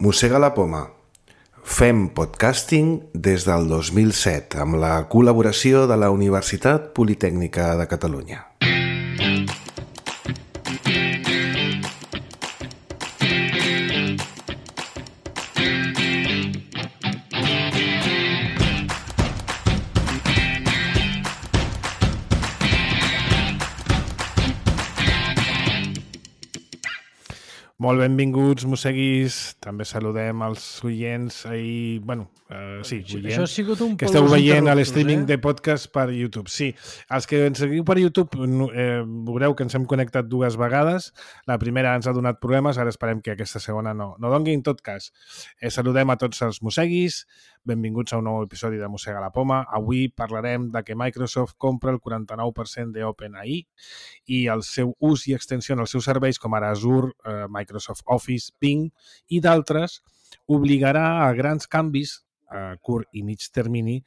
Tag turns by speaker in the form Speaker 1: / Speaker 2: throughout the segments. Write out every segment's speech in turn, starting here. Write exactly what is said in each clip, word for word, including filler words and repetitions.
Speaker 1: Mossega la poma. Fem podcasting des del dos mil set amb la col·laboració de la Universitat Politècnica de Catalunya.
Speaker 2: Molt benvinguts, mosseguis. També saludem els oients i, bueno, uh, sí, oients,
Speaker 3: Això ha sigut un
Speaker 2: que esteu veient a
Speaker 3: interruptus,
Speaker 2: l'streaming
Speaker 3: eh?
Speaker 2: de podcast per YouTube. Sí, els que ens seguiu per YouTube eh, veureu que ens hem connectat dues vegades. La primera ens ha donat problemes, ara esperem que aquesta segona no, no doni. En tot cas, eh, saludem a tots els mosseguis. Benvinguts a un nou episodi de Mossega la poma. Avui parlarem de que Microsoft compra el quaranta-nou per cent d'OpenAI i el seu ús i extensió en els seus serveis com ara Azure, eh, Microsoft Office, Bing i d'altres obligarà a grans canvis a curt i mig termini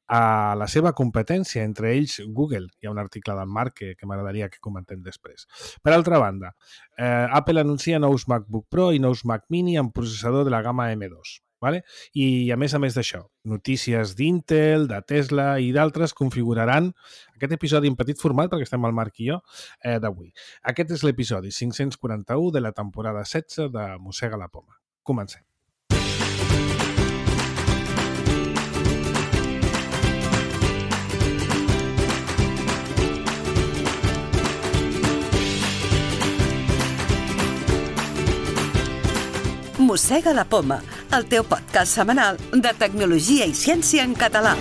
Speaker 2: a la seva competència, entre ells Google. Hi ha un article d'en Marc que, que m'agradaria que comentem després. Per altra banda, eh, Apple anuncia nous MacBook Pro i nous Mac Mini amb processador de la gamma ema dos. Vale? I a més a més d'això, notícies d'Intel, de Tesla i d'altres configuraran aquest episodi en petit format, perquè estem al Marc i jo, eh, d'avui. Aquest és l'episodi cinc-cents quaranta-u de la temporada setze de Mossega la poma. Comencem.
Speaker 4: Mossega la poma, el teu podcast setmanal de tecnologia i ciència en català.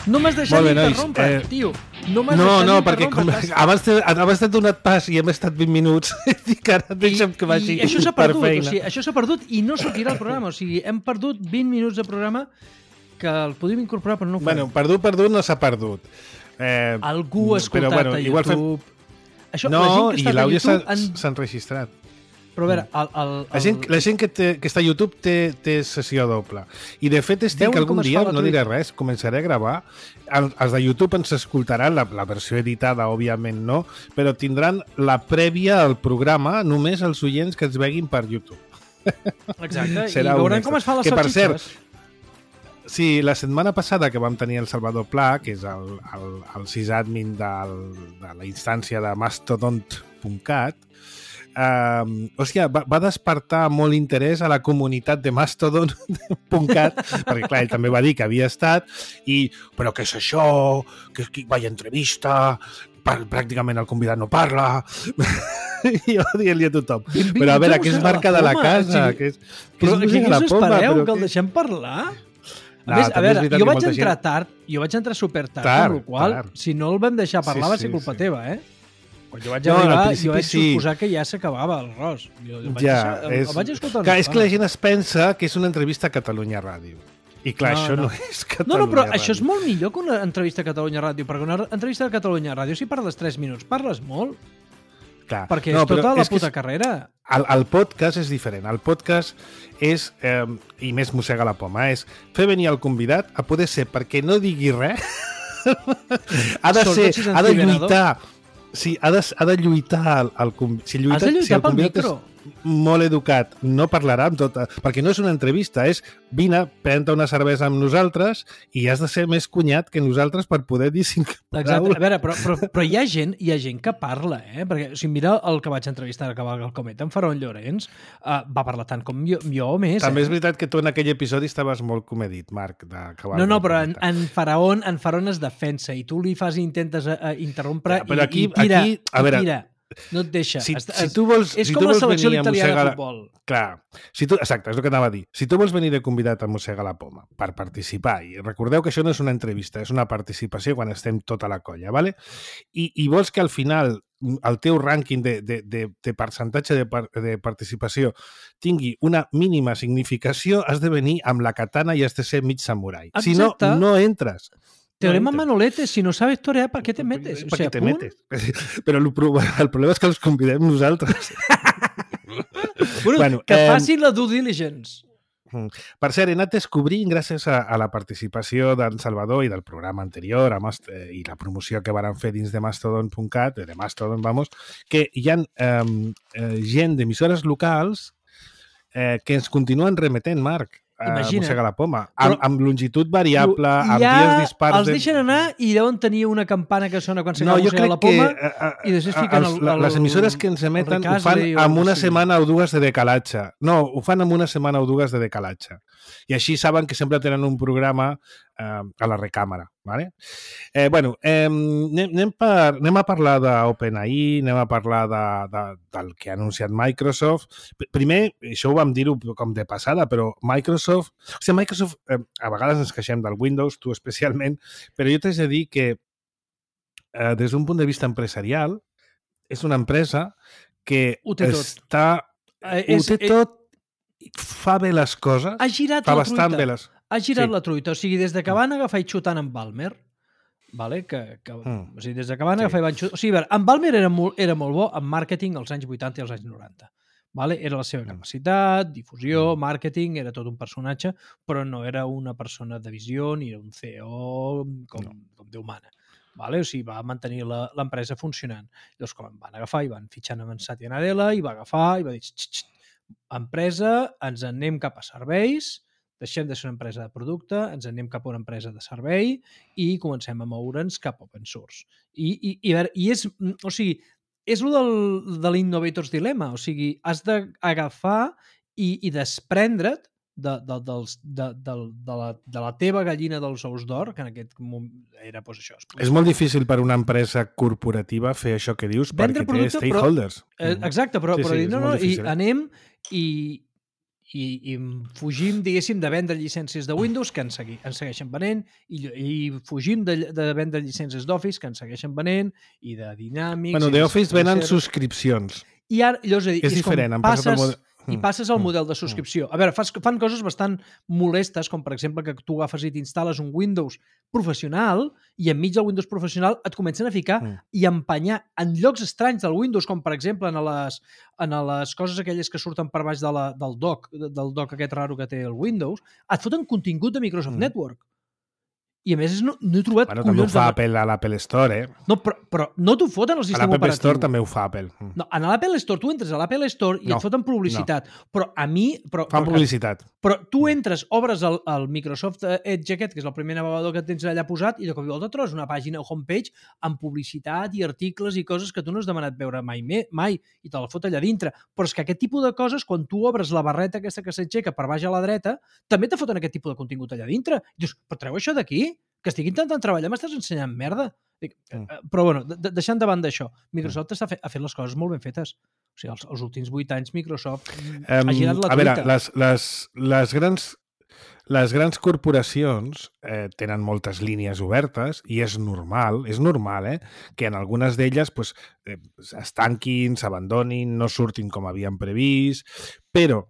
Speaker 3: No m'has deixat
Speaker 2: Molt bé, nois.
Speaker 3: interrompre,
Speaker 2: Eh,
Speaker 3: tio. No m'has
Speaker 2: No,
Speaker 3: deixat
Speaker 2: no, perquè com,
Speaker 3: interrompre. T'has-
Speaker 2: abans t'he abans t'he donat pas i hem estat vint minuts. Dic, ara deixa'm que vagi
Speaker 3: I això s'ha
Speaker 2: per
Speaker 3: perdut, o
Speaker 2: feina.
Speaker 3: sigui, això s'ha perdut i no sortirà al programa. O sigui, hem perdut vint minuts de programa que el podíem incorporar, però no ho farem.
Speaker 2: Bueno, perdut, perdut, no s'ha perdut. Eh,
Speaker 3: Algú ha escoltat
Speaker 2: però, bueno,
Speaker 3: a
Speaker 2: igual fem-
Speaker 3: YouTube. Això,
Speaker 2: No,
Speaker 3: la gent que
Speaker 2: i
Speaker 3: està a
Speaker 2: l'àudio s'ha
Speaker 3: YouTube... En...
Speaker 2: s'ha enregistrat.
Speaker 3: Però a veure, el, el, el...
Speaker 2: La gent, la gent que, té, que està a YouTube té, té sessió doble. I de fet estic
Speaker 3: Veuen
Speaker 2: algun
Speaker 3: com es
Speaker 2: dia,
Speaker 3: fa la
Speaker 2: no diré
Speaker 3: Twitch.
Speaker 2: res, començaré a gravar. El, els de YouTube ens escoltaran, la, la versió editada, òbviament no, però tindran la prèvia al programa només els oients que ens veguin per YouTube.
Speaker 3: Exacte,
Speaker 2: Serà
Speaker 3: i
Speaker 2: un
Speaker 3: veuran
Speaker 2: extra.
Speaker 3: com es fan les
Speaker 2: Que, per cert,
Speaker 3: salsitxes.
Speaker 2: Sí, la setmana passada que vam tenir el Salvador Pla, que és el, el, el sysadmin del, de la instància de mastodon punt cat, eh, hòstia, va, va despertar molt interès a la comunitat de mastodon punt cat, perquè clar, ell també va dir que havia estat, i però què és això? Que, que vaya entrevista, per, pràcticament el convidat no parla, i jo dient-li a tothom. Però a veure, que és marca de la casa, que és, que
Speaker 3: Però
Speaker 2: és
Speaker 3: què
Speaker 2: música de la
Speaker 3: us
Speaker 2: poma,
Speaker 3: espereu,
Speaker 2: però
Speaker 3: que el
Speaker 2: que-
Speaker 3: deixem parlar? A
Speaker 2: No,
Speaker 3: més, a
Speaker 2: també és
Speaker 3: veure,
Speaker 2: veritat
Speaker 3: jo
Speaker 2: que
Speaker 3: vaig
Speaker 2: molta
Speaker 3: entrar
Speaker 2: gent-
Speaker 3: tard, jo vaig entrar super tard,
Speaker 2: Tard,
Speaker 3: amb la qual
Speaker 2: tard.
Speaker 3: si no el vam deixar parlar
Speaker 2: Sí,
Speaker 3: va
Speaker 2: sí,
Speaker 3: ser culpa
Speaker 2: sí.
Speaker 3: teva, eh? Quan jo vaig
Speaker 2: No, al
Speaker 3: arribar,
Speaker 2: principi
Speaker 3: jo vaig
Speaker 2: sí.
Speaker 3: suposar que ja s'acabava el ros. Jo el vaig,
Speaker 2: Ja,
Speaker 3: deixar, el,
Speaker 2: és,
Speaker 3: el vaig escoltar
Speaker 2: clar,
Speaker 3: una
Speaker 2: és que la
Speaker 3: estona.
Speaker 2: gent es pensa que és una entrevista a Catalunya Ràdio. I clar,
Speaker 3: No,
Speaker 2: això no,
Speaker 3: no.
Speaker 2: és
Speaker 3: No,
Speaker 2: Catalunya
Speaker 3: no, però
Speaker 2: Ràdio.
Speaker 3: això és molt millor que una entrevista a Catalunya Ràdio, perquè una entrevista a Catalunya Ràdio, si parles tres minuts, parles molt,
Speaker 2: Clar.
Speaker 3: perquè
Speaker 2: No,
Speaker 3: és
Speaker 2: però
Speaker 3: tota la
Speaker 2: és que
Speaker 3: puta
Speaker 2: és-
Speaker 3: carrera.
Speaker 2: El, el podcast és diferent. El podcast és, eh, i més mossega la poma, és fer venir el convidat a poder ser, perquè no digui res, ha de
Speaker 3: Sobretot
Speaker 2: ser,
Speaker 3: si és
Speaker 2: ha de
Speaker 3: antivenedor.
Speaker 2: lluitar. Sí, ha de, ha de lluitar el, el, conv- si lluita,
Speaker 3: Has de lluitar
Speaker 2: si el
Speaker 3: pel
Speaker 2: convidat
Speaker 3: micro.
Speaker 2: És molt educat, no parlarà amb tota... Perquè no és una entrevista, és vine, pren-te una cervesa amb nosaltres i has de ser més cunyat que nosaltres per poder dir cinc
Speaker 3: Exacte. A
Speaker 2: paraules.
Speaker 3: veure, però, però, però hi ha gent hi ha gent que parla, eh? Perquè si mira el que vaig entrevistar a Cavalca el Cometa, en Faraón Llorenç, uh, va parlar tant com jo, jo o més.
Speaker 2: També
Speaker 3: eh?
Speaker 2: és veritat que tu en aquell episodi estaves molt comedit, Marc, de Cavalca.
Speaker 3: No, no, però en, en, Faraón, en Faraón es defensa i tu li fas i intentes uh, interrompre
Speaker 2: Ja, però
Speaker 3: i,
Speaker 2: aquí-
Speaker 3: i tira,
Speaker 2: aquí, a
Speaker 3: i
Speaker 2: veure,
Speaker 3: tira. No et deixa.
Speaker 2: Si,
Speaker 3: Es-
Speaker 2: si
Speaker 3: es-
Speaker 2: tu vols,
Speaker 3: és
Speaker 2: si
Speaker 3: com
Speaker 2: tu
Speaker 3: la
Speaker 2: vols
Speaker 3: selecció
Speaker 2: venir a
Speaker 3: italiana
Speaker 2: mossegar...
Speaker 3: de futbol.
Speaker 2: Clar, si tu, exacte, és el que anava a dir. Si tu vols venir de convidat a mossegar la poma per participar, i recordeu que això no és una entrevista, és una participació quan estem tota la colla, ¿vale? I, i vols que al final el teu rànquing de, de, de, de percentatge de, par, de participació tingui una mínima significació, has de venir amb la katana i has de ser mig samurai. Si no,
Speaker 3: Exacte.
Speaker 2: no entres.
Speaker 3: Teorema
Speaker 2: No,
Speaker 3: Manolete, si no sabes torear, ¿para qué te metes?
Speaker 2: ¿Para
Speaker 3: O sea,
Speaker 2: qué te
Speaker 3: punt.
Speaker 2: metes? Però el, pro- el problema és que els convidem nosaltres.
Speaker 3: Bueno,
Speaker 2: Bueno,
Speaker 3: que
Speaker 2: eh,
Speaker 3: facin la due diligence.
Speaker 2: Per cert, he anat descobrint, gràcies a, a la participació d'en Salvador i del programa anterior a Mast eh, i la promoció que varen fer dins de mastodon punt cat, de Mastodon, vamos, que hi ha eh, eh, gent d'emissores locals eh, que ens continuen remetent, Marc, a
Speaker 3: Imagina't.
Speaker 2: Mossega la Poma, amb,
Speaker 3: Però-
Speaker 2: amb longitud variable,
Speaker 3: I
Speaker 2: amb
Speaker 3: ja
Speaker 2: dies dispars...
Speaker 3: els deixen anar i deuen tenir una campana que sona quan
Speaker 2: No,
Speaker 3: s'acaba
Speaker 2: jo
Speaker 3: Mossega
Speaker 2: crec
Speaker 3: la Poma
Speaker 2: que eh,
Speaker 3: i després fiquen
Speaker 2: els,
Speaker 3: el,
Speaker 2: la-
Speaker 3: el,
Speaker 2: les emissores que ens emeten ho fan
Speaker 3: Ricasley o
Speaker 2: amb
Speaker 3: el
Speaker 2: una
Speaker 3: que sigui.
Speaker 2: setmana o dues de decalatge. No, ho fan amb una setmana o dues de decalatge. I així saben que sempre tenen un programa eh, a la recàmera. Vale? Eh, bueno, eh, anem, anem, per, anem a parlar d'OpenAI, anem a parlar de, de, del que ha anunciat Microsoft. P- Primer, això ho vam dir-ho com de passada, però Microsoft... O sigui, Microsoft, eh, a vegades ens queixem del Windows, tu especialment, però jo t'haig de dir que eh, des d'un punt de vista empresarial, és una empresa que
Speaker 3: Ho té tot.
Speaker 2: està...
Speaker 3: Eh,
Speaker 2: ho
Speaker 3: és-
Speaker 2: té
Speaker 3: eh,
Speaker 2: tot, fa bé les coses,
Speaker 3: Ha girat
Speaker 2: fa
Speaker 3: la
Speaker 2: bastant
Speaker 3: truita.
Speaker 2: bé les...
Speaker 3: Ha girat
Speaker 2: Sí.
Speaker 3: la truita. O sigui, des de que van agafar i xutant en Balmer, vale? que, que,
Speaker 2: Mm.
Speaker 3: o sigui, des de que van
Speaker 2: Sí.
Speaker 3: agafar i van xutar... O sigui, a veure, en Balmer era molt, era molt bo en màrqueting als anys vuitanta i als anys noranta. Vale? Era la seva
Speaker 2: Mm.
Speaker 3: capacitat, difusió,
Speaker 2: Mm.
Speaker 3: màrqueting, era tot un personatge, però no era una persona de visió ni era un C E O com,
Speaker 2: No.
Speaker 3: com Déu mana. Vale? O sigui, va mantenir la- l'empresa funcionant. Llavors, com van agafar i van fitxant amb en Satya Nadella i va agafar i va dir "Xt, xt, xt, empresa, ens en anem cap a serveis, deixem de ser una empresa de producte, ens en anem cap a una empresa de servei i comencem a moure'ns cap a open source. I, i, i, a veure, i és, o sigui, és el del, de l'Innovator's Dilemma, o sigui, has d'agafar i, i desprendre't de, de, dels, de, de, de, la, de la teva gallina dels ous d'or, que en aquest moment era doncs, això.
Speaker 2: És molt difícil per una empresa corporativa fer això que dius
Speaker 3: Vendre
Speaker 2: perquè té
Speaker 3: producte, però-
Speaker 2: stakeholders.
Speaker 3: Eh, exacte, però,
Speaker 2: Sí,
Speaker 3: però
Speaker 2: sí,
Speaker 3: dir,
Speaker 2: és
Speaker 3: no,
Speaker 2: molt
Speaker 3: no, i
Speaker 2: difícil, eh?
Speaker 3: anem i, i, i fugim, diguéssim, de vendre llicències de Windows, que ens, segui, ens segueixen venent, i, i fugim de, de vendre llicències d'Office, que ens segueixen venent, i de Dynamics...
Speaker 2: Bueno,
Speaker 3: i de
Speaker 2: d'Office venen
Speaker 3: Sequencer.
Speaker 2: subscripcions.
Speaker 3: I ara, llavors, és, a dir,
Speaker 2: És
Speaker 3: és com
Speaker 2: diferent, han passat al
Speaker 3: passes,
Speaker 2: model-
Speaker 3: i
Speaker 2: Mm,
Speaker 3: passes al
Speaker 2: mm,
Speaker 3: model de subscripció. A veure, fas, fan coses bastant molestes, com per exemple que tu agafes i t'instal·les un Windows professional i enmig del Windows professional et comencen a ficar
Speaker 2: Mm.
Speaker 3: i empanyar en llocs estranys del Windows, com per exemple en les, en les coses aquelles que surten per baix de la, del dock, del dock aquest raro que té el Windows, et foten contingut de Microsoft
Speaker 2: Mm.
Speaker 3: Network. I a més no, no he trobat
Speaker 2: Bueno, també ho
Speaker 3: collons
Speaker 2: fa
Speaker 3: de...
Speaker 2: Apple a l'Apple Store, eh?
Speaker 3: No, però, però no t'ho foten al
Speaker 2: A
Speaker 3: sistema
Speaker 2: l'Apple
Speaker 3: operatiu.
Speaker 2: Store també ho fa Apple. Mm.
Speaker 3: No, en l'Apple Store, tu entres a l'Apple Store i
Speaker 2: No,
Speaker 3: et foten publicitat. Però a mi... Però,
Speaker 2: Fan
Speaker 3: però,
Speaker 2: publicitat.
Speaker 3: però tu
Speaker 2: Mm.
Speaker 3: entres, obres el, el Microsoft Edge aquest, que és el primer navegador que tens allà posat, i de cop i volta trobes una pàgina homepage amb publicitat i articles i coses que tu no has demanat veure mai, me, mai i te la fot allà dintre. Però és que aquest tipus de coses, quan tu obres la barreta aquesta que s'aixeca per baix a la dreta, també te foten aquest tipus de contingut allà dintre. I dius, però treu això d'aquí? Que estic intentant treballar, m'estàs ensenyant merda. Dic,
Speaker 2: Mm.
Speaker 3: eh, però bueno, de, de, deixant de banda això, Microsoft està fe, ha fet les coses molt ben fetes. O sigui, els, els últims vuit anys Microsoft
Speaker 2: Um,
Speaker 3: ha girat la
Speaker 2: a veure,
Speaker 3: truita.
Speaker 2: les, les, les grans les grans corporacions eh, tenen moltes línies obertes i és normal, és normal, eh, que en algunes d'elles pues, eh, es tanquin, s'abandonin, no surtin com havien previst, però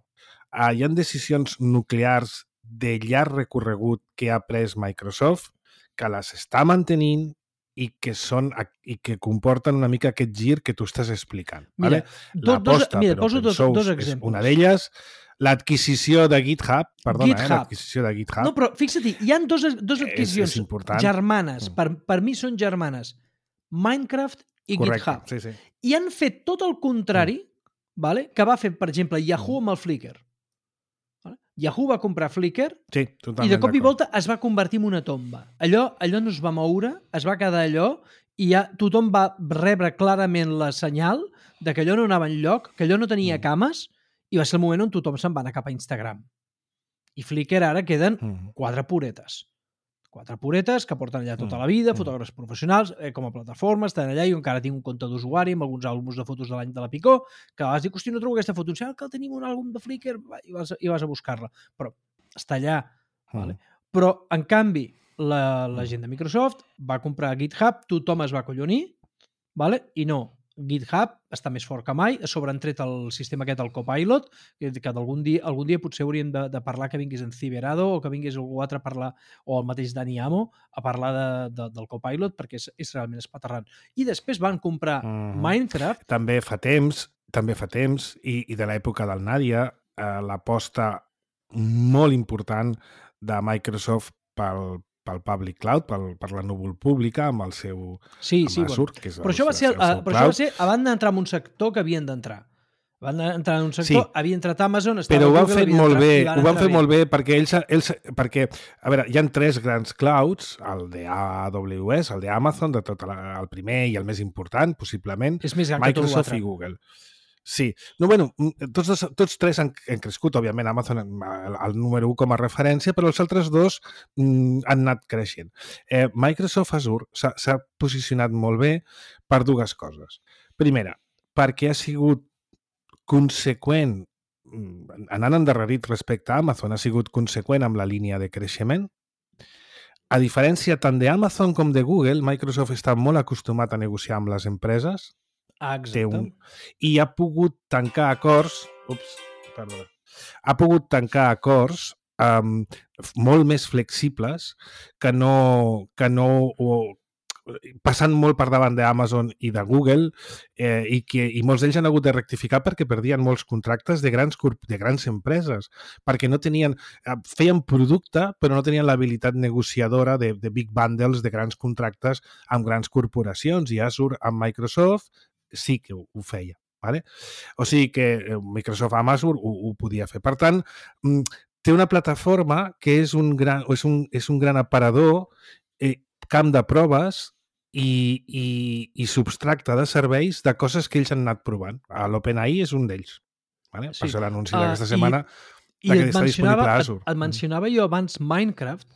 Speaker 2: eh, hi ha decisions nuclears de llarg recorregut que ha pres Microsoft que les està mantenint i que són i que comporten una mica aquest gir que tu estàs explicant.
Speaker 3: Mira,
Speaker 2: Vale?
Speaker 3: do, dos,
Speaker 2: L'aposta
Speaker 3: mira,
Speaker 2: per
Speaker 3: poso
Speaker 2: open
Speaker 3: dos,
Speaker 2: source
Speaker 3: dos
Speaker 2: és
Speaker 3: exemples.
Speaker 2: una d'elles. L'adquisició de GitHub, perdona,
Speaker 3: GitHub.
Speaker 2: eh, l'adquisició de GitHub.
Speaker 3: No, però fixa't, hi ha dos, dos
Speaker 2: És-
Speaker 3: adquisicions
Speaker 2: és important.
Speaker 3: germanes.
Speaker 2: Mm.
Speaker 3: Per, per mi són germanes. Minecraft i
Speaker 2: Correcte,
Speaker 3: GitHub.
Speaker 2: sí, sí.
Speaker 3: I han fet tot el contrari vale, que va fer, per exemple, Yahoo amb el Flickr. Vale? Yahoo va comprar Flickr
Speaker 2: Sí,
Speaker 3: i
Speaker 2: totalment
Speaker 3: de cop i
Speaker 2: d'acord.
Speaker 3: volta es va convertir en una tomba. Allò, allò no es va moure, es va quedar allò i ja tothom va rebre clarament la senyal de que allò no anava enlloc, que allò no tenia
Speaker 2: Mm.
Speaker 3: cames i va ser el moment on tothom se'n va anar cap a Instagram. I Flickr ara queden
Speaker 2: Mm.
Speaker 3: quatre puretes. Quatre puretes que porten allà tota
Speaker 2: Mm.
Speaker 3: la vida,
Speaker 2: Mm.
Speaker 3: fotògrafs professionals, eh, com a plataforma, estan allà, i jo encara tinc un compte d'usuari amb alguns àlbums de fotos de l'any de la Picó, que a vegades dic, hosti, no trobo aquesta foto, em que tenim un àlbum de Flickr, va, i vas, i vas a buscar-la. Però està allà. Vale?
Speaker 2: Mm.
Speaker 3: Però, en canvi, la, la gent de Microsoft va comprar GitHub, tothom es va acollonir, vale? I no, GitHub està més fort que mai, a sobre han tret el sistema aquest, el Copilot, que, que algun dia, algun dia potser hauríem de, de parlar que vingués en Ciberado o que vingués algú altre a parlar, o el mateix Dani Amo, a parlar de, de, del Copilot, perquè és, és realment espaterrant. I després van comprar uh-huh. Minecraft.
Speaker 2: També fa temps, també fa temps, i, i de l'època del Nadia, eh, l'aposta molt important de Microsoft pel pel Public Cloud, pel, per la núvol pública, amb el seu
Speaker 3: sí, sí,
Speaker 2: Azure,
Speaker 3: bueno.
Speaker 2: que és el,
Speaker 3: però això va ser,
Speaker 2: el seu
Speaker 3: però això va ser abans d'entrar en un sector que havien d'entrar. Van entrar en un sector, sí. havia entrat Amazon, estava
Speaker 2: però ho han
Speaker 3: Google,
Speaker 2: fet molt bé, ho van fer
Speaker 3: bé.
Speaker 2: molt bé perquè ells, ells, perquè, a veure, hi ha tres grans clouds, el de A W S, el de Amazon, de tot la, el primer i el més important, possiblement,
Speaker 3: és més gran
Speaker 2: Microsoft
Speaker 3: que tot
Speaker 2: i Google. Sí. No, bueno, tots, dos, tots tres han, han crescut, òbviament, Amazon el, el número u com a referència, però els altres dos mm, han anat creixent. Eh, Microsoft Azure s'ha posicionat molt bé per dues coses. Primera, perquè ha sigut conseqüent, anant endarrerit respecte a Amazon, ha sigut conseqüent amb la línia de creixement. A diferència tant d'Amazon com de Google, Microsoft està molt acostumat a negociar amb les empreses.
Speaker 3: Ah, exacte.
Speaker 2: Un, I ha pogut tancar acords... Ups, perdona. Ha pogut tancar acords um, molt més flexibles que no... Que no o, passant molt per davant d'Amazon i de Google eh, i, que, i molts d'ells han hagut de rectificar perquè perdien molts contractes de grans, de grans empreses, perquè no tenien, feien producte però no tenien l'habilitat negociadora de, de big bundles, de grans contractes amb grans corporacions, i Azure amb Microsoft sí que ho, ho feia. Vale? O sigui que Microsoft amb Azure ho, ho podia fer. Per tant, té una plataforma que és un gran, és un, és un gran aparador, eh, camp de proves i, i, i substracte de serveis de coses que ells han anat provant. l'OpenAI és un d'ells. Vale? Sí. Per això l'anunci uh, d'aquesta setmana
Speaker 3: i, i et, mencionava, et, et mencionava jo abans Minecraft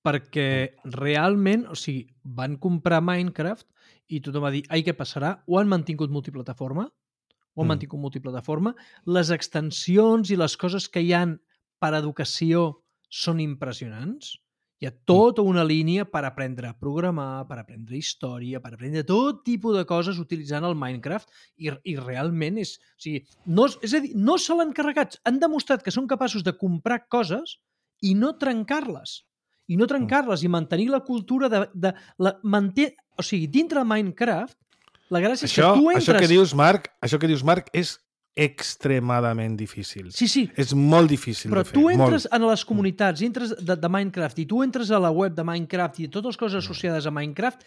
Speaker 3: perquè realment, o sigui, van comprar Minecraft i tothom va dir, ai, què passarà? Ho han mantingut multiplataforma? Ho han mm. mantingut multiplataforma? Les extensions i les coses que hi han per educació són impressionants? Hi ha tota una línia per aprendre a programar, per aprendre història, per aprendre tot tipus de coses utilitzant el Minecraft i, i realment és... O sigui, no, és a dir, no se l'han carregat. Han demostrat que són capaços de comprar coses i no trencar-les. I no trencar-les i mantenir la cultura de... de la, manté, o sigui, dintre de Minecraft, la gràcia
Speaker 2: això,
Speaker 3: és que tu entres...
Speaker 2: Això que dius, Marc, això que dius, Marc, és extremadament difícil.
Speaker 3: Sí, sí.
Speaker 2: És molt difícil
Speaker 3: però
Speaker 2: de fer.
Speaker 3: Però tu entres
Speaker 2: molt.
Speaker 3: en les comunitats, entres de, de Minecraft i tu entres a la web de Minecraft i totes les coses associades a Minecraft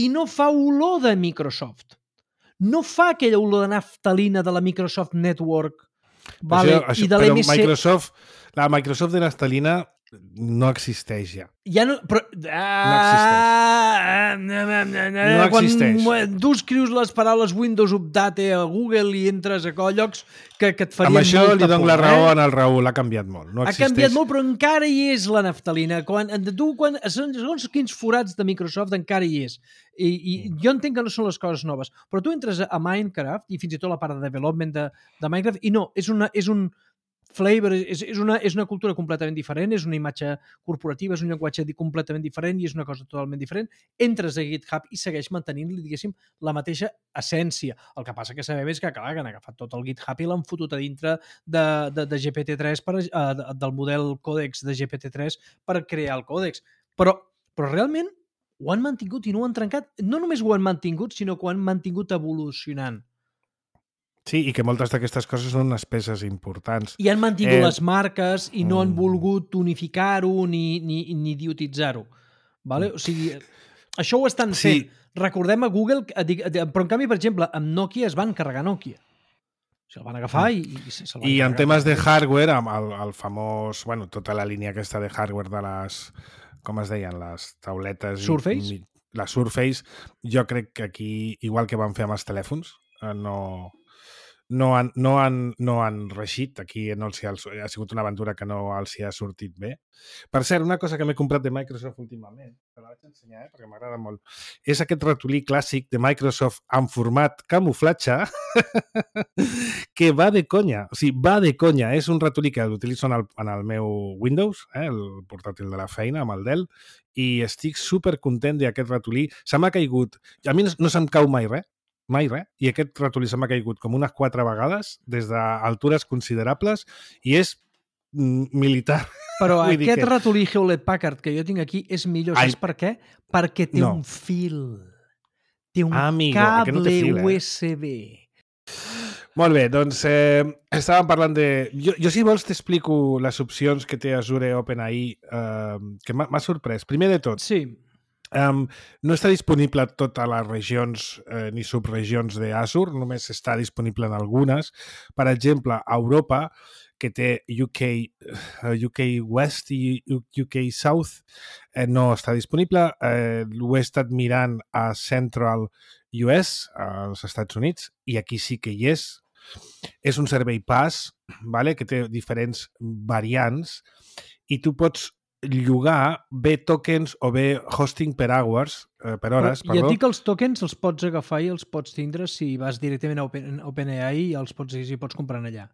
Speaker 3: i no fa olor de Microsoft. No fa aquella olor de naftalina de la Microsoft Network, vale?
Speaker 2: Això, això,
Speaker 3: I de l'M C...
Speaker 2: Però Microsoft, la Microsoft de naftalina no existeix ja.
Speaker 3: Ja no... Però,
Speaker 2: ah, no existeix. No existeix.
Speaker 3: Quan tu escrius les paraules Windows Update a Google i entres a llocs que, que et farien
Speaker 2: molta por. Amb això li dono la raó
Speaker 3: eh?
Speaker 2: en el Raül, ha canviat molt. No
Speaker 3: ha
Speaker 2: existeix.
Speaker 3: canviat molt, però encara hi és la naftalina. Quan, tu, quan, segons quins forats de Microsoft encara hi és. I, i jo entenc que no són les coses noves, però tu entres a Minecraft i fins i tot la part de development de, de Minecraft i no, és, una, és un flavor, és, és, una, és una cultura completament diferent, és una imatge corporativa, és un llenguatge completament diferent i és una cosa totalment diferent. Entres a GitHub i segueix mantenint, diguéssim, la mateixa essència. El que passa que sabem és que, clar, que han agafat tot el GitHub i l'han fotut a dintre de, de, de G P T tres, per, uh, del model còdex de G P T tres per crear el còdex. Però, però realment ho han mantingut i no ho han trencat. No només ho han mantingut, sinó que ho han mantingut evolucionant.
Speaker 2: Sí, i que moltes d'aquestes coses són unes peces importants.
Speaker 3: I han mantingut eh... les marques i no han volgut unificar-ho ni, ni, ni idiotitzar-ho. Vale? O sigui, això ho estan fent. Sí. Recordem a Google, però en canvi, per exemple, amb Nokia es van carregar Nokia. Se'l van agafar i, i se'l van
Speaker 2: I
Speaker 3: carregar.
Speaker 2: en temes de hardware, amb el, el famós, bueno, tota la línia aquesta de hardware de les, com es deien, les tauletes...
Speaker 3: Surface?
Speaker 2: I, la Surface, jo crec que aquí, igual que van fer amb els telèfons, no... No han, no, han, no han reixit, aquí no els ha, ha sigut una aventura que no els hi ha sortit bé. Per cert, una cosa que m'he comprat de Microsoft últimament, que la vaig ensenyar, eh, perquè m'agrada molt, és aquest ratolí clàssic de Microsoft en format camuflatge que va de conya, o sigui, va de conya. És un ratolí que l'utilitzo en, el, en el meu Windows, eh, el portàtil de la feina, amb el Dell, i estic supercontent d'aquest ratolí. Se m'ha caigut. A mi no, no se'm cau mai res, mai res, i aquest ratolí se m'ha caigut com unes quatre vegades des d'altures considerables i és mm, militar.
Speaker 3: Però
Speaker 2: Vull dir
Speaker 3: aquest
Speaker 2: que-
Speaker 3: ratolí Hewlett Packard que jo tinc aquí és millor,
Speaker 2: Ai.
Speaker 3: saps per què? Perquè té
Speaker 2: No.
Speaker 3: un fil. Té un
Speaker 2: Ah, amigo, aquest no té
Speaker 3: cable
Speaker 2: fil, eh?
Speaker 3: U S B.
Speaker 2: Molt bé, doncs eh, estàvem parlant de... Jo, jo si vols t'explico les opcions que té Azure OpenAI, eh, que m'ha m'ha sorprès. Primer de tot,
Speaker 3: Sí,
Speaker 2: Um, no està disponible a totes les regions eh, ni subregions d'Azure, només està disponible en algunes. Per exemple, a Europa, que té U K, uh, U K West i U K South, eh, no està disponible. Eh, ho he estat mirant a Central U S, als Estats Units, i aquí sí que hi és. És un servei pass, vale? Que té diferents variants, i tu pots llogar bé tokens o bé hosting per hours, eh, per hores,
Speaker 3: però ja
Speaker 2: perdó.
Speaker 3: et dic que els tokens els pots agafar i els pots tindre si vas directament a Open, OpenAI i els pots, i pots comprar allà.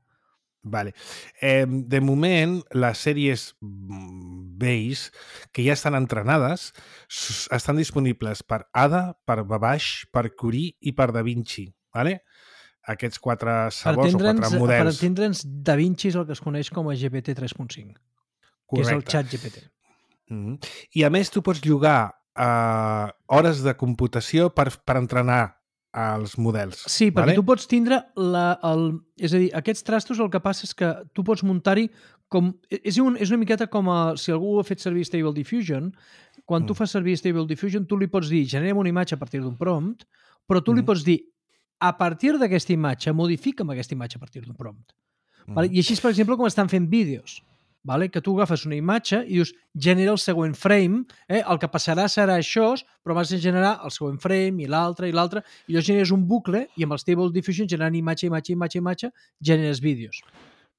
Speaker 2: Vale. Eh, de moment, les sèries mm, base, que ja estan entrenades, s- estan disponibles per A D A, per Babash, per Curie i per DaVinci. Vale? Aquests quatre
Speaker 3: Per
Speaker 2: sabors o
Speaker 3: entendre'ns,
Speaker 2: quatre
Speaker 3: per
Speaker 2: models.
Speaker 3: entendre'ns, DaVinci és el que es coneix com a G P T tres punt cinc, que és el
Speaker 2: Correcte.
Speaker 3: xat G P T.
Speaker 2: Mm -hmm. I a més tu pots llogar uh, hores de computació per, per entrenar els models.
Speaker 3: Sí, perquè
Speaker 2: vale?
Speaker 3: tu pots tindre la, el... És a dir, aquests trastos el que passa és que tu pots muntar-hi com... És, un, és una miqueta com a, si algú ha fet servir Stable Diffusion, quan
Speaker 2: Mm.
Speaker 3: tu fas servir Stable Diffusion tu li pots dir generem una imatge a partir d'un prompt, però tu li
Speaker 2: Mm.
Speaker 3: pots dir a partir d'aquesta imatge, modifica'm aquesta imatge a partir d'un prompt.
Speaker 2: Mm.
Speaker 3: Vale? I així és, per exemple, com estan fent vídeos. Vale? Que tu agafes una imatge i dius, genera el següent frame, eh? El que passarà serà això, però vas a generar el següent frame i l'altre i l'altre, i llavors generes un bucle i amb el Stable Diffusion generant imatge, imatge, imatge, imatge, generes vídeos.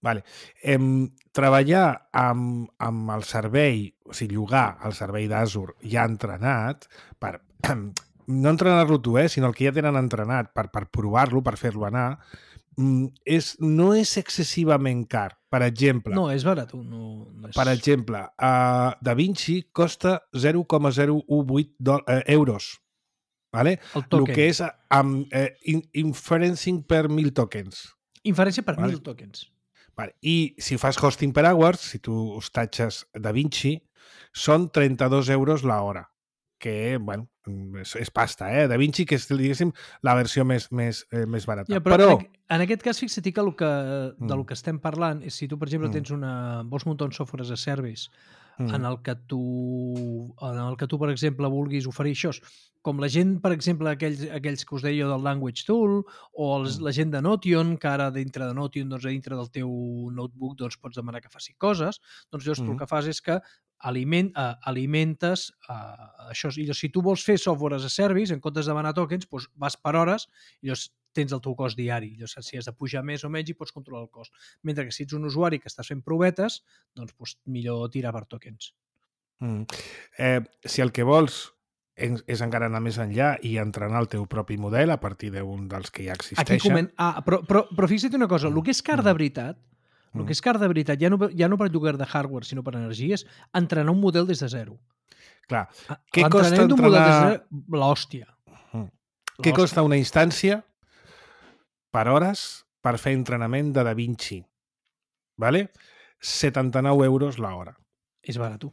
Speaker 2: Vale. Em, treballar amb, amb el servei, o sigui, llogar el servei d'Azure ja entrenat, per, no entrenar-lo tu, eh, sinó el que ja tenen entrenat per, per provar-lo, per fer-lo anar, és, no és excessivament car. Per exemple,
Speaker 3: No, és barat. No, no és...
Speaker 2: per exemple, uh, DaVinci costa zero coma zero u vuit eh, euros. Vale?
Speaker 3: El
Speaker 2: El
Speaker 3: token.
Speaker 2: que és amb eh, in, inferencing per mil tokens.
Speaker 3: Inferència per
Speaker 2: Vale.
Speaker 3: mil tokens.
Speaker 2: Vale. I si fas hosting per hours, si tu hostatges DaVinci, són trenta-dos euros l'hora, que, bueno, és, és pasta, eh? DaVinci, que és, diguéssim, la versió més, més, eh, més barata.
Speaker 3: Ja, però
Speaker 2: però...
Speaker 3: en, en aquest cas, fixa't que, el que de
Speaker 2: Mm.
Speaker 3: lo que estem parlant és si tu, per exemple,
Speaker 2: Mm.
Speaker 3: tens una, vols muntar un software as a service
Speaker 2: Mm.
Speaker 3: en el que tu, en el que tu, per exemple, vulguis oferir això, com la gent, per exemple, aquells, aquells que us deia jo del Language Tool, o els,
Speaker 2: Mm.
Speaker 3: la gent de Notion, que ara dintre de Notion, doncs, a dintre del teu notebook, doncs, pots demanar que faci coses, doncs llavors mm. tu el
Speaker 2: Mm.
Speaker 3: que fas és que aliment, uh, alimentes uh, això. I llavors, si tu vols fer software as a service, en comptes de demanar tokens, doncs vas per hores i llavors tens el teu cost diari. Llavors, si has de pujar més o menys i pots controlar el cost. Mentre que si ets un usuari que estàs fent provetes, doncs, doncs millor tirar per tokens.
Speaker 2: Mm. Eh, si el que vols és encara anar més enllà i entrenar el teu propi model a partir d'un dels que ja existeixen...
Speaker 3: Aquí coment... Ah, però, però, però fixa't una cosa, el que és car de veritat, el que és car de veritat, ja no, ja no per lloguer de hardware, sinó per energia, és entrenar un model des de zero.
Speaker 2: Clar, què costa
Speaker 3: L'entrenament d'un model
Speaker 2: entrenar...
Speaker 3: des de zero, l'hòstia.
Speaker 2: Mm. Què costa una instància per hores per fer entrenament de DaVinci? Vale? setanta-nou euros l'hora.
Speaker 3: És barat.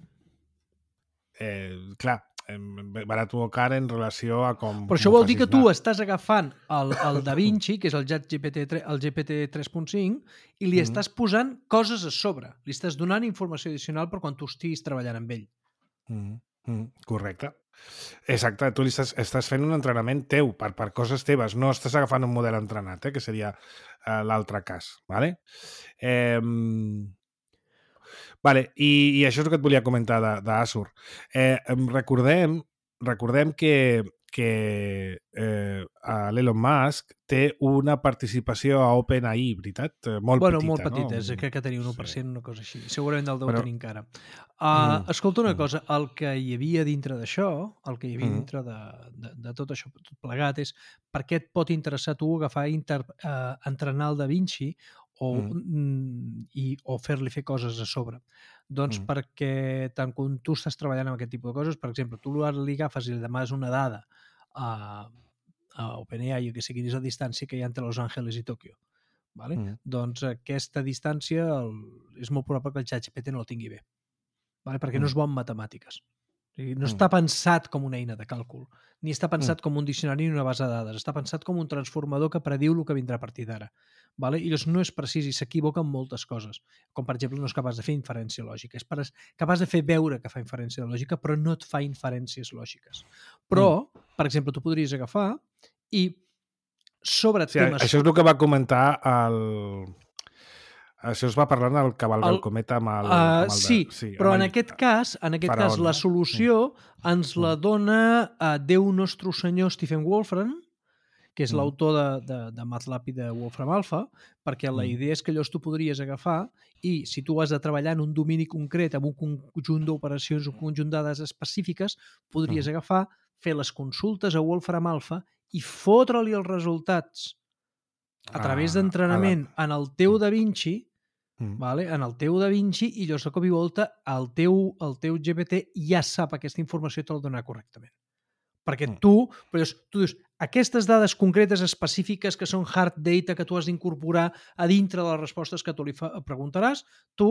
Speaker 2: Eh, clar, barat o car en relació a com...
Speaker 3: Però això vol dir que tu estàs agafant el, el DaVinci, que és el G P T, el G P T tres punt cinc, i li mm. estàs posant coses a sobre. Li estàs donant informació addicional per quan tu estiguis treballant amb ell.
Speaker 2: Mm. Mm. Correcte. Exacte, tu li estàs, estàs fent un entrenament teu per, per coses teves, no estàs agafant un model entrenat, eh, que seria uh, l'altre cas. Vale? Eh, Vale, i, i això és el que et volia comentar d'Azure. Eh, recordem, recordem que, que eh, l'Elon Musk té una participació a OpenAI, veritat? Molt
Speaker 3: bueno,
Speaker 2: petita,
Speaker 3: molt petita,
Speaker 2: no?
Speaker 3: és, crec que tenia un u per cent, sí. Una cosa així. Segurament el deu
Speaker 2: Però...
Speaker 3: tenir encara. Uh, mm. Escolta una cosa, el que hi havia dintre d'això, el que hi havia mm. dintre de, de, de tot això tot plegat és per què et pot interessar tu agafar inter, uh, entrenar el DaVinci o, mm. i, o fer-li fer coses a sobre. Doncs mm. perquè tant quan tu estàs treballant amb aquest tipus de coses, per exemple, tu li agafes i li demanes una dada a, a OpenAI, jo que sé quina és la distància que hi ha entre Los Angeles i Tòquio. Vale?
Speaker 1: Mm.
Speaker 3: Doncs aquesta distància el, és molt probable que el ChatGPT no la tingui bé, vale? Perquè
Speaker 1: Mm.
Speaker 3: no és bo en matemàtiques. O sigui, no
Speaker 1: Mm.
Speaker 3: està pensat com una eina de càlcul, ni està pensat com un diccionari ni una base de dades, està pensat com un transformador que prediu el que vindrà a partir d'ara. Vale? I llavors no és precís i s'equivoca en moltes coses, com per exemple no és capaç de fer inferència lògica, és capaç de fer veure que fa inferència lògica però no et fa inferències lògiques. Però, mm. per exemple, tu podries agafar i sobre
Speaker 2: sí,
Speaker 3: temes...
Speaker 2: Això és el que va comentar el... Això es va parlar en el Cavalgar el Cometa amb el...
Speaker 3: Uh,
Speaker 2: amb el de...
Speaker 3: sí,
Speaker 2: sí,
Speaker 3: però
Speaker 2: el...
Speaker 3: en aquest cas, en aquest
Speaker 2: Faraón,
Speaker 3: cas la
Speaker 2: no?
Speaker 3: solució mm. ens la dona uh, Déu nostre senyor Stephen Wolfram, que és mm. l'autor de, de, de MATLAB i de Wolfram Alpha, perquè la
Speaker 2: mm.
Speaker 3: idea és que llavors tu podries agafar i si tu has de treballar en un domini concret, amb un conjunt d'operacions, un conjunt de dades específiques, podries mm. agafar, fer les consultes a Wolfram Alpha i fotre-li els resultats a través
Speaker 2: ah,
Speaker 3: d'entrenament la... en el teu Da Vinci,
Speaker 2: mm.
Speaker 3: vale? En el teu Da Vinci, i llavors de cop i volta el teu, el teu G P T ja sap aquesta informació i te la donarà correctament. Perquè
Speaker 2: mm.
Speaker 3: tu, però llavors, tu dius, aquestes dades concretes específiques que són hard data que tu has d'incorporar a dintre de les respostes que tu li fa, preguntaràs, tu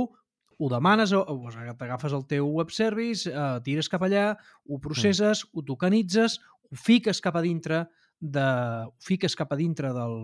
Speaker 3: ho demanes, o, o t'agafes el teu web service, eh, tires cap allà, ho processes, mm. ho tokenitzes, ho fiques cap a dintre de, ho fiques cap a dintre del,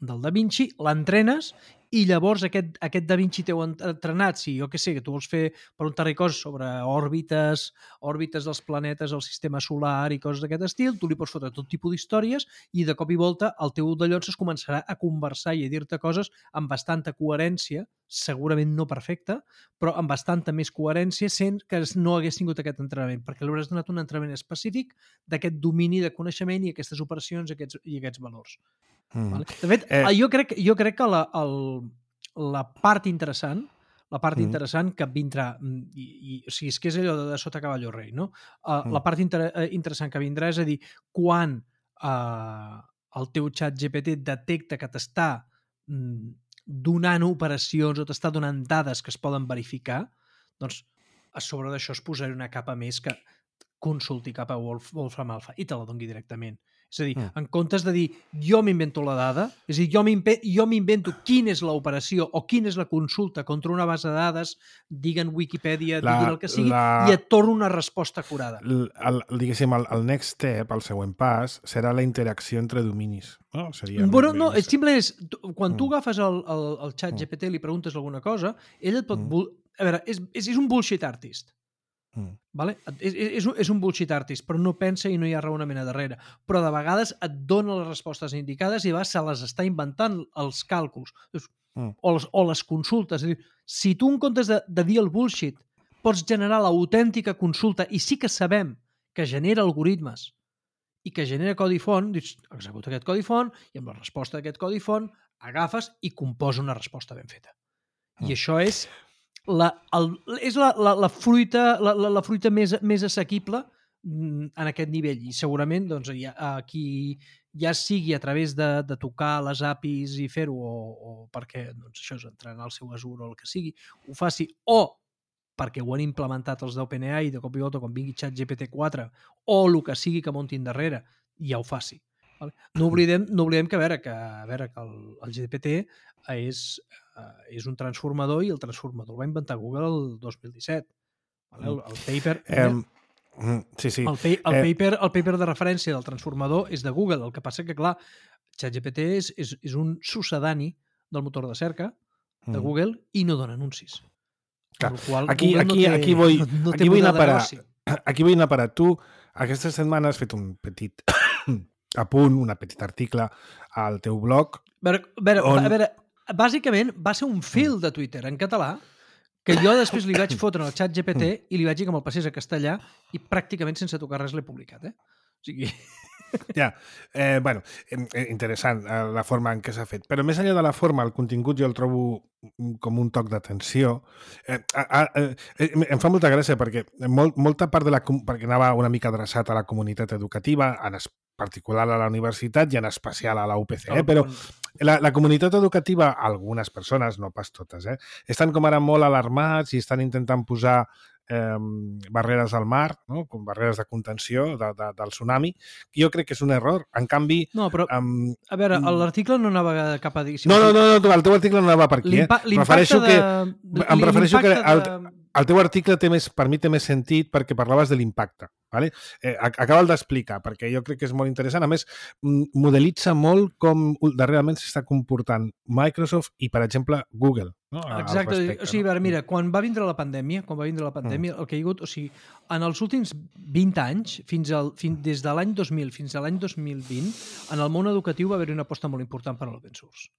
Speaker 3: del Da Vinci, l'entrenes i llavors aquest, aquest Da Vinci teu entrenat, si jo què sé, que tu vols fer preguntar-li coses sobre òrbites, òrbites dels planetes, el sistema solar i coses d'aquest estil, tu li pots fotre tot tipus d'històries i de cop i volta el teu dallons es començarà a conversar i a dir-te coses amb bastanta coherència, segurament no perfecta, però amb bastanta més coherència sent que no hagués tingut aquest entrenament, perquè li hauràs donat un entrenament específic d'aquest domini de coneixement i aquestes operacions aquests, i aquests valors. Mm. Vale? De fet, eh... jo, crec, jo crec que la, el, la part interessant la part mm. interessant que vindrà i, i, o sigui, és que és allò de, de sota cavall rei, no? Uh, mm. La part inter interessant que vindrà és a dir, quan uh, el teu xat G P T detecta que t'està mm, donant operacions o t'està donant dades que es poden verificar, doncs a sobre d'això es posarà una capa més que consulti cap a Wolf, Wolfram Alpha i te la doni directament. És a dir, mm. en comptes de dir jo m'invento la dada, és a dir, jo m'invento quina és l'operació o quina és la consulta contra una base de dades, diguen Wikipedia, la, diguin el que sigui, la... i et torno una resposta acurada.
Speaker 2: El, el, diguéssim, el, el next step, el següent pas, serà la interacció entre dominis. No, Seria
Speaker 3: bueno, no, és simple és, quan tu
Speaker 2: mm.
Speaker 3: agafes el, el, el xat G P T i li preguntes alguna cosa, ell et pot... Mm. A veure, és, és, és un bullshit artist. Mm. Vale? És, és, un, és un bullshit artist, però no pensa i no hi ha raonament a darrere. Però de vegades et dona les respostes indicades i va, se les està inventant els càlculs mm. o, les, o les consultes. És a dir, si tu en comptes de, de dir el bullshit pots generar l'autèntica consulta i sí que sabem que genera algoritmes i que genera codi font, dius, executa aquest codi font i amb la resposta d'aquest codi font agafes i composa una resposta ben feta. Mm. I això és La, el, és la, la, la fruita, la, la, la fruita més, més assequible en aquest nivell i segurament doncs, ja, aquí ja sigui a través de, de tocar les A P Is i fer-ho o, o perquè doncs, això és entrenar el seu Azure o el que sigui, ho faci o perquè ho han implementat els d'OpenAI i de cop i volta quan vingui ChatGPT quatre o el que sigui que muntin darrere ja ho faci. Vale? No oblidem, no oblidem que, a veure, que, a veure, que el, el G P T és, uh, és un transformador i el transformador el va inventar Google el dos mil disset. Vale? El, el paper...
Speaker 2: Um, sí, sí.
Speaker 3: El, pa el, eh... paper, el paper de referència del transformador és de Google. El que passa que, clar, ChatGPT és, és, és un sucedani del motor de cerca de mm. Google i no dona anuncis.
Speaker 2: Clar. Qual, aquí, aquí, no té, aquí, vull, no, no aquí vull anar a parar. Aquí vull anar a parar. Tu, aquesta setmana has fet un petit... a punt, un petit article al teu blog.
Speaker 3: A veure, a veure,
Speaker 2: on...
Speaker 3: a veure, bàsicament va ser un fil de Twitter en català que jo després li vaig fotre al xat G P T i li vaig dir que me'l passés a castellà i pràcticament sense tocar res l'he publicat. Eh? O sigui...
Speaker 2: Ja, eh, bueno, interessant la forma en què s'ha fet. Però més enllà de la forma, el contingut jo el trobo com un toc d'atenció. Eh, eh, eh, em fa molta gràcia perquè molt, molta part de la... perquè anava una mica adreçat a la comunitat educativa, en particular a la universitat i en especial a la U P C, eh? Però la, la comunitat educativa, algunes persones, no pas totes, eh? estan com ara molt alarmats i estan intentant posar eh, barreres al mar, no? Com barreres de contenció de, de, del tsunami. Jo crec que és un error. En canvi...
Speaker 3: No, però,
Speaker 2: Um,
Speaker 3: a veure, l'article no anava cap a dir...
Speaker 2: no, no, no, no, el teu article no anava per aquí. Eh?
Speaker 3: L'impacte
Speaker 2: que,
Speaker 3: de...
Speaker 2: em prefereixo que el,
Speaker 3: de...
Speaker 2: el teu article té més, per mi té més sentit perquè parlaves de l'impacte. Vale? Eh, acaba'l d'explicar, perquè jo crec que és molt interessant. A més, modelitza molt com darrerament s'està comportant Microsoft i, per exemple, Google. No?
Speaker 3: Exacte.
Speaker 2: Respecte,
Speaker 3: o sigui,
Speaker 2: no?
Speaker 3: mira, quan va vindre la pandèmia, quan va vindre la pandèmia, mm. el que hi ha hagut, o sigui, en els últims vint anys, fins al, fins, des de l'any dos mil fins a l'any dos mil vint, en el món educatiu va haver-hi una aposta molt important per a l'open source.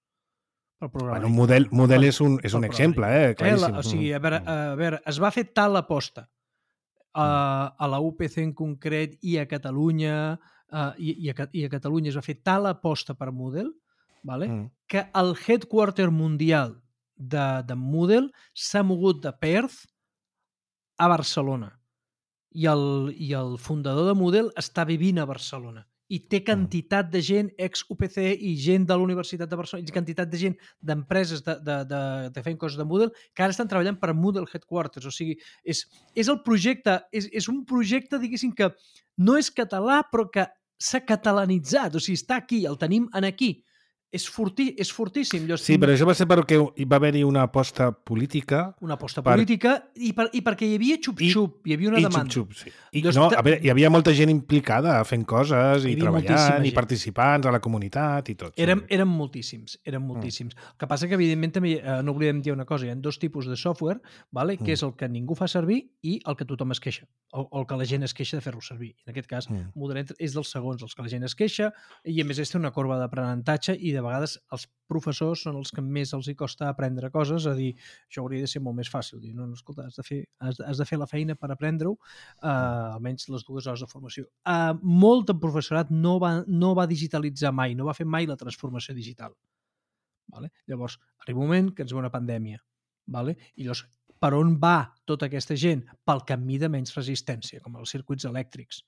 Speaker 2: Bueno, un model, model és un, és un exemple, eh? Claríssim.
Speaker 3: Eh, la, o sigui, a veure, a veure, es va fer tal aposta a, a la U P C en concret i a Catalunya, a, i, i, a, i a Catalunya es va fer tal aposta per Moodle, vale? mm. que el headquarter mundial de, de Moodle s'ha mogut de Perth a Barcelona. I el, i el fundador de Moodle està vivint a Barcelona. I té quantitat de gent ex-U P C i gent de la Universitat de Barcelona, i quantitat de gent d'empreses de, de, de, de fent coses de Moodle que ara estan treballant per Moodle Headquarters. O sigui, és, és el projecte, és, és un projecte, diguéssim, que no és català, però que s'ha catalanitzat. O sigui, està aquí, el tenim en aquí. És, fortí, és fortíssim. Jo
Speaker 2: sí, però això va ser perquè hi va haver-hi una aposta política.
Speaker 3: Una aposta per... política i, per, i perquè hi havia xup-xup, hi havia una
Speaker 2: I
Speaker 3: demanda.
Speaker 2: Xup-xup, sí. I, no, a veure, hi havia molta gent implicada fent coses i treballant i participants a la comunitat i tot.
Speaker 3: Érem, sí. érem moltíssims, érem moltíssims. Mm. El que passa que, evidentment, també eh, no oblidem dir una cosa, hi ha dos tipus de software, vale? mm. que és el que ningú fa servir i el que tothom es queixa, o, o el que la gent es queixa de fer-lo servir. En aquest cas, mm. Moodle és dels segons, els que la gent es queixa, i a més és una corba d'aprenentatge i de vegades els professors són els que més els hi costa aprendre coses, a dir, això hauria de ser molt més fàcil. Dir, no, no, escolta, has de fer, has de, has de fer la feina per aprendre-ho, uh, almenys les dues hores de formació. Uh, molt de professorat no va, no va digitalitzar mai, no va fer mai la transformació digital. Vale? Llavors, arriba un moment que ens ve una pandèmia. Vale? I llavors, per on va tota aquesta gent? Pel camí de menys resistència, com els circuits elèctrics.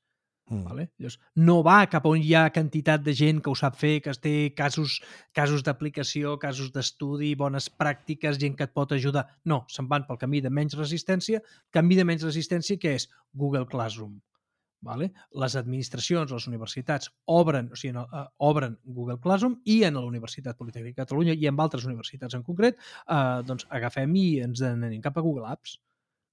Speaker 3: Mm. Vale? Llavors, no va cap on hi ha quantitat de gent que ho sap fer, que té casos, casos d'aplicació, casos d'estudi, bones pràctiques, gent que et pot ajudar. No, se'n van pel camí de menys resistència. Camí de menys resistència que és Google Classroom. Vale? Les administracions, les universitats obren, o sigui, uh, obren Google Classroom i en la Universitat Politècnica de Catalunya i en altres universitats en concret, uh, doncs agafem i ens anem cap a Google Apps.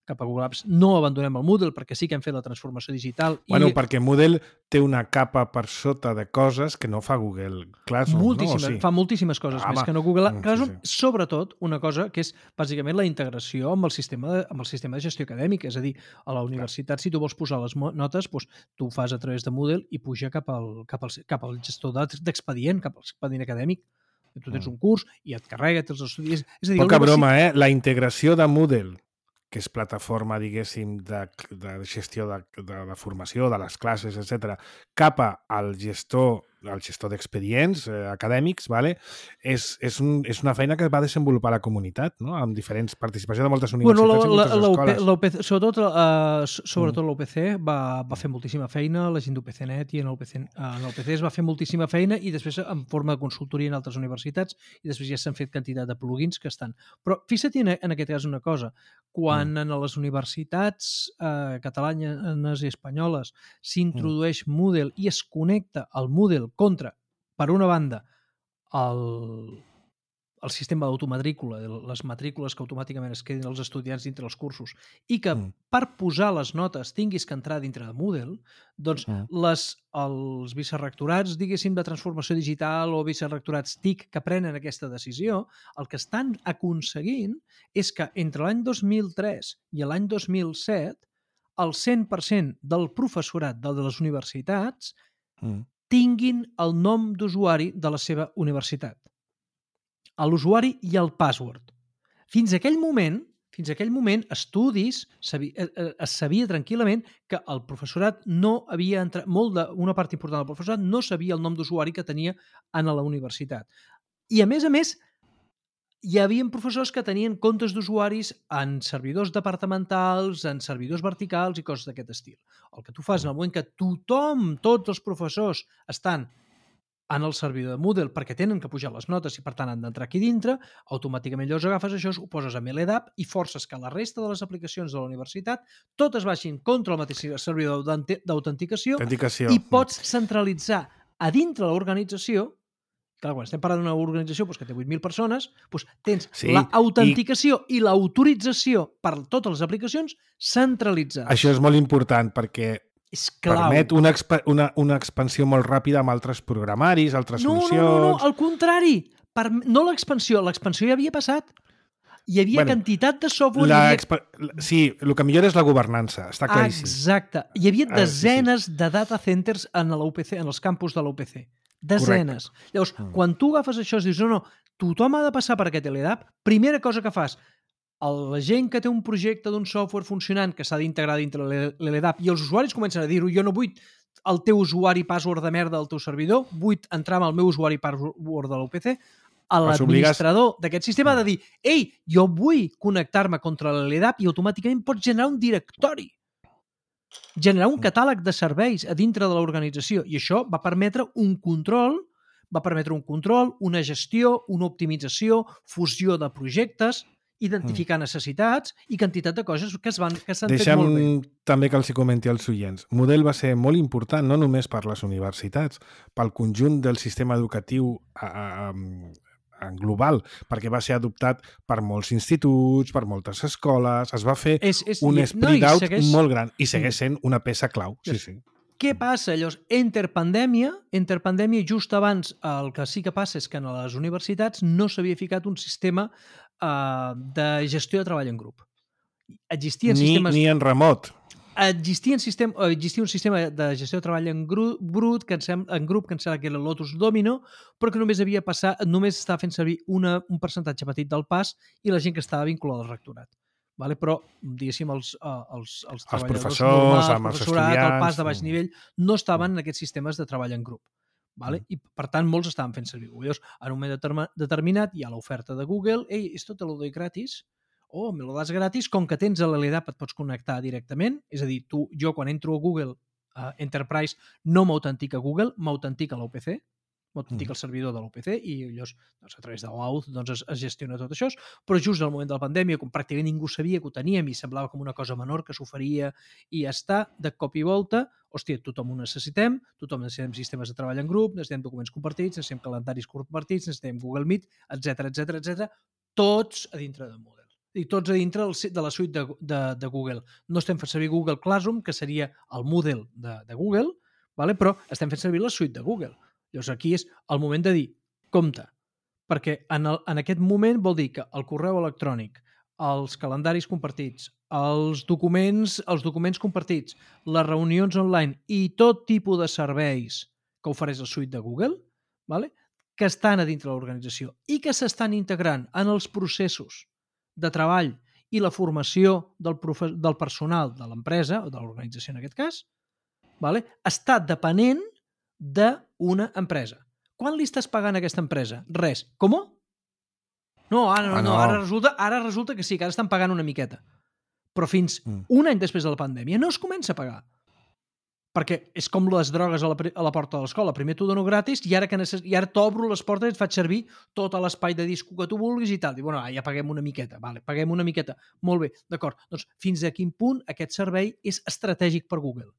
Speaker 3: cap a Google Apps. No abandonem el Moodle perquè sí que hem fet la transformació digital.
Speaker 2: Bueno,
Speaker 3: i...
Speaker 2: perquè Moodle té una capa per sota de coses que no fa Google Classroom.
Speaker 3: Moltíssimes,
Speaker 2: no? O sí.
Speaker 3: Fa moltíssimes coses ah, més que no Google
Speaker 2: mm,
Speaker 3: Classroom.
Speaker 2: Sí, sí.
Speaker 3: Sobretot una cosa que és bàsicament la integració amb el sistema de, amb el sistema de gestió acadèmica. És a dir, a la universitat, Clar. Si tu vols posar les notes, doncs, tu ho fas a través de Moodle i puja cap al, cap al, cap al gestor d'expedient, cap al expedient acadèmic. Tu tens un curs i et carrega, tens els estudis... És a dir,
Speaker 2: Poca broma, eh? La integració de Moodle, que és plataforma, diguéssim, de, de gestió de, de la formació, de les classes, etcètera, cap al gestor, al gestor d'expedients eh, acadèmics, vale? és, és, un, és una feina que va desenvolupar la comunitat, no? Amb diferents participació de moltes universitats bueno, la, i moltes la, escoles.
Speaker 3: La, la, sobretot uh, sobretot mm. l'U P C va, va fer moltíssima feina, la gent d'U P C net i en l'U P C, uh, en l'U P C es va fer moltíssima feina i després en forma de consultoria en altres universitats i després ja s'han fet quantitat de plugins que estan. Però fixa't en, en aquest cas una cosa, quan mm. en les universitats uh, catalanes i espanyoles s'introdueix mm. Moodle i es connecta al Moodle contra, per una banda, el, el sistema d'automatrícula, les matrícules que automàticament es quedin els estudiants dintre els cursos i que mm. per posar les notes tinguis que entrar dintre de Moodle, doncs mm. les, els vicerrectorats, diguéssim, de transformació digital o vicerrectorats T I C que prenen aquesta decisió, el que estan aconseguint és que entre l'any dos mil tres i l'any dos mil set el cent per cent del professorat de les universitats mm. tinguin el nom d'usuari de la seva universitat. L'usuari i el password. Fins a aquell moment, fins a aquell moment, estudis, sabia, es sabia tranquil·lament que el professorat no havia entrat, molt de, una part important del professorat no sabia el nom d'usuari que tenia a la universitat. I a més a més, hi havia professors que tenien comptes d'usuaris en servidors departamentals, en servidors verticals i coses d'aquest estil. El que tu fas en el moment que tothom, tots els professors estan en el servidor de Moodle perquè tenen que pujar les notes i per tant han d'entrar aquí dintre, automàticament llavors agafes això, ho poses a LDAP i forces que la resta de les aplicacions de la universitat totes baixin contra el mateix servidor d'autenticació
Speaker 2: Autenticació.
Speaker 3: i pots centralitzar a dintre l'organització. Clar, quan estem parlant d'una organització doncs, que té vuit mil persones, doncs tens
Speaker 2: Sí,
Speaker 3: l'autenticació i, i l'autorització per totes les aplicacions centralitzades.
Speaker 2: Això és molt important perquè
Speaker 3: és clau.
Speaker 2: permet una, expa una, una expansió molt ràpida amb altres programaris, altres
Speaker 3: no,
Speaker 2: solucions...
Speaker 3: No, no, no, al contrari. Per, no l'expansió, l'expansió ja havia passat. Hi havia
Speaker 2: Bueno,
Speaker 3: quantitat de software...
Speaker 2: La
Speaker 3: hi havia...
Speaker 2: expa... Sí, el que millor és la governança, està claríssim.
Speaker 3: Exacte. Hi havia
Speaker 2: Ah, sí, sí.
Speaker 3: desenes de data centers en l'U P C, en els campus de l'U P C. Desenes.
Speaker 2: Correcte.
Speaker 3: Llavors,
Speaker 2: Mm.
Speaker 3: quan tu agafes això i dius, no, no, tothom ha de passar per aquest LDAP, primera cosa que fas, el- la gent que té un projecte d'un software funcionant que s'ha d'integrar dintre l'LDAP i els usuaris comencen a dir-ho, jo no vull el teu usuari password de merda del teu servidor, vull entrar amb el meu usuari password de l'U P C, a
Speaker 2: Els
Speaker 3: l'administrador d'aquest sistema ha de dir, ei, jo vull connectar-me contra l'LDAP i automàticament pots generar un directori, generar un catàleg de serveis a dintre de l'organització i això va permetre un control, va permetre un control, una gestió, una optimització, fusió de projectes, identificar necessitats i quantitat de coses que es van que s'han fet molt bé.
Speaker 2: Deixa'm també que els hi comenti als oients. Model va ser molt important, no només per les universitats, pel conjunt del sistema educatiu a, a, a, en global, perquè va ser adoptat per molts instituts, per moltes escoles, es va fer
Speaker 3: És, és,
Speaker 2: un
Speaker 3: i-
Speaker 2: spread
Speaker 3: i
Speaker 2: out
Speaker 3: segueix-
Speaker 2: molt gran i segueix sent una peça clau. Sí, sí.
Speaker 3: Què passa? Llavors, entre pandèmia, entre pandèmia, just abans, el que sí que passa és que en les universitats no s'havia ficat un sistema eh, de gestió de treball en grup. Existien
Speaker 2: Ni,
Speaker 3: sistemes...
Speaker 2: ni en remot.
Speaker 3: Existia un, sistema, eh, existia un sistema de gestió de treball en, gru, brut, que em sem, en grup, que em sembla que era Lotus Domino, però que només havia passat, només estava fent servir una, un percentatge petit del pas i la gent que estava vinculada al rectorat. Vale? Però, diguéssim, els, uh, els, els treballadors
Speaker 2: professors,
Speaker 3: normals,
Speaker 2: amb
Speaker 3: el
Speaker 2: els
Speaker 3: professorat, el
Speaker 2: estudiants,
Speaker 3: pas de baix
Speaker 2: mm.
Speaker 3: nivell, no estaven en aquests sistemes de treball en grup. Vale?
Speaker 2: Mm.
Speaker 3: I, per tant, molts estaven fent servir. Llavors, en un moment determa- determinat hi ha l'oferta de Google, ei, esto te lo doy gratis, oh, me lo das gratis, com que tens l'LDAP et pots connectar directament, és a dir, tu, jo quan entro a Google uh, Enterprise no m'autentica Google, m'autentica l'U P C, m'autentica
Speaker 2: Mm.
Speaker 3: el servidor de l'U P C i llavors doncs, a través de l'Auth doncs, es, es gestiona tot això, però just al moment de la pandèmia, com pràcticament ningú sabia que ho teníem i semblava com una cosa menor que s'oferia i ja està, de cop i volta, hòstia, tothom ho necessitem, tothom necessitem sistemes de treball en grup, necessitem documents compartits, necessitem calendaris compartits, necessitem Google Meet, etc etc etc, tots a dintre de Moodle. I tots a dintre del, de la suite de, de, de Google. No estem fent servir Google Classroom, que seria el Moodle de, de Google, vale? Però estem fent servir la suite de Google. Llavors aquí és el moment de dir, compte, perquè en, el, en aquest moment vol dir que el correu electrònic, els calendaris compartits, els documents, els documents compartits, les reunions online i tot tipus de serveis que ofereix la suite de Google, vale? Que estan a dintre de l'organització i que s'estan integrant en els processos de treball i la formació del, profe del personal de l'empresa, o de l'organització en aquest cas, vale? Està depenent d'una empresa. Quan li estàs pagant a aquesta empresa? Res. Com? No, ara no,
Speaker 2: Ah,
Speaker 3: no.
Speaker 2: no.
Speaker 3: Ara, resulta, ara resulta que sí, que ara estan pagant una miqueta. Però fins
Speaker 2: Mm.
Speaker 3: un any després de la pandèmia no es comença a pagar. Perquè és com les drogues a la, a la porta de l'escola. Primer t'ho dono gratis i ara, que necess... i ara t'obro les portes i et faig servir tot l'espai de disco que tu vulguis i tal. I bueno, ja paguem una miqueta. Vale, paguem una miqueta. Molt bé, d'acord. Doncs fins a quin punt aquest servei és estratègic per Google?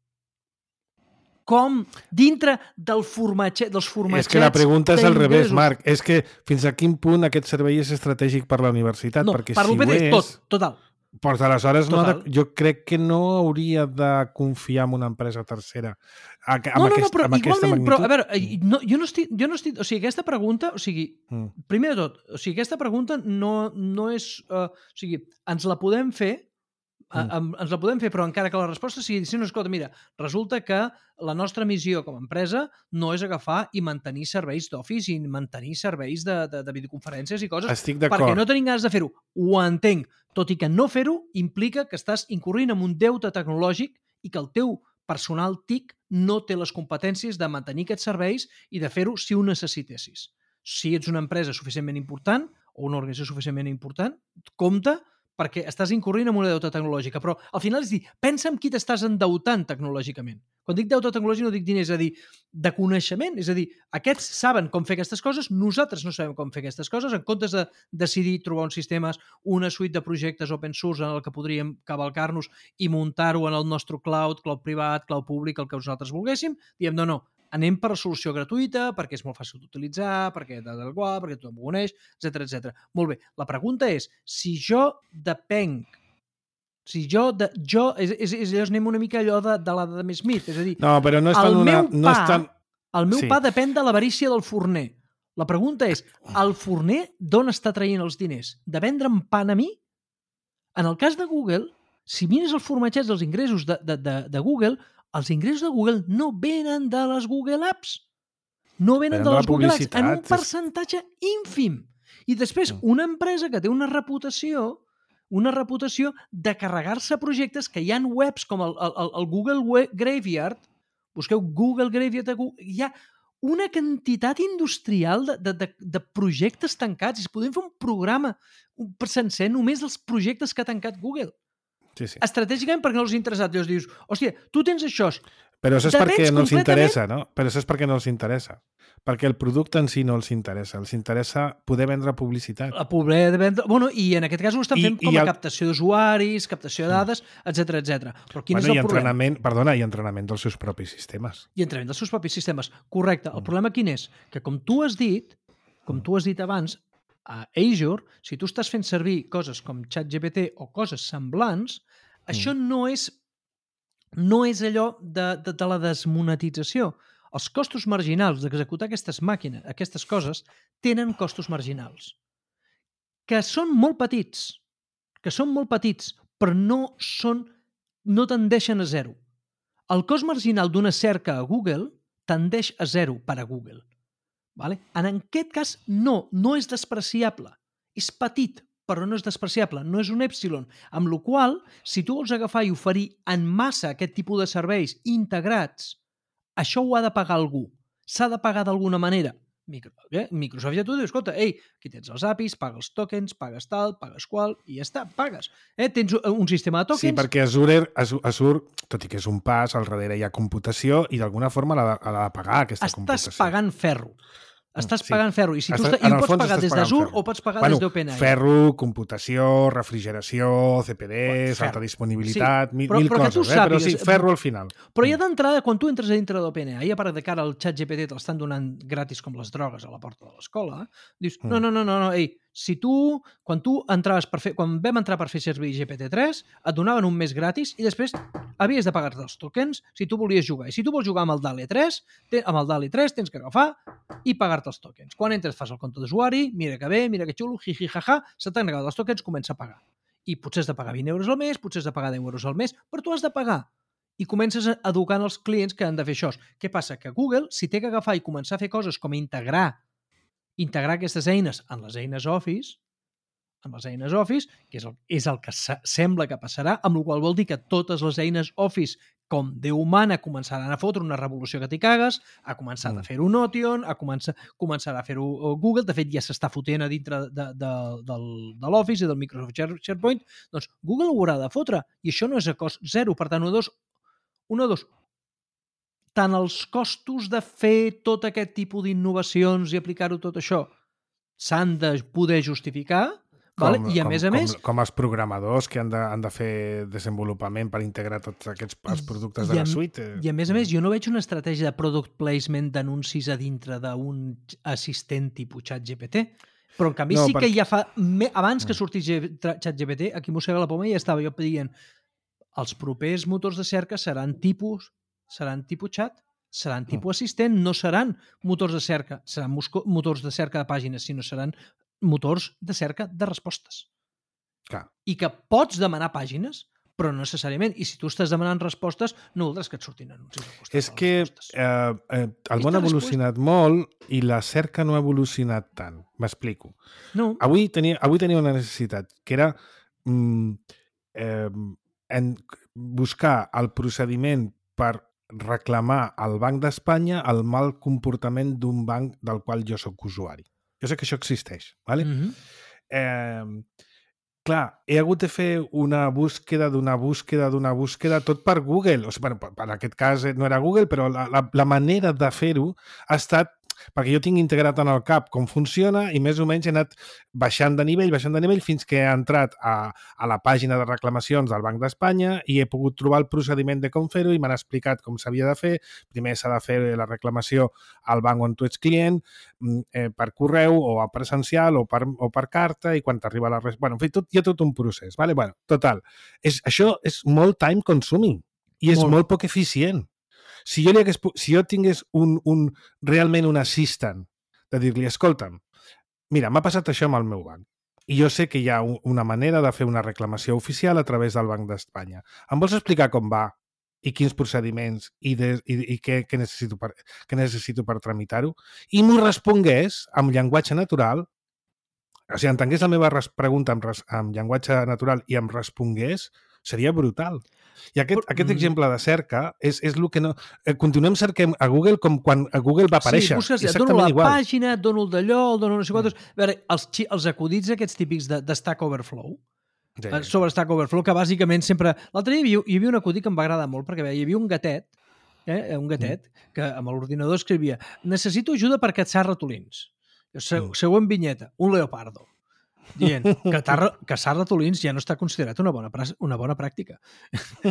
Speaker 3: Com dintre del formatge, dels formatgets...
Speaker 2: És que la pregunta és al revés,
Speaker 3: d'ingressos.
Speaker 2: Marc. És que fins a quin punt aquest servei és estratègic per la universitat?
Speaker 3: No,
Speaker 2: perquè
Speaker 3: per
Speaker 2: si
Speaker 3: l'U P C,
Speaker 2: ho és,
Speaker 3: tot, total.
Speaker 2: Doncs aleshores no ha de,
Speaker 3: Total.
Speaker 2: jo crec que no hauria de confiar en una empresa tercera a, amb,
Speaker 3: No, no, no,
Speaker 2: aquest,
Speaker 3: però
Speaker 2: amb aquesta
Speaker 3: igualment,
Speaker 2: magnitud.
Speaker 3: però, a veure, eh, no, jo no estic, jo no estic, o sigui, aquesta pregunta, o sigui,
Speaker 2: Mm.
Speaker 3: primer de tot, o sigui, aquesta pregunta no, no és, uh, o sigui, ens la podem fer, mm. uh, ens la podem fer, però encara que la resposta sigui, si no, escolta, mira, resulta que la nostra missió com a empresa no és agafar i mantenir serveis d'Office i mantenir serveis de, de, de videoconferències i coses,
Speaker 2: Estic
Speaker 3: perquè
Speaker 2: d'acord.
Speaker 3: no tenim ganes de fer-ho. Ho entenc, tot i que no fer-ho implica que estàs incorrint en un deute tecnològic i que el teu personal T I C no té les competències de mantenir aquests serveis i de fer-ho si ho necessitessis. Si ets una empresa suficientment important o una organització suficientment important, compte perquè estàs incorrint en una deuta tecnològica. Però al final és dir, pensa en qui t'estàs endeutant tecnològicament. Quan dic deute tecnològic no dic diners, és a dir, de coneixement. És a dir, aquests saben com fer aquestes coses, nosaltres no sabem com fer aquestes coses, en comptes de decidir trobar uns sistemes, una suite de projectes open source en el que podríem cavalcar-nos i muntar-ho en el nostre cloud, cloud privat, cloud públic, el que nosaltres volguéssim, diem, no, no, anem per la solució gratuïta, perquè és molt fàcil d'utilitzar, perquè tal, tal, qual, perquè tothom ho coneix, etcètera, etcètera. Molt bé, la pregunta és, si jo depenc Si jo, de, jo és, és, és, és anem una mica allò de, de l'Adam Smith, és a dir,
Speaker 2: no, però no és
Speaker 3: el
Speaker 2: tan una,
Speaker 3: meu pa,
Speaker 2: no és tan...
Speaker 3: el meu
Speaker 2: Sí.
Speaker 3: pa depèn de l'avarícia del forner. La pregunta és, el forner d'on està traient els diners? De vendre'm pan a mi? En el cas de Google, si mires el formatgeig dels ingressos de, de, de, de Google, els ingressos de Google no venen de les Google Apps. No venen
Speaker 2: Venen
Speaker 3: de
Speaker 2: de la
Speaker 3: les Google Apps, en un
Speaker 2: publicitat, és-
Speaker 3: percentatge ínfim. I després,
Speaker 2: Mm.
Speaker 3: una empresa que té una reputació una reputació de carregar-se projectes que hi ha webs com el, el, el Google Web Graveyard, busqueu Google Graveyard, hi ha una quantitat industrial de, de, de, de projectes tancats. I podem fer un programa sencer només dels projectes que ha tancat Google.
Speaker 2: Sí, sí.
Speaker 3: Estratègicament perquè no els ha interessat. Llavors dius, hòstia, tu tens això.
Speaker 2: Però això és
Speaker 3: Depens
Speaker 2: perquè no els
Speaker 3: completament-
Speaker 2: interessa, no? Però això és perquè no els interessa. Perquè el producte en si no els interessa. Els interessa poder vendre publicitat.
Speaker 3: La pobresa de vendre... Bueno, i en aquest cas ho estan
Speaker 2: I-
Speaker 3: fent com
Speaker 2: i
Speaker 3: a
Speaker 2: el-
Speaker 3: captació d'usuaris, captació de dades, etcètera, etcètera. Però quin
Speaker 2: Bueno,
Speaker 3: és
Speaker 2: i
Speaker 3: el problema?
Speaker 2: entrenament, perdona, i entrenament dels seus propis sistemes.
Speaker 3: I entrenament dels seus propis sistemes. Correcte.
Speaker 2: Mm.
Speaker 3: El problema quin és? Que com tu has dit, com tu has dit abans, a Azure, si tu estàs fent servir coses com ChatGPT o coses semblants, això no és no és allò de, de, de la desmonetització. Els costos marginals d'executar aquestes màquines, aquestes coses, tenen costos marginals. Que són molt petits, que són molt petits, però no són, no tendeixen a zero. El cost marginal d'una cerca a Google tendeix a zero per a Google. Vale? En aquest cas, no, no és despreciable. És petit, però no és despreciable, no és un epsilon. Amb la qual cosa, si tu vols agafar i oferir en massa aquest tipus de serveis integrats, això ho ha de pagar algú. S'ha de pagar d'alguna manera. Micro, eh? Microsoft ja t'ho diu, escolta, ei, aquí tens els A P Is, paga els tokens, pagues tal, pagues qual, i ja està, pagues. Eh? Tens un sistema de tokens...
Speaker 2: Sí, perquè Azure, Azure, tot i que és un pas, al darrere hi ha computació i d'alguna forma l'ha de, l'ha de pagar aquesta
Speaker 3: Estàs
Speaker 2: computació.
Speaker 3: pagant ferro. Estàs
Speaker 2: Sí.
Speaker 3: pagant ferro. I, si tu
Speaker 2: Estàs-
Speaker 3: està, i
Speaker 2: en
Speaker 3: ho
Speaker 2: el
Speaker 3: pots
Speaker 2: fons
Speaker 3: pagar
Speaker 2: estàs
Speaker 3: des
Speaker 2: pagant
Speaker 3: d'Azure
Speaker 2: ferro.
Speaker 3: o pots pagar
Speaker 2: Bueno,
Speaker 3: des d'OpenAI.
Speaker 2: ferro, computació, refrigeració, C P Ds,
Speaker 3: Ferro.
Speaker 2: alta disponibilitat,
Speaker 3: Sí,
Speaker 2: mil,
Speaker 3: però-
Speaker 2: mil
Speaker 3: però que tu
Speaker 2: coses, eh? Però sí,
Speaker 3: sàpigues-
Speaker 2: ferro al final.
Speaker 3: Però ja d'entrada, quan tu entres a dintre d'OpenAI, a part de cara al ChatGPT te l'estan donant gratis com les drogues a la porta de l'escola, dius, no, no, no, no, no, ei, si tu, quan tu entraves per fer, quan vam entrar per fer servir G P T tres, et donaven un mes gratis i després havies de pagar-te els tokens si tu volies jugar. I si tu vols jugar amb el DALI tres, te, amb el DALI tres tens que agafar i pagar-te els tokens. Quan entres fas el compte d'usuari, mira que bé, mira que xulo, jiji, jaja, se t'han acabat els tokens, comença a pagar. I potser has de pagar vint euros al mes, potser has de pagar deu euros al mes, però tu has de pagar. I comences educant els clients que han de fer això. Què passa? Que Google, si té que agafar i començar a fer coses com integrar integrar aquestes eines en les eines Office, en les eines Office, que és el, és el que se, sembla que passarà, amb la qual vol dir que totes les eines Office com Déu humana començaran a fotre una revolució que t'hi cagues, ha començat mm. a fer-ho Notion, ha començat, començarà a fer-ho Google, de fet ja s'està fotent a dintre de, de, del, de l'Office i del Microsoft SharePoint, doncs Google ho haurà de fotre, i això no és a cost zero, per tant, un, dos, un, dos, tant els costos de fer tot aquest tipus d'innovacions i aplicar-ho tot això s'han de poder justificar, com, vale? I a
Speaker 2: com,
Speaker 3: més a
Speaker 2: com,
Speaker 3: més...
Speaker 2: Com els programadors que han de, han de fer desenvolupament per integrar tots aquests els productes de
Speaker 3: a,
Speaker 2: la suite.
Speaker 3: I a més a més, jo no veig una estratègia de product placement d'anuncis a dintre d'un assistent tipus ChatGPT, però en canvi no, sí perquè... que ja fa... Abans que sortís ChatGPT, aquí mossega la poma i ja estava jo dient els propers motors de cerca seran tipus seran tipus chat, seran tipus assistent, no seran motors de cerca, seran motors de cerca de pàgines, sinó seran motors de cerca de respostes.
Speaker 2: Clar.
Speaker 3: I que pots demanar pàgines, però no necessàriament. I si tu estàs demanant respostes, no voldràs que et surtin anuncis.
Speaker 2: És que eh, eh, el món ha evolucionat molt i la cerca no ha evolucionat tant. M'explico.
Speaker 3: No.
Speaker 2: Avui tenia, avui tenia una necessitat, que era mm, eh, en buscar el procediment per reclamar al Banc d'Espanya el mal comportament d'un banc del qual jo sóc usuari. Jo sé que això existeix, ¿vale?
Speaker 3: Mm-hmm.
Speaker 2: eh, clar, he hagut de fer una búsqueda d'una búsqueda d'una búsqueda, tot per Google. O sigui, bueno, per, en aquest cas no era Google, però la, la, la manera de fer-ho ha estat perquè jo tinc integrat en el cap com funciona i més o menys he anat baixant de nivell, baixant de nivell fins que he entrat a, a la pàgina de reclamacions del Banc d'Espanya i he pogut trobar el procediment de com fer-ho i m'han explicat com s'havia de fer. Primer s'ha de fer la reclamació al banc on tu ets client, eh, per correu o a presencial o per, o per carta i quan t'arriba la res... Bueno, en fi, tot, hi ha tot un procés. Vale? Bueno, total, és, això és molt time consuming i és molt, molt poc eficient. Si jo, li hagués, si jo tingués un, un, realment un assistant de dir-li, escolta'm, mira, m'ha passat això amb el meu banc i jo sé que hi ha un, una manera de fer una reclamació oficial a través del Banc d'Espanya. Em vols explicar com va i quins procediments i, de, i, i què, què, necessito per, què necessito per tramitar-ho? I m'ho respongués amb llenguatge natural, o sigui, entengués la meva pregunta amb, amb llenguatge natural i em respongués, seria brutal. I aquest, Però, aquest exemple de cerca és, és el que no... Eh, continuem cercant a Google com quan a Google va aparèixer.
Speaker 3: Sí, busques, et dono la igual. Pàgina, et dono el d'allò, el dono no sé quantos... A veure, els, els acudits aquests típics de, de Stack Overflow, sí. eh, sobre Stack Overflow, que bàsicament sempre... L'altre dia hi havia, hi havia un acudit que em va agradar molt, perquè hi havia un gatet, eh, un gatet, mm. que amb l'ordinador escrivia necessito ajuda per caçar ratolins. Se, mm. Següent vinyeta, un leopardo. Dient que caçar ratolins ja no està considerat una bona, una bona pràctica.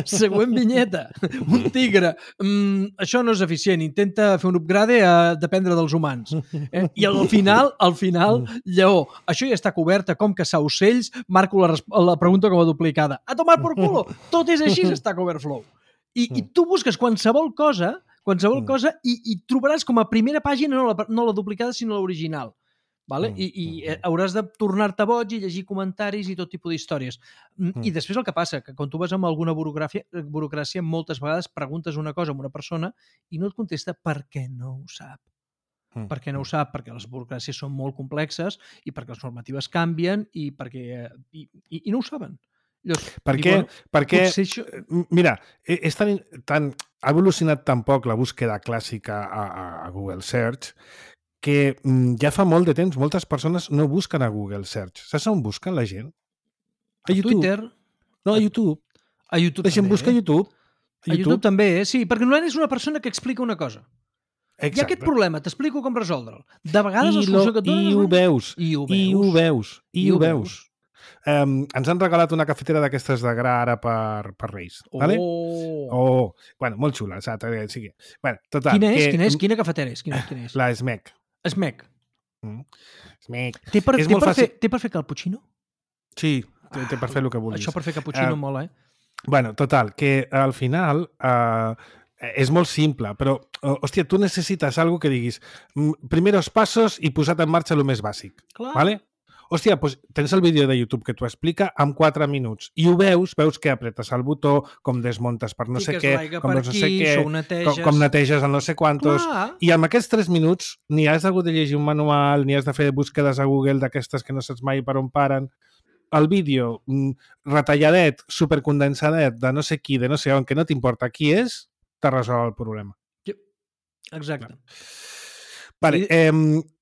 Speaker 3: Següent vinyeta, un tigre. Mm, això no és eficient, intenta fer un upgrade a dependre dels humans. Eh? I al final, al final, lleó. Això ja està cobert a com caçar ocells, marco la, la pregunta com a duplicada. A tomar por culo! Tot és així, Stack Overflow. I, i tu busques qualsevol cosa, qualsevol cosa i, i trobaràs com a primera pàgina no la, no la duplicada, sinó l'original. Vale? I, i hauràs de tornar-te boig i llegir comentaris i tot tipus d'històries. Mm. I després el que passa, que quan tu vas amb alguna burocràcia, burocràcia, moltes vegades preguntes una cosa a una persona i no et contesta perquè no ho sap. Mm. Perquè no ho sap, perquè les burocràcies són molt complexes i perquè les normatives canvien i perquè... I, i, i no ho saben. Llavors,
Speaker 2: perquè,
Speaker 3: bueno,
Speaker 2: perquè
Speaker 3: això...
Speaker 2: mira, és tan, tan, ha evolucionat tan poc la búsqueda clàssica a, a Google Search que mm, ja fa molt de temps moltes persones no busquen a Google Search. Saps on busquen la gent?
Speaker 3: A, a YouTube. Twitter.
Speaker 2: No, a YouTube.
Speaker 3: A YouTube
Speaker 2: la gent
Speaker 3: també.
Speaker 2: busca a YouTube.
Speaker 3: A YouTube, a YouTube també, eh? Sí, perquè normalment és una persona que explica una cosa. Exacte. Hi ha aquest problema, t'explico com resoldre'l. De vegades I la solució que et donen...
Speaker 2: I ho veus.
Speaker 3: I ho veus.
Speaker 2: I ho veus. I ho veus. Um, ens han regalat una cafetera d'aquestes de gra ara per, per Reis.
Speaker 3: Oh.
Speaker 2: Vale? Oh. Bueno, molt xula. Saps? Sí. Bueno, total,
Speaker 3: quina és?
Speaker 2: Que...
Speaker 3: Quina és? Quina cafetera és? Quina, quina és?
Speaker 2: La Smec.
Speaker 3: Smec.
Speaker 2: Mm. Smec.
Speaker 3: Té per,
Speaker 2: és
Speaker 3: té,
Speaker 2: molt
Speaker 3: per
Speaker 2: fàcil...
Speaker 3: fer, té per fer cappuccino?
Speaker 2: Sí, té, té per fer el que vulguis.
Speaker 3: Això per fer cappuccino uh, mola, eh?
Speaker 2: Bueno, total, que al final uh, és molt simple, però, uh, hòstia, tu necessites algo que diguis primeros passos i posat en marxa el més bàsic.
Speaker 3: Clar.
Speaker 2: ¿Vale? Hòstia, doncs tens el vídeo de YouTube que t'ho explica en quatre minuts i ho veus, veus que apretes el botó, com desmontes per no sé què, com no sé què, com, com neteges el no sé quantos, Clar. I amb aquests tres minuts ni has hagut de llegir un manual, ni has de fer búsquedes a Google d'aquestes que no saps mai per on paren. El vídeo retalladet, supercondensadet, de no sé qui, de no sé on, que no t'importa qui és, te resol el problema.
Speaker 3: Exacte.
Speaker 2: Vale, eh,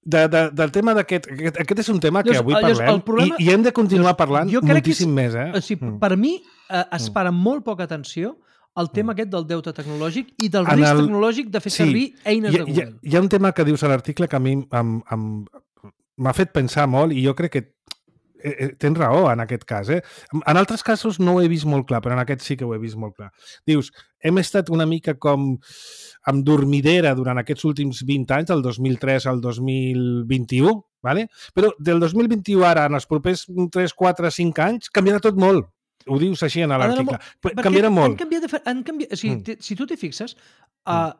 Speaker 2: de, de, del tema d'aquest... Aquest, aquest és un tema que avui
Speaker 3: llavors,
Speaker 2: parlem
Speaker 3: problema,
Speaker 2: i, i hem de continuar
Speaker 3: llavors,
Speaker 2: parlant moltíssim és, més. Eh?
Speaker 3: O sigui, mm. Per mi eh, es para molt poca atenció al tema mm. aquest del deute tecnològic i del en risc el... tecnològic de fer sí, servir eines
Speaker 2: hi,
Speaker 3: de Google.
Speaker 2: Hi, hi ha un tema que dius a l'article que a mi m'ha fet pensar molt i jo crec que eh, tens raó en aquest cas. Eh? En altres casos no ho he vist molt clar, però en aquest sí que ho he vist molt clar. Dius, hem estat una mica com amb dormidera durant aquests últims vint anys, del dos mil tres al dos mil vint-i-u, ¿vale? Però del dos mil vint-i-u ara, en els propers tres, quatre, cinc anys, canviarà tot molt. Ho dius així en l'article. Canviarà molt.
Speaker 3: Han canviat de, han canviat, o sigui, mm. Si tu t'hi fixes, uh,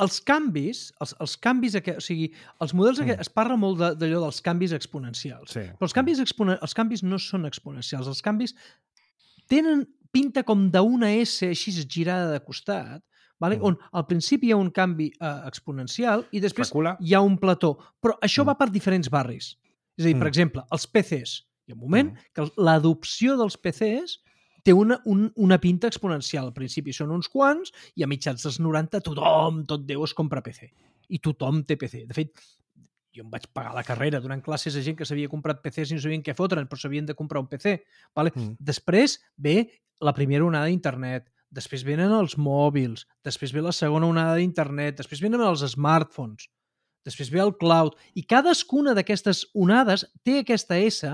Speaker 3: els canvis, els, els canvis, o sigui, els models, mm. es parla molt d'allò de, dels canvis exponencials. Sí. Però els canvis, exponen, els canvis no són exponencials. Els canvis tenen pinta com d'una S així girada de costat, vale? Mm. on al principi hi ha un canvi eh, exponencial i després
Speaker 2: Recula.
Speaker 3: Hi ha un plató. Però això mm. va per diferents barris. És a dir, mm. per exemple, els P Cs. Hi ha un moment mm. que l'adopció dels P Cs té una, un, una pinta exponencial. Al principi són uns quants i a mitjans dels noranta tothom, tot Déu, es compra P C. I tothom té P C. De fet, jo em vaig pagar la carrera donant classes a gent que s'havia comprat P Cs i no sabien què fotre'n, però s'havien de comprar un P C. Vale? Mm. Després ve la primera onada d'internet, després venen els mòbils, després ve la segona onada d'internet, després venen els smartphones, després ve el cloud, i cadascuna d'aquestes onades té aquesta S,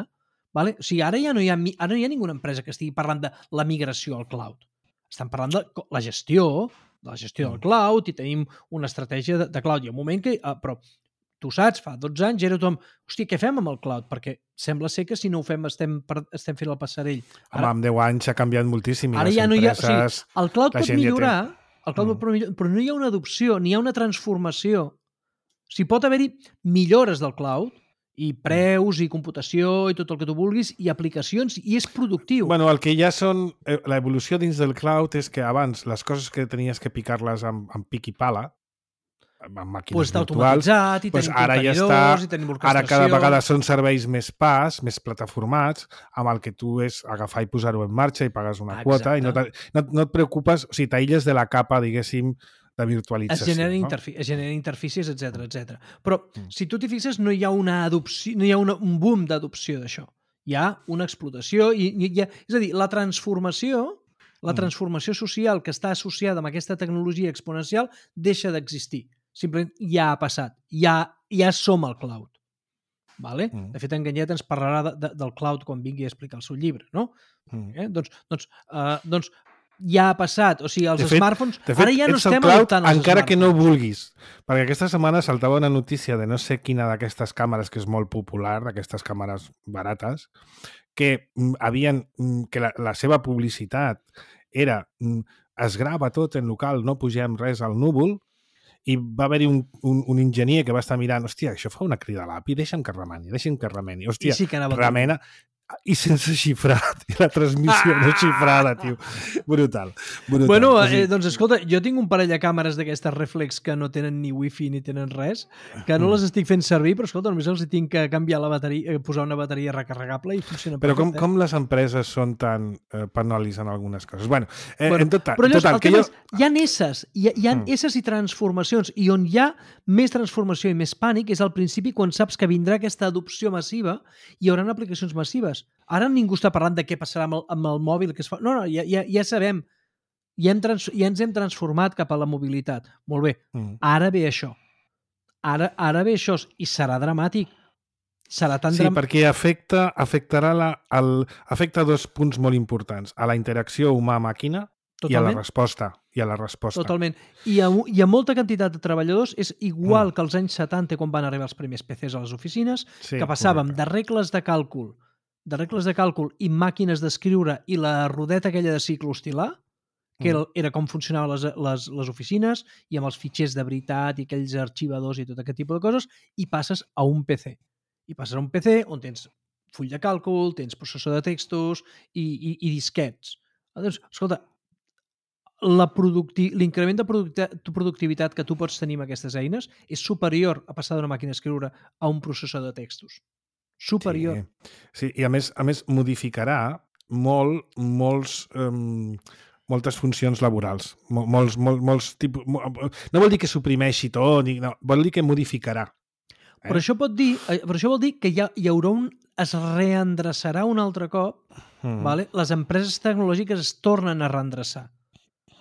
Speaker 3: vale? O sigui, ara ja no hi ha, ara no hi ha ninguna empresa que estigui parlant de la migració al cloud. Estan parlant de la gestió, de la gestió del cloud, i tenim una estratègia de, de cloud. Hi ha un moment que... Uh, però tu saps, fa dotze anys era tothom, hòstia, què fem amb el cloud? Perquè sembla ser que si no ho fem estem, per, estem fent el passarell.
Speaker 2: Ara, home, amb deu anys s'ha canviat moltíssim.
Speaker 3: Ara ja no hi ha... O sigui, el cloud pot millorar, ja té... el cloud
Speaker 2: mm.
Speaker 3: pot millorar, però no hi ha una adopció, ni hi ha una transformació. O sigui, pot haver-hi millores del cloud, i preus, i computació, i tot el que tu vulguis, i aplicacions, i és productiu.
Speaker 2: Bueno, el que ja són... L'evolució dins del cloud és que abans les coses que tenies que picar-les amb, amb pic i pala, amb màquines
Speaker 3: pues
Speaker 2: virtuals,
Speaker 3: i
Speaker 2: pues
Speaker 3: tenim
Speaker 2: ara ja està,
Speaker 3: i tenim
Speaker 2: ara cada vegada són serveis més pas, més plataformats, amb el que tu és agafar i posar-ho en marxa i pagues una Exacte. quota i no, no, no et preocupes, o sigui, t'aïlles de la capa, diguéssim, de virtualització.
Speaker 3: Es generen,
Speaker 2: no?
Speaker 3: interfi es generen interfícies, etcètera, etcètera. Però, mm. si tu t'hi fixes, no hi ha una adopció, no hi ha una, un boom d'adopció d'això. Hi ha una explotació, i, i hi ha, és a dir, la transformació, la transformació social que està associada amb aquesta tecnologia exponencial deixa d'existir. Simplement ja ha passat, ja, ja som al cloud. Vale? Mm. De fet, Enganyet ens parlarà de, de, del cloud quan vingui a explicar el seu llibre, no? Mm. Eh? Doncs, doncs, uh, doncs ja ha passat. O sigui, els
Speaker 2: de fet,
Speaker 3: smartphones...
Speaker 2: De fet,
Speaker 3: ara ja no estem
Speaker 2: cloud,
Speaker 3: adoptant els
Speaker 2: encara
Speaker 3: smartphones.
Speaker 2: Que no vulguis. Perquè aquesta setmana saltava una notícia de no sé quina d'aquestes càmeres, que és molt popular, d'aquestes càmeres barates, que havien que la, la seva publicitat era es grava tot en local, no pugem res al núvol, i va haver-hi un, un, un enginyer que va estar mirant, hòstia, això fa una crida a l'A P I, deixa'm que remeni, deixa'm que remeni. Hòstia,
Speaker 3: sí que
Speaker 2: remena... I sense xifrat, i la transmissió ah! no xifrada, tio. Brutal. brutal.
Speaker 3: Bueno,
Speaker 2: o sigui...
Speaker 3: eh, doncs escolta, jo tinc un parell de càmeres d'aquestes reflex que no tenen ni wifi ni tenen res, que no mm. les estic fent servir, però escolta, només els tinc que canviar la bateria, posar una bateria recarregable i funciona
Speaker 2: però
Speaker 3: perfecte.
Speaker 2: Però com, com les empreses són tan eh, penals en algunes coses? Bueno, eh,
Speaker 3: bueno
Speaker 2: en tot,
Speaker 3: però llavors,
Speaker 2: total,
Speaker 3: que
Speaker 2: jo...
Speaker 3: és, hi ha esses, hi ha, hi ha mm. esses i transformacions, i on hi ha més transformació i més pànic és al principi quan saps que vindrà aquesta adopció massiva i hi haurà aplicacions massives. Ara ningú està parlant de què passarà amb el, amb el mòbil que es fa. No, no, ja, ja, ja sabem. Ja, hem trans, ja ens hem transformat cap a la mobilitat. Molt bé. Mm. Ara ve això. Ara, ara ve això i serà dramàtic. Serà tan
Speaker 2: sí,
Speaker 3: dram...
Speaker 2: perquè afecta, afectarà la, el, afecta dos punts molt importants. A la interacció humà-màquina i a la resposta. I a la resposta.
Speaker 3: Totalment. I a, i a molta quantitat de treballadors és igual mm. que als anys setanta quan van arribar els primers P Cs a les oficines, sí, que passàvem correcte. de regles de càlcul de regles de càlcul i màquines d'escriure i la rodeta aquella de cicloestilar, que mm. era com funcionaven les, les, les oficines, i amb els fitxers de veritat i aquells arxivadors i tot aquest tipus de coses, i passes a un P C. I passes a un P C on tens full de càlcul, tens processor de textos i, i, i disquets. Doncs, escolta, l'increment de productivitat que tu pots tenir amb aquestes eines és superior a passar d'una màquina d'escriure a un processor de textos. Superior.
Speaker 2: Sí, sí. I a més, a més modificarà molt, molts, um, moltes funcions laborals. Mol, molts, molts, molts tipus... No vol dir que suprimeixi tot, no, vol dir que modificarà. Eh?
Speaker 3: Però això pot dir, però això vol dir que hi, ha, hi haurà un... es reendreçarà un altre cop, mm. vale? Les empreses tecnològiques es tornen a reendreçar.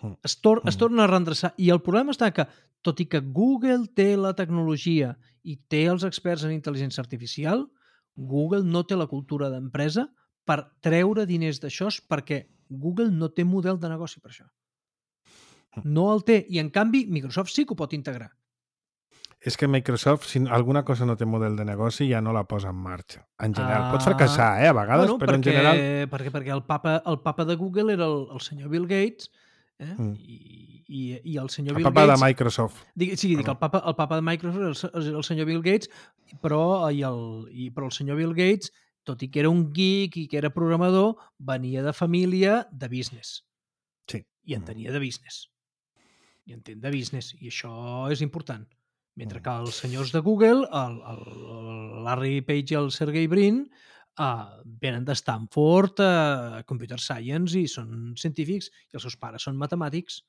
Speaker 3: Mm. Es, tor mm. es tornen a reendreçar. I el problema està que, tot i que Google té la tecnologia i té els experts en intel·ligència artificial, Google no té la cultura d'empresa per treure diners d'això perquè Google no té model de negoci per això. No el té. I, en canvi, Microsoft sí que ho pot integrar.
Speaker 2: És que Microsoft, si alguna cosa no té model de negoci, ja no la posa en marxa. En general. Ah, pot fracassar, eh, a vegades,
Speaker 3: bueno,
Speaker 2: però
Speaker 3: perquè,
Speaker 2: en general...
Speaker 3: Perquè, perquè el, papa, el papa de Google era el, el senyor Bill Gates, eh? Mm. I, i, i el senyor
Speaker 2: el
Speaker 3: Bill
Speaker 2: papa
Speaker 3: Gates...
Speaker 2: de Microsoft.
Speaker 3: Dic, sí, dic, el papa, el papa de Microsoft era el, el senyor Bill Gates, però, i el, i, però el senyor Bill Gates, tot i que era un geek i que era programador, venia de família de business.
Speaker 2: Sí.
Speaker 3: I entenia de business. I entén de business. I això és important. Mentre que els senyors de Google, el, el, el Larry Page i el Sergey Brin, Uh, venen de Stanford, uh, Computer Science, i són científics, i els seus pares són matemàtics.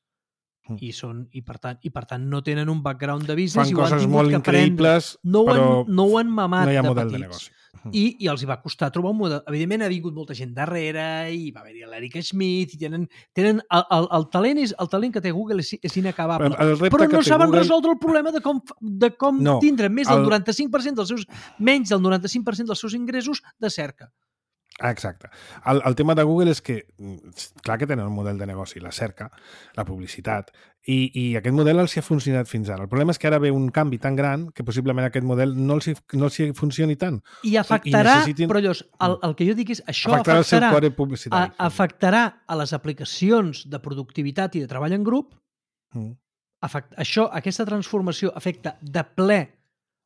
Speaker 3: Mm. I, són, i, per tant, I per tant no tenen un background de business.
Speaker 2: Fan
Speaker 3: i ho
Speaker 2: coses
Speaker 3: han
Speaker 2: molt
Speaker 3: que
Speaker 2: increïbles,
Speaker 3: no
Speaker 2: però
Speaker 3: han, no ho han mamat
Speaker 2: no hi ha
Speaker 3: de
Speaker 2: model de
Speaker 3: petits.
Speaker 2: negoci.
Speaker 3: I, I els hi va costar trobar un model. Evidentment ha vingut molta gent darrere i va haver-hi l'Eric Schmidt i tenen, tenen el, el, el, talent és, el talent que té Google és, és inacabable.
Speaker 2: El, el
Speaker 3: però no saben
Speaker 2: Google...
Speaker 3: resoldre el problema de com, de com
Speaker 2: no,
Speaker 3: tindre més del
Speaker 2: el...
Speaker 3: noranta-cinc per cent dels seus, menys del noranta-cinc per cent dels seus ingressos de cerca.
Speaker 2: Ah, exacte. El, el tema de Google és que, clar que tenen un model de negoci, la cerca, la publicitat, i, i aquest model els hi ha funcionat fins ara. El problema és que ara ve un canvi tan gran que possiblement aquest model no els hi, no els hi funcioni tant.
Speaker 3: I afectarà,
Speaker 2: I necessitin...
Speaker 3: però llavors, el, el que jo dic és, això
Speaker 2: afectarà,
Speaker 3: afectarà,
Speaker 2: el seu core publicitari.
Speaker 3: A, afectarà a les aplicacions de productivitat i de treball en grup.
Speaker 2: Mm.
Speaker 3: Afect, això, aquesta transformació afecta de ple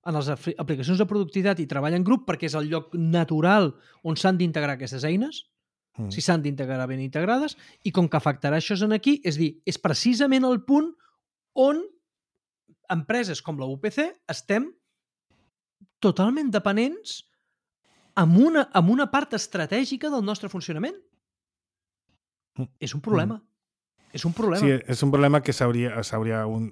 Speaker 3: en les aplicacions de productivitat i treball en grup perquè és el lloc natural on s'han d'integrar aquestes eines, mm. si s'han d'integrar ben integrades, i com que afectarà això en aquí, és dir, és precisament el punt on empreses com la U P C estem totalment dependents amb una, amb una part estratègica del nostre funcionament. Mm. És un problema. Mm. És un problema.
Speaker 2: Sí, és un problema que s'hauria s'hauria un...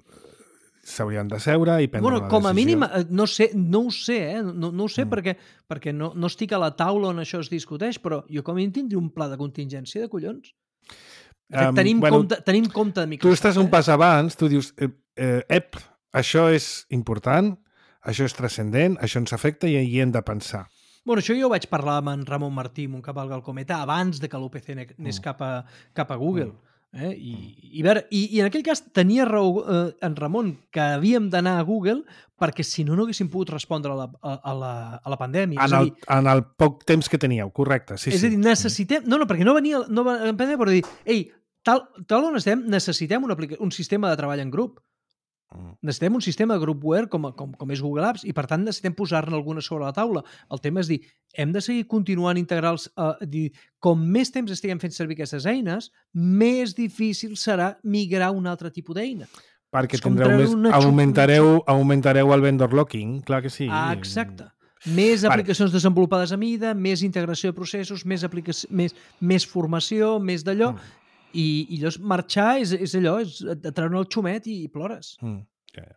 Speaker 2: s'haurien de seure i prendre
Speaker 3: bueno,
Speaker 2: una
Speaker 3: com a
Speaker 2: decisió.
Speaker 3: mínim, no, sé, no ho sé, eh? no, no ho sé mm. perquè, perquè no, no estic a la taula on això es discuteix, però jo com a mínim tindria un pla de contingència de collons. De fet, um, tenim, bueno, compte, tenim compte de Microsoft.
Speaker 2: Tu estàs
Speaker 3: eh?
Speaker 2: un pas abans, tu dius, eh, eh, ep, això és important, això és transcendent, això ens afecta i hi hem de pensar.
Speaker 3: Bueno, això jo ho vaig parlar amb en Ramon Martí, un cavalga al cometa, abans de que l'U P C anés mm. cap, a, cap a Google. Mm. Eh? I, i, veure, i, I en aquell cas tenia raó eh, en Ramon que havíem d'anar a Google perquè si no no haguéssim pogut respondre a la, a la, a la pandèmia.
Speaker 2: En,
Speaker 3: és a
Speaker 2: el,
Speaker 3: dir,
Speaker 2: en el poc temps que teníeu, correcte. Sí,
Speaker 3: és
Speaker 2: sí.
Speaker 3: a dir, necessitem... No, no, perquè no venia no va, la pandèmia, però dir, ei, tal, tal on estem, necessitem un, un sistema de treball en grup. Necessitem un sistema de groupware com, com, com és Google Apps i per tant necessitem posar-ne alguna sobre la taula. El tema és dir, hem de seguir continuant integrals, eh, dir, com més temps estiguem fent servir aquestes eines, més difícil serà migrar a un altre tipus d'eina.
Speaker 2: Perquè tindreu més, augmentareu, augmentareu el vendor locking, clar que sí.
Speaker 3: Ah, exacte. Més aplicacions vale. desenvolupades a mida, més integració de processos, més, més, més formació, més d'allò... Mm. I, i llavors marxar és, és allò, és treure el xumet i, i plores. Mm,
Speaker 2: okay.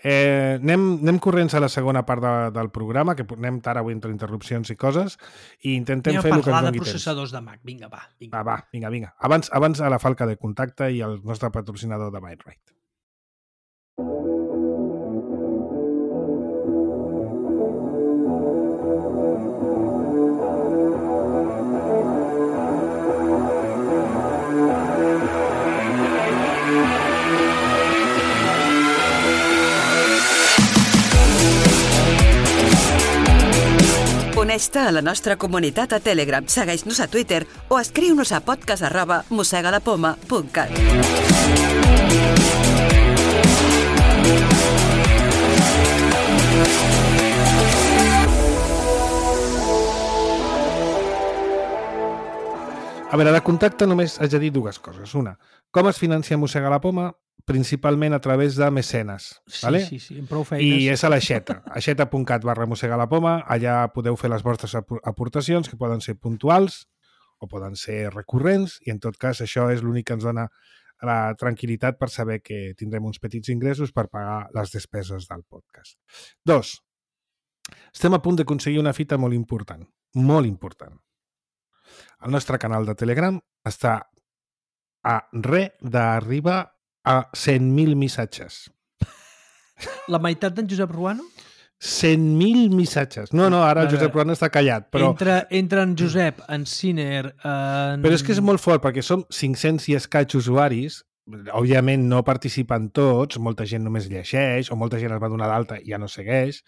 Speaker 2: eh, anem, anem corrents a la segona part de, del programa, que anem tard avui entre interrupcions i coses, i intentem
Speaker 3: anem
Speaker 2: fer el que ens doni temps.
Speaker 3: Anem a parlar de processadors de Mac, vinga, va. Vinga.
Speaker 2: Va, va, vinga, vinga. Abans, abans a la falca de contacte i el nostre patrocinador de MindRight.
Speaker 4: Uneix-te a la nostra comunitat a Telegram, segueix-nos a Twitter o escriu-nos a podcast arroba mosegalapoma punt cat.
Speaker 2: A veure, de contacte només haig de dir dues coses. Una, com es financia Mossega la Poma? Principalment a través de mecenes.
Speaker 3: Sí,
Speaker 2: vale?
Speaker 3: sí, sí, amb prou feines.
Speaker 2: I és a l'aixeta, aixeta punt cat barra Mossega la Poma. Allà podeu fer les vostres aportacions, que poden ser puntuals o poden ser recurrents, i en tot cas això és l'únic que ens dona la tranquil·litat per saber que tindrem uns petits ingressos per pagar les despeses del podcast. Dos, estem a punt d'aconseguir una fita molt important, molt important. El nostre canal de Telegram està a re d'arribar a cent mil missatges.
Speaker 3: La meitat d'en Josep Ruano?
Speaker 2: cent mil missatges. No, no, ara el Josep Ruano està callat. Però...
Speaker 3: Entre, entre en Josep, en Ciner... En...
Speaker 2: Però és que és molt fort, perquè som cinc-cents i escaig usuaris. Òbviament no participen tots, molta gent només llegeix, o molta gent es va donar d'alta i ja no segueix,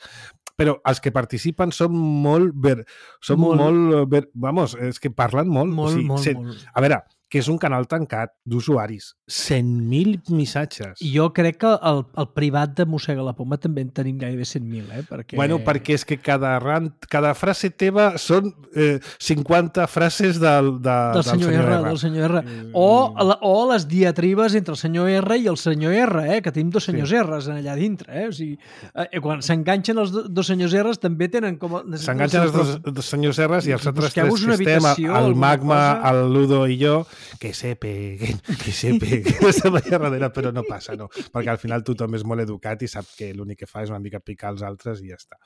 Speaker 2: però els que participen són molt... Ver... Són molt... molt ver... Vamos, és que parlen molt.
Speaker 3: Molt,
Speaker 2: o sigui,
Speaker 3: molt,
Speaker 2: cent...
Speaker 3: molt.
Speaker 2: A veure, que és un canal tancat d'usuaris. cent mil missatges.
Speaker 3: I jo crec que el, el privat de Mossega la Poma també en tenim gairebé cent mil, eh? Perquè...
Speaker 2: Bueno, perquè és que cada, rant, cada frase teva són eh, cinquanta frases del, de,
Speaker 3: del,
Speaker 2: del
Speaker 3: senyor,
Speaker 2: senyor
Speaker 3: R,
Speaker 2: R.
Speaker 3: Del senyor R. O, la, o les diatribes entre el senyor R i el senyor R, eh? Que tenim dos senyors sí. R's allà dintre. Eh? O sigui, eh, quan s'enganxen els dos senyors R's també tenen com...
Speaker 2: S'enganxen els dos, dos senyors R's i els altres tres que estem,
Speaker 3: el
Speaker 2: Magma, el Ludo i jo, que se peguen, que se peguen, està allà darrere, però no passa, no, perquè al final tothom és molt educat i sap que l'únic que fa és una mica picar els altres i ja està.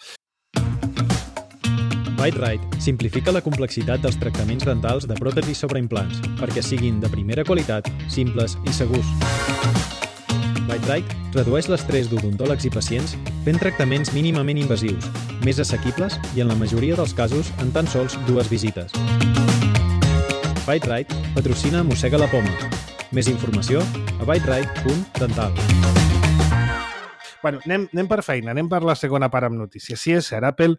Speaker 5: BiteRite simplifica la complexitat dels tractaments dentals de pròtesis sobre implants perquè siguin de primera qualitat, simples i segurs. BiteRite redueix l'estrès d'odontòlegs i pacients fent tractaments mínimament invasius, més assequibles i en la majoria dels casos en tan sols dues visites. BiteRite patrocina Mossega la Poma. Més informació a biterite punt dental.
Speaker 2: Bueno, anem, anem per feina, anem per la segona part amb notícies. Sí, és cert, Apple...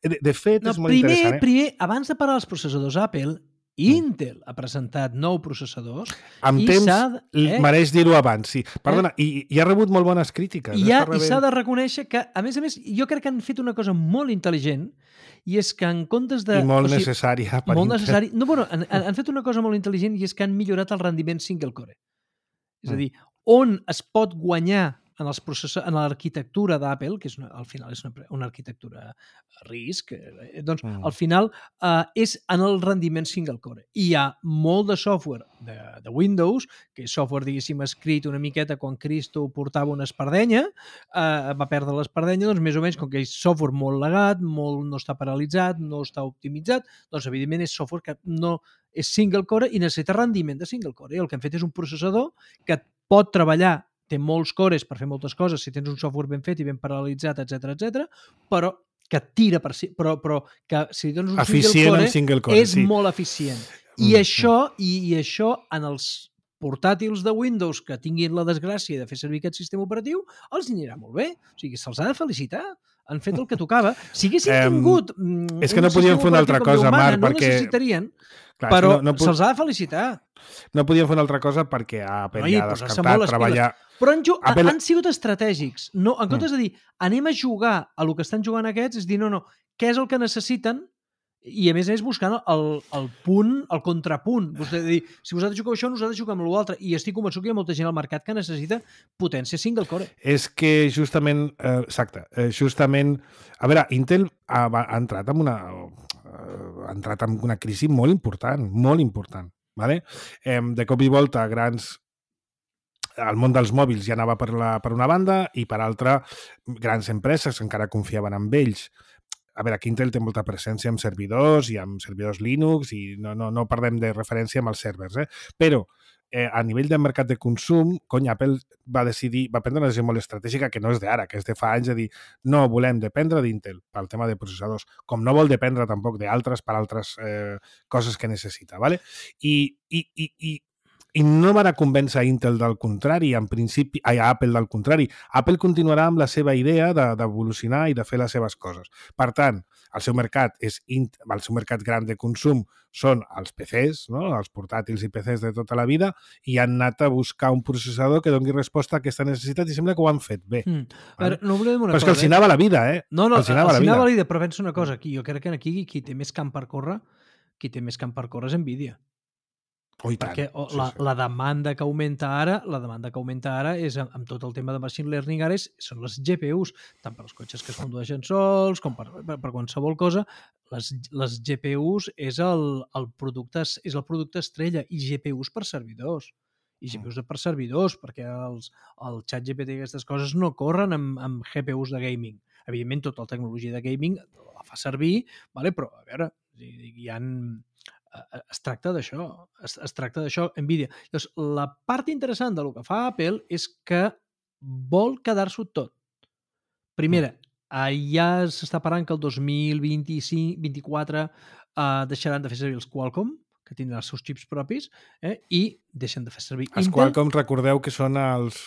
Speaker 2: De, de fet,
Speaker 3: no,
Speaker 2: és molt
Speaker 3: primer,
Speaker 2: interessant. Eh?
Speaker 3: Primer, abans de parlar dels processadors Apple, Intel ha presentat nou processadors
Speaker 2: amb
Speaker 3: i
Speaker 2: temps,
Speaker 3: eh?
Speaker 2: mereix dir-ho abans, sí. Perdona, eh? i, i ha rebut molt bones crítiques.
Speaker 3: I, ha, i s'ha de reconèixer que, a més a més, jo crec que han fet una cosa molt intel·ligent i és que en comptes de...
Speaker 2: I molt
Speaker 3: o sigui,
Speaker 2: necessària per
Speaker 3: molt
Speaker 2: Intel.
Speaker 3: necessari. No, bueno, han, han fet una cosa molt intel·ligent i és que han millorat el rendiment single core. És a dir, on es pot guanyar en els processors, en l'arquitectura d'Apple, que és una, al final és una, una arquitectura RISC, eh, doncs mm. al final eh, és en el rendiment single core. I hi ha molt de software de, de Windows, que és software, diguéssim, escrit una miqueta quan Cristo portava una espardenya, eh, va perdre l'espardenya, doncs més o menys, com que és software molt legat, molt, no està paralitzat, no està optimitzat, doncs evidentment és software que no és single core i necessita rendiment de single core. I el que hem fet és un processador que pot treballar, té molts cores per fer moltes coses, si tens un software ben fet i ben paralitzat, etcètera, etcètera, però que tira per si, però, però que si dones un
Speaker 2: eficient
Speaker 3: single core,
Speaker 2: single core
Speaker 3: és
Speaker 2: sí.
Speaker 3: molt eficient. I, mm, això, i, i això en els portàtils de Windows que tinguin la desgràcia de fer servir aquest sistema operatiu, els anirà molt bé. O sigui, se'ls ha de felicitar. Han fet el que tocava. Si haguessin tingut um,
Speaker 2: és que no podien fer una altra cosa, Marc,
Speaker 3: no
Speaker 2: perquè...
Speaker 3: necessitarien,
Speaker 2: clar,
Speaker 3: però
Speaker 2: no, no pot...
Speaker 3: se'ls ha de felicitar.
Speaker 2: No podien fer una altra cosa perquè Apple
Speaker 3: no,
Speaker 2: ja ha descartat treballar...
Speaker 3: Però han,
Speaker 2: Apple...
Speaker 3: han sigut estratègics. No, en comptes de dir, anem a jugar a lo que estan jugant aquests, és dir, no, no, què és el que necessiten? I a més a més buscant el, el punt, el contrapunt. Vostè dir, si vosaltres jugueu això, nosaltres juguem amb l'altre. I estic convençut que hi ha molta gent al mercat que necessita potència single core.
Speaker 2: És que justament, eh, exacte, eh, justament, a veure, Intel ha, ha entrat en una, ha entrat en una crisi molt important, molt important. Vale? Eh, de cop i volta, grans el món dels mòbils ja anava per, la, per una banda i per altra, grans empreses encara confiaven en ells. A veure, aquí Intel té molta presència amb servidors i amb servidors Linux i no, no, no parlem de referència amb els servers, eh? Però eh, a nivell de mercat de consum, cony, Apple va decidir, va prendre una decisió molt estratègica que no és d'ara, que és de fa anys, de dir no volem dependre d'Intel pel tema de processadors, com no vol dependre tampoc d'altres per altres eh, coses que necessita, ¿vale? I, i, i, i I no van a convèncer a Intel del contrari, en principi, a Apple del contrari. Apple continuarà amb la seva idea d'evolucionar i de fer les seves coses. Per tant, el seu mercat és el seu mercat gran de consum són els P Cs, no? Els portàtils i P Cs de tota la vida, i han anat a buscar un processador que doni resposta a aquesta necessitat i sembla que ho han fet bé. Mm.
Speaker 3: Vale? No oblidem una
Speaker 2: però és
Speaker 3: cosa,
Speaker 2: que els hi anava la vida, eh?
Speaker 3: No, no,
Speaker 2: els hi anava,
Speaker 3: els hi
Speaker 2: la,
Speaker 3: anava
Speaker 2: vida.
Speaker 3: la vida, però penso una cosa aquí. Jo crec que aquí qui té més camp per córrer, qui té més camp per córrer és Nvidia.
Speaker 2: Oh,
Speaker 3: perquè
Speaker 2: sí,
Speaker 3: la,
Speaker 2: sí.
Speaker 3: la demanda que augmenta ara, la demanda que augmenta ara és amb, amb tot el tema de machine learning ara és, són les G P Us, tant per als cotxes que es condueixen sols com per, per, per qualsevol cosa. Les, les G P Us és el, el producte és el producte estrella i G P Us per servidors. I G P Us per servidors, perquè els, el xat G P T i aquestes coses no corren amb, amb G P Us de gaming. Evidentment, tota la tecnologia de gaming la fa servir, vale? Però, a veure, hi ha... es tracta d'això, es, es tracta d'això Nvidia. Llavors, la part interessant del que fa Apple és que vol quedar-s'ho tot. Primera, ja s'està parlant que el dos mil vint-i-cinc vint-i-quatre eh, deixaran de fer servir els Qualcomm, que tindran els seus xips propis, eh, i deixen de fer servir
Speaker 2: els
Speaker 3: Intel.
Speaker 2: Qualcomm, recordeu que són els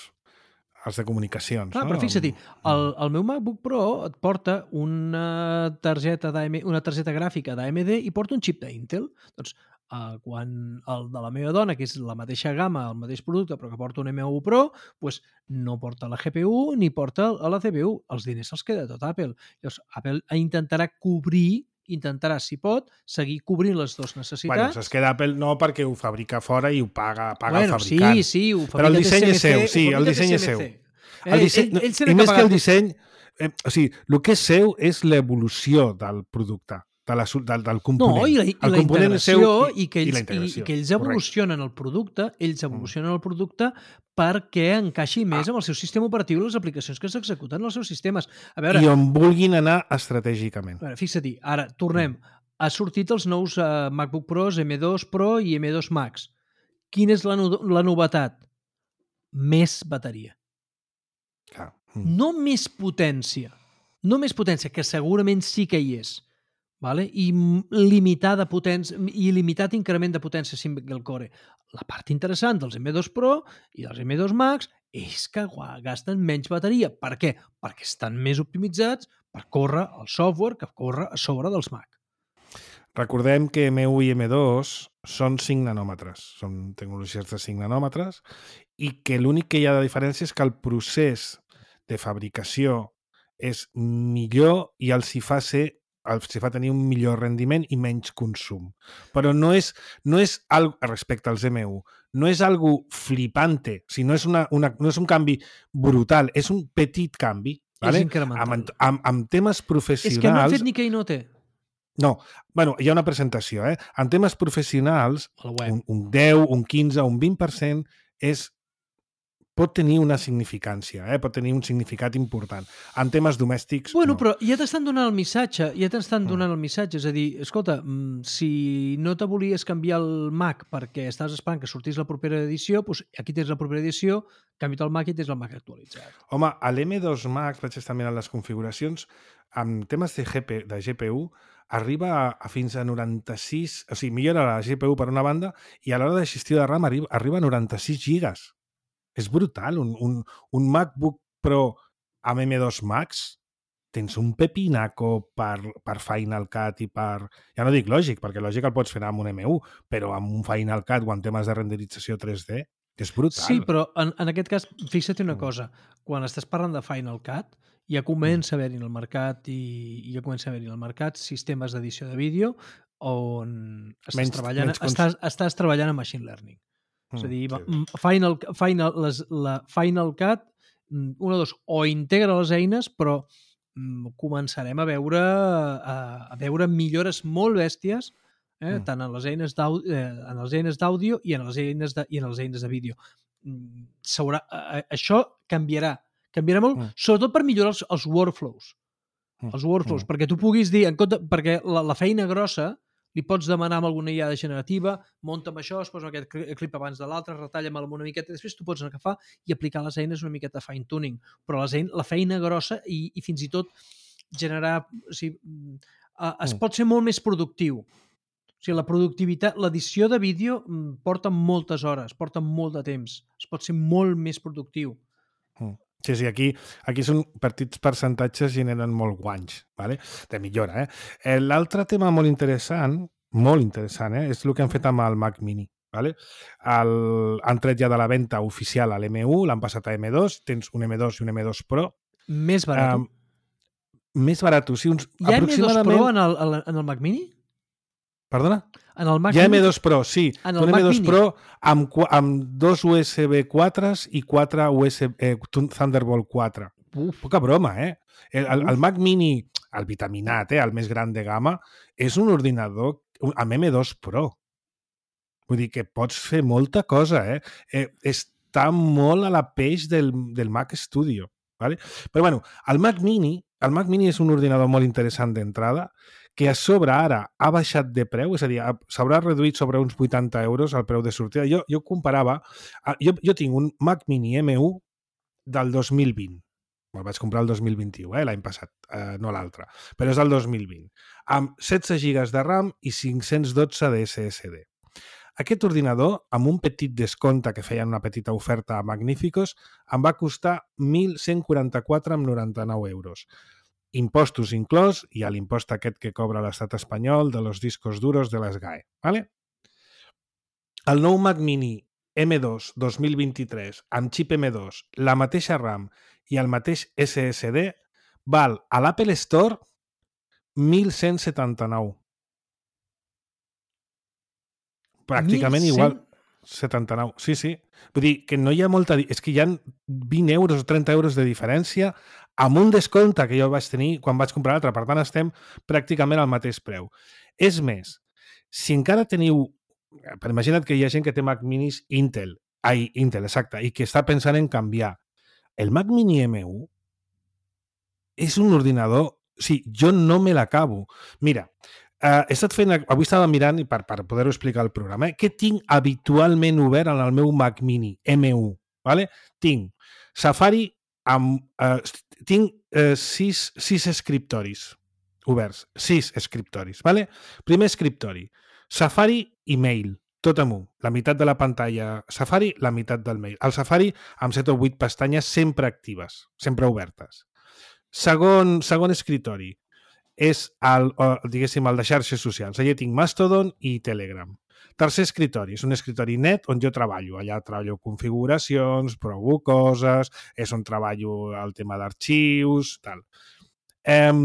Speaker 2: els de comunicacions.
Speaker 3: Clar,
Speaker 2: no?
Speaker 3: Però fixa-t'hi, el, el meu MacBook Pro et porta una targeta, una targeta gràfica d'A M D i porta un xip d'Intel. Doncs eh, quan el de la meva dona, que és la mateixa gamma, el mateix producte, però que porta un M un Pro, doncs no porta la G P U ni porta la C P U. Els diners se'ls queda tot Apple. Llavors, Apple intentarà cobrir intentarà, si pot, seguir cobrint les dues necessitats.
Speaker 2: Bueno, es queda Apple no perquè ho fabrica fora i ho paga, paga
Speaker 3: bueno,
Speaker 2: el fabricant.
Speaker 3: Sí, sí, ho fabrica
Speaker 2: però el disseny
Speaker 3: T C M C,
Speaker 2: és seu, sí, el disseny és seu. El disseny, ell, ell I més que el disseny, eh, o sigui, el que és seu és l'evolució del producte. de la, del, del component.
Speaker 3: No, i la, i
Speaker 2: el
Speaker 3: la integració
Speaker 2: seu,
Speaker 3: i, i, que ells,
Speaker 2: i, la
Speaker 3: i,
Speaker 2: integració.
Speaker 3: i que ells evolucionen el producte, ells evolucionen el producte perquè encaixi més amb el seu sistema operatiu i les aplicacions que s'executen en els seus sistemes. A veure,
Speaker 2: I on vulguin anar estratègicament.
Speaker 3: a veure, fixa-t'hi, ara tornem. Ha sortit els nous uh, MacBook Pros, eme dos Pro i eme dos Max. Quina és la, no la novetat? Més bateria.
Speaker 2: Clar.
Speaker 3: No més potència. No més potència, que segurament sí que hi és. Vale? I limitada potència i limitat increment de potència single core. La part interessant dels eme dos Pro i dels eme dos Max és que gasten menys bateria. Per què? Perquè estan més optimitzats per córrer el software que corre a sobre dels Mac.
Speaker 2: Recordem que eme u i eme dos són cinc nanòmetres, són tecnologies de cinc nanòmetres, i que l'únic que hi ha de diferència és que el procés de fabricació és millor i els hi fa ser els fa tenir un millor rendiment i menys consum. Però no és, no és algo, respecte als eme u, no és algo flipante, o sigui, no, és una, una, no és un canvi brutal, és un petit canvi. Vale?
Speaker 3: És incremental.
Speaker 2: Amb, amb, amb temes professionals...
Speaker 3: És que no han fet ni Keynote.
Speaker 2: No, bueno, hi ha una presentació, eh? En temes professionals, un, un deu, un quinze, un vint per cent és pot tenir una significància, eh? Pot tenir un significat important. En temes domèstics,
Speaker 3: bueno,
Speaker 2: no.
Speaker 3: Però ja t'estan donant el missatge, ja t'estan donant el missatge, és a dir, escolta, si no te volies canviar el Mac perquè estàs esperant que sortís la propera edició, doncs aquí tens la propera edició, canvia't el Mac i tens el Mac actualitzat.
Speaker 2: Home, a l'eme dos Max, vaig estar mirant les configuracions, amb temes de, G P, de G P U, arriba a, a fins a noranta-sis, o sigui, millora la G P U per una banda, i a l'hora de gestió de RAM arriba, arriba a noranta-sis gigas. És brutal. Un, un, un MacBook Pro amb eme dos Max tens un pepinaco per, per Final Cut i per... Ja no dic Logic, perquè Logic el pots fer amb un eme u, però amb un Final Cut o en temes de renderització tres D, que és brutal.
Speaker 3: Sí, però en, en aquest cas, fixa't una cosa. Quan estàs parlant de Final Cut, ja comença a haver-hi en el mercat i, i ja comença a haver-hi en el mercat sistemes d'edició de vídeo on estàs, menys, treballant, menys cons... estàs, estàs treballant en Machine Learning. Mm, és a dir, Final, Final, les, la Final Cut, una o dos, o integra les eines, però mm, començarem a veure, a, a veure millores molt bèsties, eh, mm. tant en les eines d'àudio eh, en les eines d'àudio i en les eines de, i en les eines de vídeo. Mm, eh, això canviarà. Canviarà molt, mm. sobretot per millorar els, els workflows. Mm. Els workflows, mm. perquè tu puguis dir, en compte, perquè la, la feina grossa li pots demanar amb alguna I A generativa, munta'm això, es posa aquest clip abans de l'altre, retalla'm una miqueta, després tu pots agafar i aplicar les eines una miqueta de fine-tuning. Però les eines, la feina grossa i, i fins i tot generar... O sigui, es pot ser molt més productiu. O sigui, la productivitat, l'edició de vídeo porta moltes hores, porta molt de temps. Es pot ser molt més productiu.
Speaker 2: Sí, sí, aquí, aquí són petits percentatges generen molt guanys, ¿vale? De millora, eh? L'altre tema molt interessant, molt interessant, eh? És el que han fet amb el Mac Mini, ¿vale? El, han tret ja de la venda oficial a l'eme u, l'han passat a eme dos, tens un eme dos i un eme dos Pro.
Speaker 3: Més barat. Um,
Speaker 2: més barat, sí. Uns,
Speaker 3: hi ha aproximadament... eme dos Pro en el, en el Mac Mini?
Speaker 2: Perdona?
Speaker 3: En el Mac
Speaker 2: hi ha
Speaker 3: Mini?
Speaker 2: eme dos Pro, sí.
Speaker 3: En
Speaker 2: un
Speaker 3: el
Speaker 2: eme dos
Speaker 3: Mac
Speaker 2: Pro amb, amb dos U S B quatre i quatre U S B, eh, Thunderbolt quatre. Uf, poca broma, eh? El, el, el Mac Mini, el vitaminat, eh, el més gran de gamma, és un ordinador amb eme dos Pro. Vull dir que pots fer molta cosa, eh? eh està molt a la peix del, del Mac Studio. ¿Vale? Però bueno, el Mac Mini, el Mac Mini és un ordinador molt interessant d'entrada, que a sobre ara ha baixat de preu, és a dir, s'haurà reduït sobre uns vuitanta euros el preu de sortida. Jo, jo comparava, jo, jo tinc un Mac Mini eme u del dos mil vint. El vaig comprar el dos mil vint-i-u, eh, l'any passat, eh, no l'altre, però és del dos mil vint, amb setze gigas de RAM i cinc-cents dotze de esse esse de. Aquest ordinador, amb un petit descompte que feien una petita oferta a Magníficos, em va costar mil cent quaranta-quatre coma noranta-nou euros. Impostos inclòs i a l'impost aquest que cobra l'estat espanyol de los discos duros de les G A E. ¿Vale? El nou Mac Mini eme dos dos mil vint-i-tres amb xip eme dos, la mateixa RAM i el mateix esse esse de val a l'Apple Store mil cent setanta-nou. Pràcticament igual. setanta-nou. Sí, sí. Vull dir que no hi ha molta... És que hi ha vint euros o trenta euros de diferència amb un descompte que jo vaig tenir quan vaig comprar l'altre. Per tant, estem pràcticament al mateix preu. És més, si encara teniu... Per imagina't que hi ha gent que té Mac Minis Intel. Ai, Intel, exacte. I que està pensant en canviar. El Mac Mini M u és un ordinador... O sigui, jo no me l'acabo. Mira, Uh, he estat fent, avui estava mirant i per, per poder-ho explicar al programa, eh? Què tinc habitualment obert en el meu Mac Mini M u? Vale? Tinc Safari amb... Uh, tinc uh, sis, sis escriptoris oberts. Sis escriptoris. Vale? Primer escriptori. Safari i Mail. Tot amb un. La meitat de la pantalla Safari, la meitat del Mail. El Safari amb set o vuit pestanyes sempre actives, sempre obertes. Segon, segon escriptori. És el, diguéssim, el de xarxes socials. Allà tinc Mastodon i Telegram. Tercer escritori, és un escritori net on jo treballo. Allà treballo configuracions, provo coses, és on treballo el tema d'arxius, tal. Um,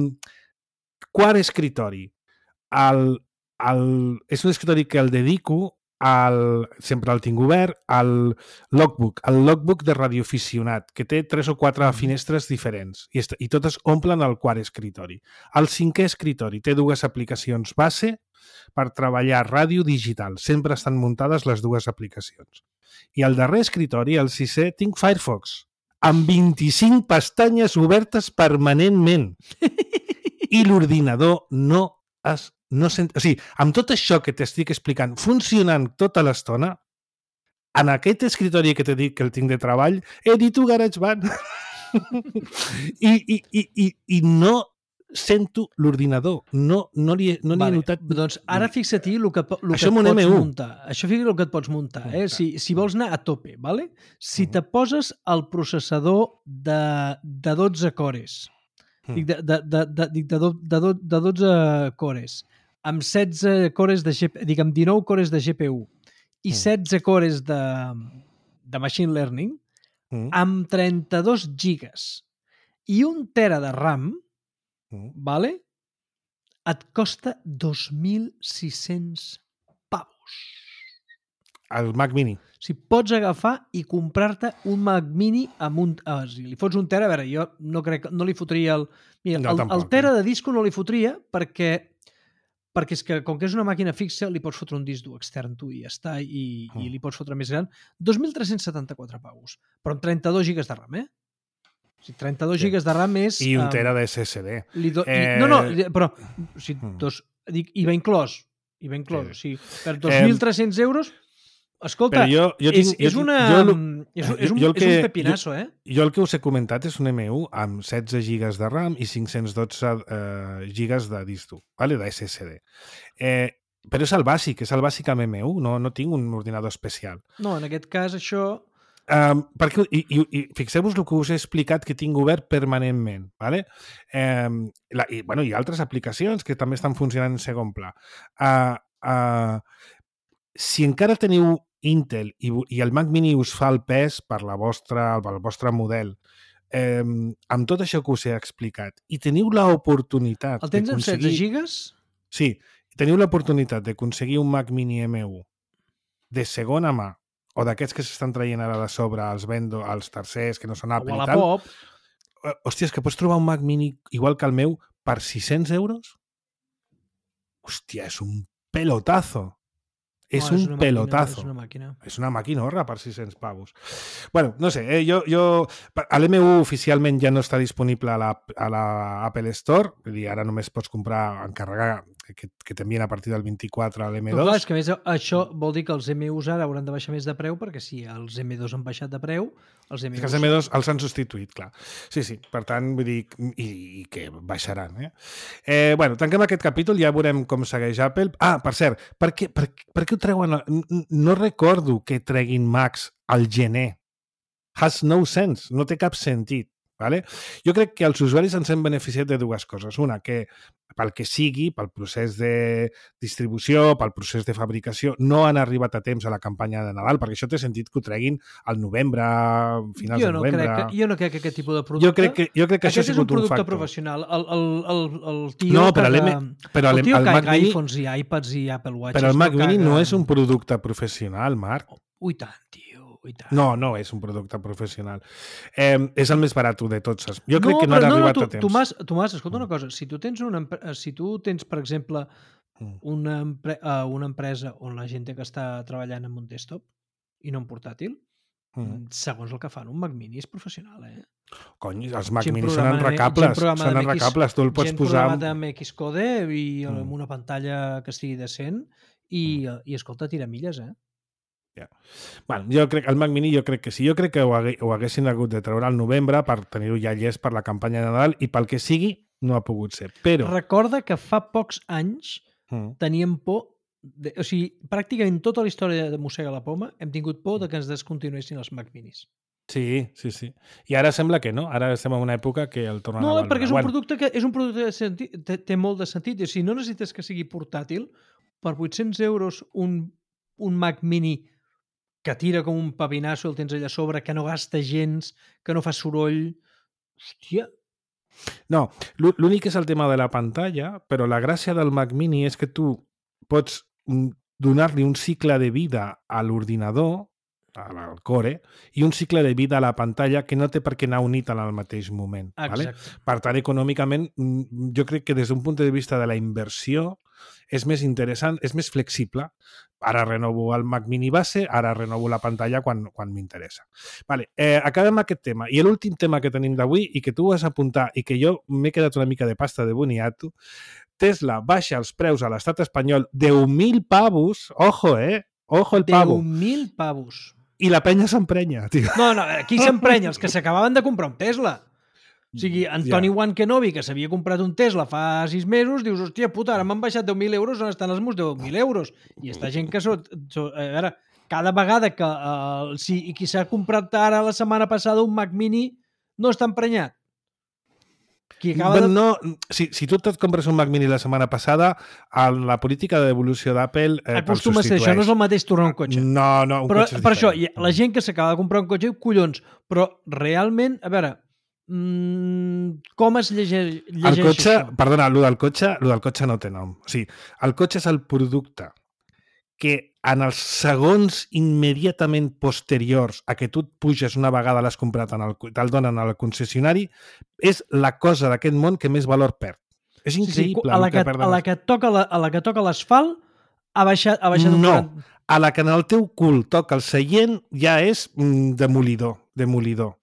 Speaker 2: quart escritori, el, el, és un escritori que el dedico al, sempre el tinc obert, al logbook, el logbook de radioaficionat, que té tres o quatre finestres diferents i, i totes omplen el quart escritori. El cinquè escritori té dues aplicacions base per treballar ràdio digital. Sempre estan muntades les dues aplicacions. I el darrer escritori, el sisè, tinc Firefox, amb vint-i-cinc pestanyes obertes permanentment. I l'ordinador no es No sent... O sigui, amb tot això que t'estic explicant, funcionant tota l'estona, en aquest escritori que t'he dit que el tinc de treball, edito GarageBand. I, i, i, i, I no sento l'ordinador. No, no li, no li
Speaker 3: vale,
Speaker 2: he notat...
Speaker 3: Doncs ara fixa-t'hi el que, el
Speaker 2: això
Speaker 3: que et pots
Speaker 2: M u.
Speaker 3: muntar. Això fixa el que et pots muntar. Eh? Si, si vols anar a tope, vale? Si te poses el processador de, de dotze cores, dic de, de, de, de, de, de, de, de dotze cores, amb setze cores de G P U, dic, amb dinou cores de G P U i setze cores de, de Machine Learning,
Speaker 2: mm.
Speaker 3: amb trenta-dos gigas i un tera de RAM,
Speaker 2: mm.
Speaker 3: vale? Et costa dos mil sis-cents pavos.
Speaker 2: El Mac Mini.
Speaker 3: O sigui, pots agafar i comprar-te un Mac Mini amb un... Ah, si li fots un tera, a veure, jo no crec no li fotria el... Mira,
Speaker 2: no,
Speaker 3: el,
Speaker 2: tampoc,
Speaker 3: el tera de disco no li fotria perquè perquè és que, com que és una màquina fixa, li pots fotre un disc dur extern tu i ja està, i, mm. i li pots fotre més gran. dos mil tres-cents setanta-quatre pavos, però amb trenta-dos gigas de RAM, eh? O sigui, trenta-dos sí. gigas de RAM és...
Speaker 2: I un tera de S S D.
Speaker 3: Li do... eh... I, no, no, però... O sigui, dos, dic, i va inclòs. I va inclòs. Sí. O sigui, per dos mil tres-cents euros... Escolta,
Speaker 2: jo, jo tinc,
Speaker 3: és, és, una,
Speaker 2: jo,
Speaker 3: és, és, un,
Speaker 2: jo
Speaker 3: que, és un pepinazo, eh?
Speaker 2: Jo el que us he comentat és un M u amb setze gigas de RAM i cinc-cents dotze eh, gigas de disc dur, vale? de S S D. Eh, però és el bàsic, és el bàsic amb M u, no, no tinc un ordinador especial.
Speaker 3: No, en aquest cas això...
Speaker 2: Um, perquè, i, i, i fixeu-vos el que us he explicat que tinc obert permanentment, vale? Um, la, i, bueno, hi ha altres aplicacions que també estan funcionant en segon pla. Uh, uh, si encara teniu Intel i, i el Mac Mini us fa el pes per la vostra, el vostre model, eh, amb tot això que us he explicat, i teniu l'oportunitat...
Speaker 3: El tens amb setze gigas?
Speaker 2: Sí, teniu l'oportunitat d'aconseguir un Mac Mini M u de segona mà, o d'aquests que s'estan traient ara de sobre els vendo, els tercers, que no són Apple i tal...
Speaker 3: Pop.
Speaker 2: Hòstia, és que pots trobar un Mac Mini igual que el meu per sis-cents euros? Hòstia, és un pelotazo. És
Speaker 3: no,
Speaker 2: un
Speaker 3: és
Speaker 2: pelotazo.
Speaker 3: Màquina, és una màquina.
Speaker 2: És una maquinorra per sis-cents pavos. Bueno, no sé, eh, jo, jo... L'M u oficialment ja no està disponible a la, a la Apple Store, vull dir, ara només pots comprar, encarregar, que, que t'envien a partir del vint-i-quatre a l'M dos.
Speaker 3: Però clar, és que a més això vol dir que els M us ara hauran de baixar més de preu, perquè si els M dos han baixat de preu, els M us...
Speaker 2: És que els M dos els han substituït, clar. Sí, sí, per tant, vull dir, i, i que baixaran, eh? eh? Bueno, tanquem aquest capítol, ja veurem com segueix Apple. Ah, per cert, per què, per, per què ho treuen? No recordo que treguin Macs al gener. Has no sense, no té cap sentit. Vale? Jo crec que els usuaris ens hem beneficiat de dues coses. Una, que pel que sigui, pel procés de distribució, pel procés de fabricació, no han arribat a temps a la campanya de Nadal, perquè això té sentit que ho treguin al novembre, finals
Speaker 3: jo no
Speaker 2: de novembre.
Speaker 3: Crec que, jo no crec que aquest tipus de producte...
Speaker 2: Jo crec que, jo crec que això ha sigut un,
Speaker 3: un factor. Aquest és un producte professional. El, el, el, el tio
Speaker 2: no,
Speaker 3: que...
Speaker 2: Que, però
Speaker 3: el tio
Speaker 2: el
Speaker 3: que
Speaker 2: Mac Mini,
Speaker 3: iPhones i iPads i Apple Watches...
Speaker 2: Però el Mac
Speaker 3: no
Speaker 2: Mini
Speaker 3: caga...
Speaker 2: no és un producte professional, Marc.
Speaker 3: Ui, tant, tio, ui, tant.
Speaker 2: No, no és un producte professional. Eh, és el més barat de tots. Jo crec
Speaker 3: no,
Speaker 2: que no
Speaker 3: però
Speaker 2: han
Speaker 3: no,
Speaker 2: arribat
Speaker 3: no,
Speaker 2: a temps.
Speaker 3: Tomàs, Tomàs, escolta una cosa. Si tu tens, una, si tu tens per exemple,
Speaker 2: Mm.
Speaker 3: una, empre uh, una empresa on la gent té que està treballant amb un desktop i no en portàtil,
Speaker 2: Mm.
Speaker 3: segons el que fan, un Mac Mini és professional, eh?
Speaker 2: Cony, els Mac
Speaker 3: Gent
Speaker 2: Mini són
Speaker 3: programada amb-
Speaker 2: enrecables.
Speaker 3: gent programada
Speaker 2: Són
Speaker 3: amb X-
Speaker 2: enrecables. Tu el pots
Speaker 3: gent
Speaker 2: posar...
Speaker 3: programat amb Xcode i
Speaker 2: Mm.
Speaker 3: amb una pantalla que estigui decent i, i escolta, tira milles, eh?
Speaker 2: Bueno, jo crec, el Mac Mini jo crec que sí. Jo crec que ho, hagué, ho haguessin hagut de treure al novembre per tenir-ho ja llest per la campanya de Nadal i pel que sigui, no ha pogut ser. Però...
Speaker 3: Recorda que fa pocs anys
Speaker 2: Mm.
Speaker 3: teníem por... De, o sigui, pràcticament tota la història de Mossega la Poma hem tingut por de que ens descontinuessin els Mac Minis.
Speaker 2: Sí, sí, sí. I ara sembla que no. Ara estem en una època que el tornen
Speaker 3: No,
Speaker 2: a valorar.
Speaker 3: perquè és un
Speaker 2: Bueno,
Speaker 3: producte que és un producte de sentit, té, té molt de sentit. O sigui, no necessites que sigui portàtil. Per vuit-cents euros un, un Mac Mini que tira com un pavinasso, el tens allà a sobre, que no gasta gens, que no fa soroll... Hòstia,
Speaker 2: No, l'ú- l'únic és el tema de la pantalla, però la gràcia del Mac Mini és que tu pots mm, donar-li un cicle de vida a l'ordinador, al core, i un cicle de vida a la pantalla que no té per què anar unit en el mateix moment. Vale?
Speaker 3: exacte.
Speaker 2: Per tant, econòmicament, mm, jo crec que des d'un punt de vista de la inversió és més interessant, és més flexible. Ara renovo el Mac Mini base, ara renovo la pantalla quan, quan m'interessa. Vale, eh, acabem aquest tema. I l'últim tema que tenim d'avui i que tu vas apuntar i que jo m'he quedat una mica de pasta de boniato, Tesla baixa els preus a l'estat espanyol deu mil pavos, ojo, eh? Ojo el pavo.
Speaker 3: deu mil pavos.
Speaker 2: I la penya s'emprenya, tio.
Speaker 3: No, no, aquí s'emprenya els que s'acabaven de comprar un Tesla. O sigui, Antoni
Speaker 2: Ja.
Speaker 3: Juan Kenobi, que s'havia comprat un Tesla fa sis mesos, dius, hòstia puta, ara m'han baixat deu mil euros, on estan els meus deu mil euros? I està gent que... So, so, a veure, cada vegada que... Uh, si, i qui s'ha comprat ara la setmana passada un Mac Mini no està emprenyat. Qui acaba
Speaker 2: Bueno,
Speaker 3: de...
Speaker 2: no, si, si tu et compres un Mac Mini la setmana passada, en la política de devolució d'Apple eh,
Speaker 3: Acostuma a ser, això no és el mateix tornar un cotxe.
Speaker 2: No, no, un
Speaker 3: però,
Speaker 2: cotxe és
Speaker 3: per això,
Speaker 2: diferent.
Speaker 3: hi ha- la gent que s'acaba de comprar un cotxe, collons, però realment, a veure, mm, com es llegeix, llegeix
Speaker 2: El cotxe,
Speaker 3: això?
Speaker 2: perdona, el del cotxe, el del cotxe no té nom. O sigui, el cotxe és el producte que en els segons immediatament posteriors a que tu et puges una vegada l'has comprat, en el, te'l donen al concessionari, és la cosa d'aquest món que més valor perd. És
Speaker 3: Sí, sí,
Speaker 2: increïble.
Speaker 3: a la
Speaker 2: el
Speaker 3: que,
Speaker 2: perden
Speaker 3: a la
Speaker 2: els-
Speaker 3: que toca la, a la que toca l'asfalt ha baixat, ha baixat un
Speaker 2: No,
Speaker 3: quaranta...
Speaker 2: a la que en el teu cul toca el seient ja és mm, demolidor, demolidor.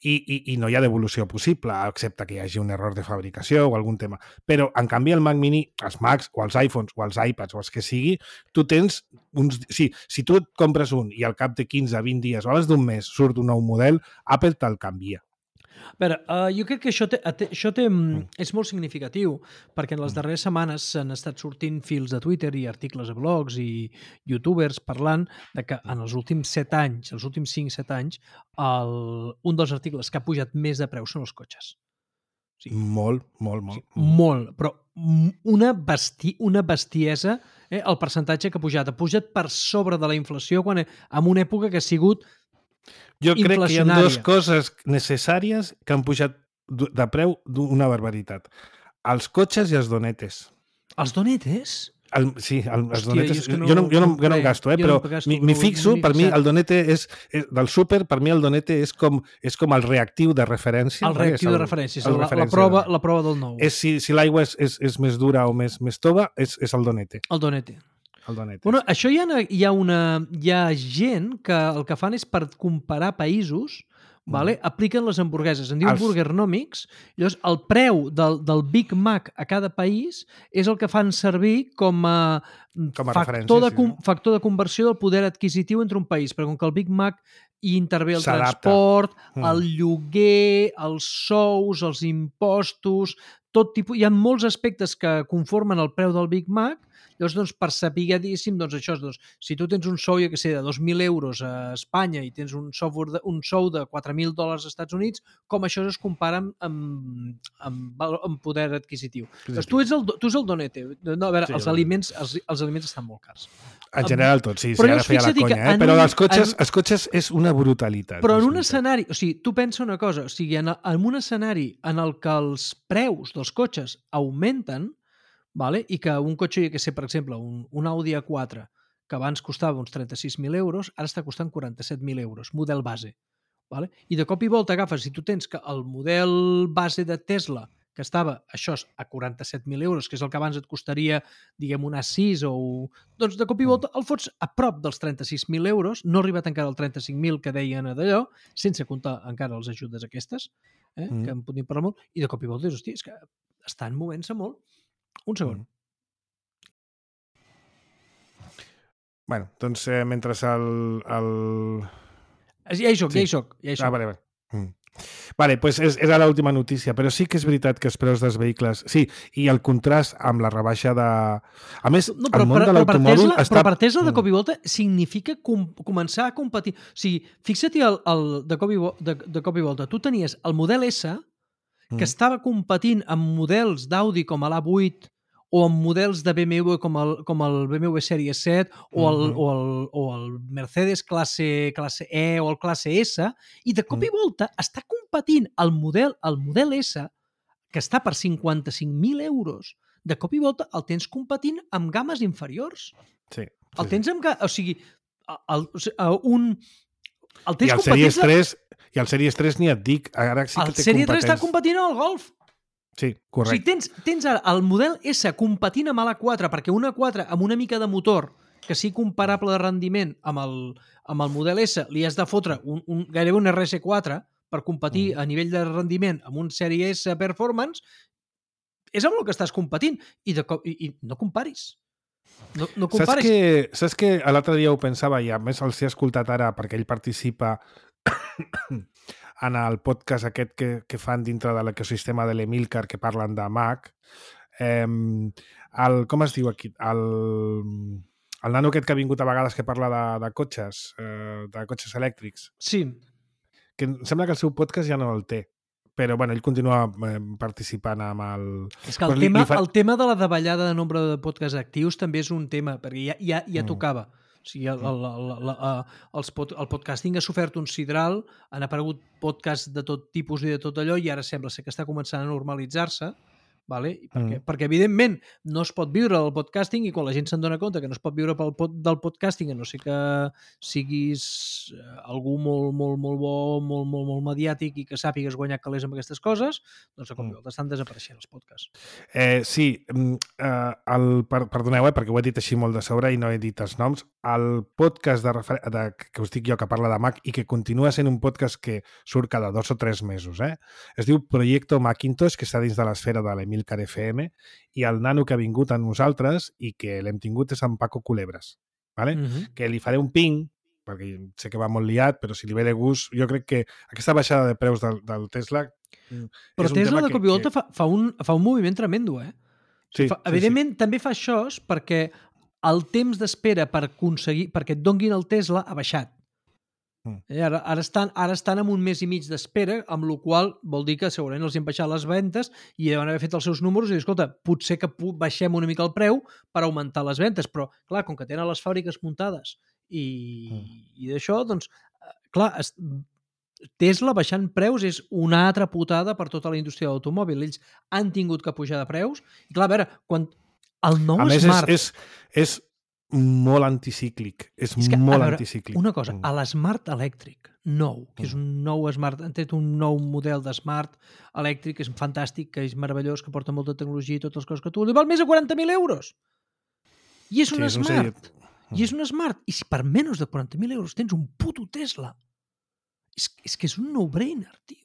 Speaker 2: I, i, I no hi ha devolució possible, excepte que hi hagi un error de fabricació o algun tema. Però, en canvi, el Mac Mini, els Macs o els iPhones o els iPads o els que sigui, tu tens uns... Sí, si tu et compres un i al cap de quinze, vint dies o abans d'un mes surt un nou model, Apple te'l canvia.
Speaker 3: A veure, uh, jo crec que això, té, té, això té, mm. és molt significatiu perquè en les darreres setmanes s'han estat sortint fils de Twitter i articles a blogs i youtubers parlant de que en els últims set anys, els últims cinc set anys, el, un dels articles que ha pujat més de preu són els cotxes. Sí.
Speaker 2: Molt, molt, molt.
Speaker 3: Molt, però una, besti, una bestiesa, eh, el percentatge que ha pujat. Ha pujat per sobre de la inflació quan, en una època que ha sigut
Speaker 2: Jo crec que hi ha
Speaker 3: inflacionària.
Speaker 2: dues coses necessàries que han pujat du- de preu d'una barbaritat. Els cotxes i els donetes.
Speaker 3: els donetes.
Speaker 2: El, sí, el, els
Speaker 3: Hòstia,
Speaker 2: donetes,
Speaker 3: jo és que no-
Speaker 2: jo, no, jo, no,
Speaker 3: no
Speaker 2: jo no em
Speaker 3: crec.
Speaker 2: gasto, eh,
Speaker 3: Jo
Speaker 2: però
Speaker 3: no gasto,
Speaker 2: m'hi m'hi
Speaker 3: no-
Speaker 2: fixo,
Speaker 3: no
Speaker 2: per mi
Speaker 3: fixat.
Speaker 2: el donete és, és del súper, per mi el donete és com, és com el reactiu de referència.
Speaker 3: El
Speaker 2: vale?
Speaker 3: reactiu
Speaker 2: És
Speaker 3: de referència, és
Speaker 2: el
Speaker 3: la, la,
Speaker 2: referència
Speaker 3: prova,
Speaker 2: de-
Speaker 3: la prova del nou.
Speaker 2: És si, si l'aigua és, és, és més dura o més, més tova, és, és el donete.
Speaker 3: El donete.
Speaker 2: El donete.
Speaker 3: Bueno, això hi ha, hi ha, una, hi ha gent que el que fan és per comparar països, vale? Apliquen les hamburgueses. En diuen
Speaker 2: Els-
Speaker 3: Burgernomics. Llavors, el preu del, del Big Mac a cada país és el que fan servir com a,
Speaker 2: Com a
Speaker 3: factor,
Speaker 2: referència,
Speaker 3: de,
Speaker 2: sí,
Speaker 3: com,
Speaker 2: no?
Speaker 3: factor de conversió del poder adquisitiu entre un país. Perquè com que el Big Mac hi intervé el
Speaker 2: S'adapta.
Speaker 3: transport,
Speaker 2: Mm.
Speaker 3: el lloguer, els sous, els impostos, tot tipus... Hi ha molts aspectes que conformen el preu del Big Mac. Llavors, doncs, per saber, diguéssim, doncs, això, doncs, si tu tens un sou, jo que sé, de dos mil euros a Espanya i tens un, software de, un sou de quatre mil dòlars als Estats Units, com això es compara amb, amb, amb, val- amb poder adquisitiu. Doncs tu ets el, do- tu ets el donete. No, a veure,
Speaker 2: Sí,
Speaker 3: els,
Speaker 2: el-
Speaker 3: aliments, els, els aliments estan molt cars.
Speaker 2: En general tot, sí, sí,
Speaker 3: Però
Speaker 2: ara
Speaker 3: llavors
Speaker 2: feia la
Speaker 3: fixa't que
Speaker 2: conya, eh?
Speaker 3: en
Speaker 2: Però
Speaker 3: un-
Speaker 2: els cotxes,
Speaker 3: en-
Speaker 2: els cotxes és una brutalitat.
Speaker 3: Però
Speaker 2: és
Speaker 3: en un
Speaker 2: veritat.
Speaker 3: escenari, o sigui, tu pensa una cosa, o sigui, en, en un escenari en el que els preus dels cotxes augmenten, vale? I que un cotxe, jo que sé, per exemple, un, un Audi A quatre, que abans costava uns trenta-sis mil euros, ara està costant quaranta-set mil euros, model base. Vale? I de cop i volta agafes, si tu tens que el model base de Tesla, que estava, això a quaranta-set mil euros, que és el que abans et costaria, diguem, un A sis o... Doncs de cop i volta el fots a prop dels trenta-sis mil euros, no ha arribat encara al trenta-cinc mil que deien d'allò, sense comptar encara les ajudes aquestes, eh, mm. que en podem parlar molt, i de cop i volta dius, hòstia, és que estan movent-se molt. Un segon. Mm.
Speaker 2: Bueno, doncs eh, mentre el... el...
Speaker 3: Ja hi soc, sí. ja hi soc. Ja hi soc.
Speaker 2: Ah, vale, vale. Mm. Vale, pues és, era l'última notícia, però sí que és veritat que els preus dels vehicles... Sí, i el contrast amb la rebaixa de... A més,
Speaker 3: no, però,
Speaker 2: el món
Speaker 3: però,
Speaker 2: de l'automòbil
Speaker 3: està...
Speaker 2: està...
Speaker 3: Però per Tesla, de cop i volta, significa com, començar a competir. O sigui, fixa't el, el, de, cop i, de, de cop i volta. Tu tenies el model S, que mm. estava competint amb models d'Audi com l'A vuit, o amb models de B M W com el, com el B M W Sèrie set o el, mm -hmm. o el, o el Mercedes classe, classe E o el classe S, i de cop mm. i volta està competint el model, el model S, que està per cinquanta-cinc mil euros, de cop i volta el tens competint amb games inferiors.
Speaker 2: Sí. sí
Speaker 3: el tens amb... O sigui, el, el, un... El tens
Speaker 2: I el Series tres, i el Series tres ni et dic, ara sí que
Speaker 3: el
Speaker 2: té
Speaker 3: Series tres
Speaker 2: competents.
Speaker 3: està competint al Golf.
Speaker 2: Sí, correcte.
Speaker 3: O sigui, tens, tens ara el model S competint amb l'A quatre, perquè un A quatre amb una mica de motor que sigui comparable de rendiment amb el, amb el model S, li has de fotre un, un, gairebé un R S quatre per competir mm. a nivell de rendiment amb un Sèrie S Performance, és amb el que estàs competint. I, de cop, i, i no comparis. No, no comparis.
Speaker 2: Saps que, saps que l'altre dia ho pensava, i a més els he escoltat ara perquè ell participa en el podcast aquest que, que fan dintre de l'ecosistema de l'Emilcar, que parlen de Mac. Eh, el, com es diu aquí? El, el nano aquest que ha vingut a vegades que parla de, de cotxes, eh, de cotxes elèctrics.
Speaker 3: Sí.
Speaker 2: Que em sembla que el seu podcast ja no el té, però bueno, ell continua eh, participant amb el...
Speaker 3: És que el, tema, li, li fa... el tema de la davallada de nombre de podcasts actius també és un tema, perquè ja, ja, ja mm. tocava. O sigui, el, el, el, el, els pod, el podcasting ha sofert un sidral, han aparegut podcasts de tot tipus i de tot allò, i ara sembla ser que està començant a normalitzar-se, vale? perquè, mm. perquè evidentment no es pot viure del podcasting, i quan la gent se'n dona compte que no es pot viure pel pod, del podcasting, a no ser que siguis algú molt, molt, molt bo, molt, molt, molt mediàtic i que sàpigues guanyar calés amb aquestes coses, doncs a cop i volta estan desapareixent els podcasts.
Speaker 2: Eh, sí, eh, el, per, perdoneu, eh, perquè ho he dit així molt de sobre i no he dit els noms. El podcast de, refer... de, que us dic jo, que parla de Mac i que continua sent un podcast que surt cada dos o tres mesos, eh? Es diu Proyecto Macintosh, que està dins de l'esfera de l'Emilcar F M, i el nano que ha vingut a nosaltres i que l'hem tingut és en Paco Culebres, ¿vale? Uh-huh. Que li faré un ping, perquè sé que va molt liat, però si li ve de gust, jo crec que aquesta baixada de preus del, del Tesla...
Speaker 3: Però Tesla de cop i volta que... fa, fa, un, fa un moviment tremendo, eh?
Speaker 2: Sí,
Speaker 3: fa,
Speaker 2: sí,
Speaker 3: evidentment,
Speaker 2: sí.
Speaker 3: també fa això perquè el temps d'espera per aconseguir, perquè et donguin el Tesla ha baixat. Mm. Eh, ara, ara, estan, ara estan en un mes i mig d'espera, amb la qual vol dir que segurament els han baixat les ventes i deuen haver fet els seus números i dir, escolta, potser que baixem una mica el preu per augmentar les ventes, però clar, com que tenen les fàbriques muntades i, mm. i d'això, doncs, clar, es, Tesla baixant preus és una altra putada per tota la indústria de l'automòbil. Ells han tingut que pujar de preus i clar, a veure, quan el nou
Speaker 2: a més,
Speaker 3: Smart...
Speaker 2: És, és, és molt anticíclic. És, és que, molt veure, anticíclic.
Speaker 3: Una cosa, a l'Smart elèctric nou, que és un nou Smart, han tret un nou model de Smart elèctric, que és fantàstic, que és meravellós, que porta molta tecnologia i totes les coses que tu vols, val més de quaranta mil euros. I és un sí, Smart. I és un Smart. I si per menys de quaranta mil euros tens un puto Tesla, és, és que és un no-brainer, tio.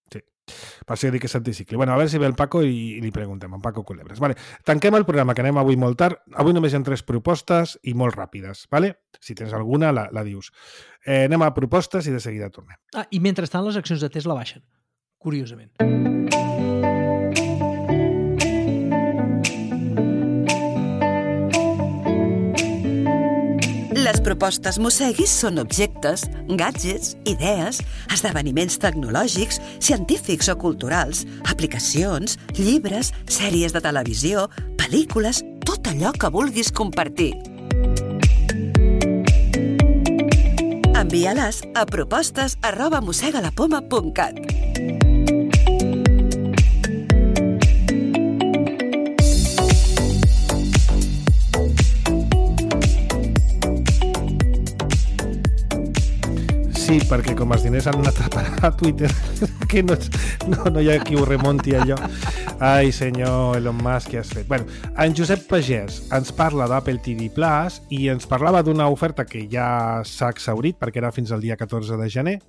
Speaker 2: Sí. Per això dic que és anticicli. Bueno, a veure si ve el Paco i, i li preguntem, en Paco Culebres. Vale. Tanquem el programa, que anem avui molt tard. Avui només hi ha tres propostes i molt ràpides. Vale? Si tens alguna, la, la dius. Eh, anem a propostes i de seguida tornem.
Speaker 3: Ah, i mentrestant les accions de Tesla baixen, curiosament.
Speaker 4: Les propostes Mosseguis són objectes, gadgets, idees, esdeveniments tecnològics, científics o culturals, aplicacions, llibres, sèries de televisió, pel·lícules, tot allò que vulguis compartir. Envia-les a propostes arroba mossegalapoma punt cat.
Speaker 2: perquè com els diners han anat a parar a Twitter, que no, no, no hi ha qui ho remonti allò. Ai, senyor Elon Musk, què has fet? Bueno, en Josep Pagès ens parla d'Apple T V Plus i ens parlava d'una oferta que ja s'ha exhaurit perquè era fins al dia catorze de gener,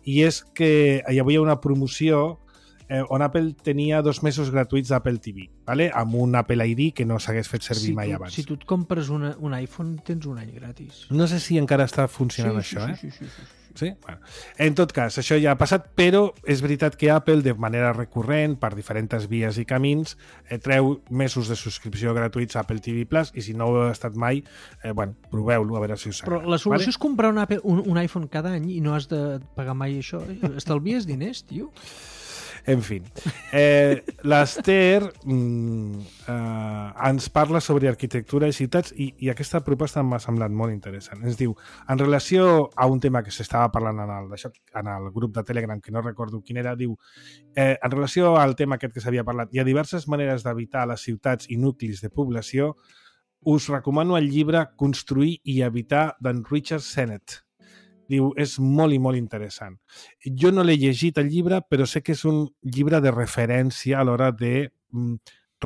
Speaker 2: i és que hi havia una promoció eh, on Apple tenia dos mesos gratuïts d'Apple T V, ¿vale? Amb un Apple I D que no s'hagués fet servir
Speaker 3: si
Speaker 2: mai
Speaker 3: tu,
Speaker 2: abans.
Speaker 3: Si tu et compres una, un iPhone, tens un any gratis.
Speaker 2: No sé si encara està funcionant
Speaker 3: sí,
Speaker 2: això,
Speaker 3: sí,
Speaker 2: eh?
Speaker 3: Sí, sí, sí, sí.
Speaker 2: Sí? Bueno. En tot cas, això ja ha passat, però és veritat que Apple, de manera recurrent, per diferents vies i camins, eh, treu mesos de subscripció gratuïts a Apple T V Plus, i si no ho heu estat mai, eh, bueno, proveu-lo, a veure si us
Speaker 3: Però
Speaker 2: agrada.
Speaker 3: la solució
Speaker 2: vale?
Speaker 3: és comprar un, Apple, un, un iPhone cada any i no has de pagar mai això. Estalvies diners, tio.
Speaker 2: En fi, eh, l'Ester mm, eh, ens parla sobre arquitectura i ciutats i, i aquesta proposta m'ha semblat molt interessant. Ens diu, en relació a un tema que s'estava parlant en el, això, en el grup de Telegram, que no recordo quin era, diu, eh, en relació al tema aquest que s'havia parlat, hi ha diverses maneres d'evitar les ciutats i nuclis de població. Us recomano el llibre Construir i habitar d'en Richard Sennett. Diu, és molt i molt interessant. Jo no l'he llegit el llibre, però sé que és un llibre de referència a l'hora de mm,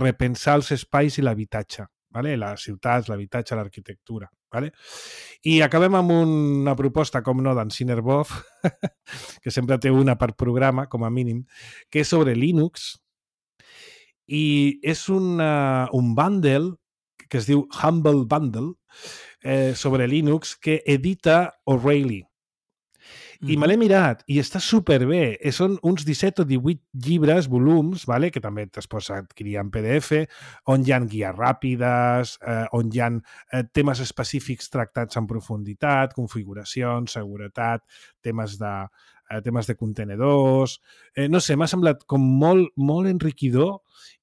Speaker 2: repensar els espais i l'habitatge, ¿vale? Les ciutats, l'habitatge, l'arquitectura. ¿Vale? I acabem amb una proposta, com no, d'en Cinerbov, que sempre té una per programa, com a mínim, que és sobre Linux, i és una, un bundle que es diu Humble Bundle eh, sobre Linux que edita O'Reilly. I me l'he mirat i està superbé. Són uns disset o divuit llibres, volums, vale? Que també es pots adquirir en P D F, on hi ha guies ràpides, eh, on hi ha eh, temes específics tractats en profunditat, configuracions, seguretat, temes de, eh, temes de contenedors... Eh, no sé, m'ha semblat com molt, molt enriquidor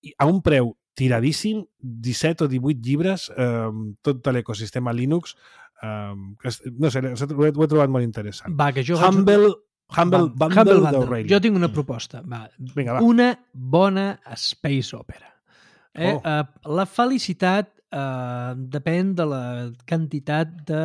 Speaker 2: i a un preu tiradíssim, disset o divuit llibres, eh, tot de l'ecosistema Linux. Um, que, no sé, ho he, ho he trobat molt interessant.
Speaker 3: Va, que jo
Speaker 2: Humble,
Speaker 3: faig...
Speaker 2: Humble
Speaker 3: va,
Speaker 2: Bundle,
Speaker 3: Humble
Speaker 2: d'Aureli.
Speaker 3: Jo tinc una proposta. Va.
Speaker 2: Vinga, va.
Speaker 3: Una bona space opera. Eh?
Speaker 2: Oh.
Speaker 3: Uh, la felicitat uh, depèn de la quantitat de,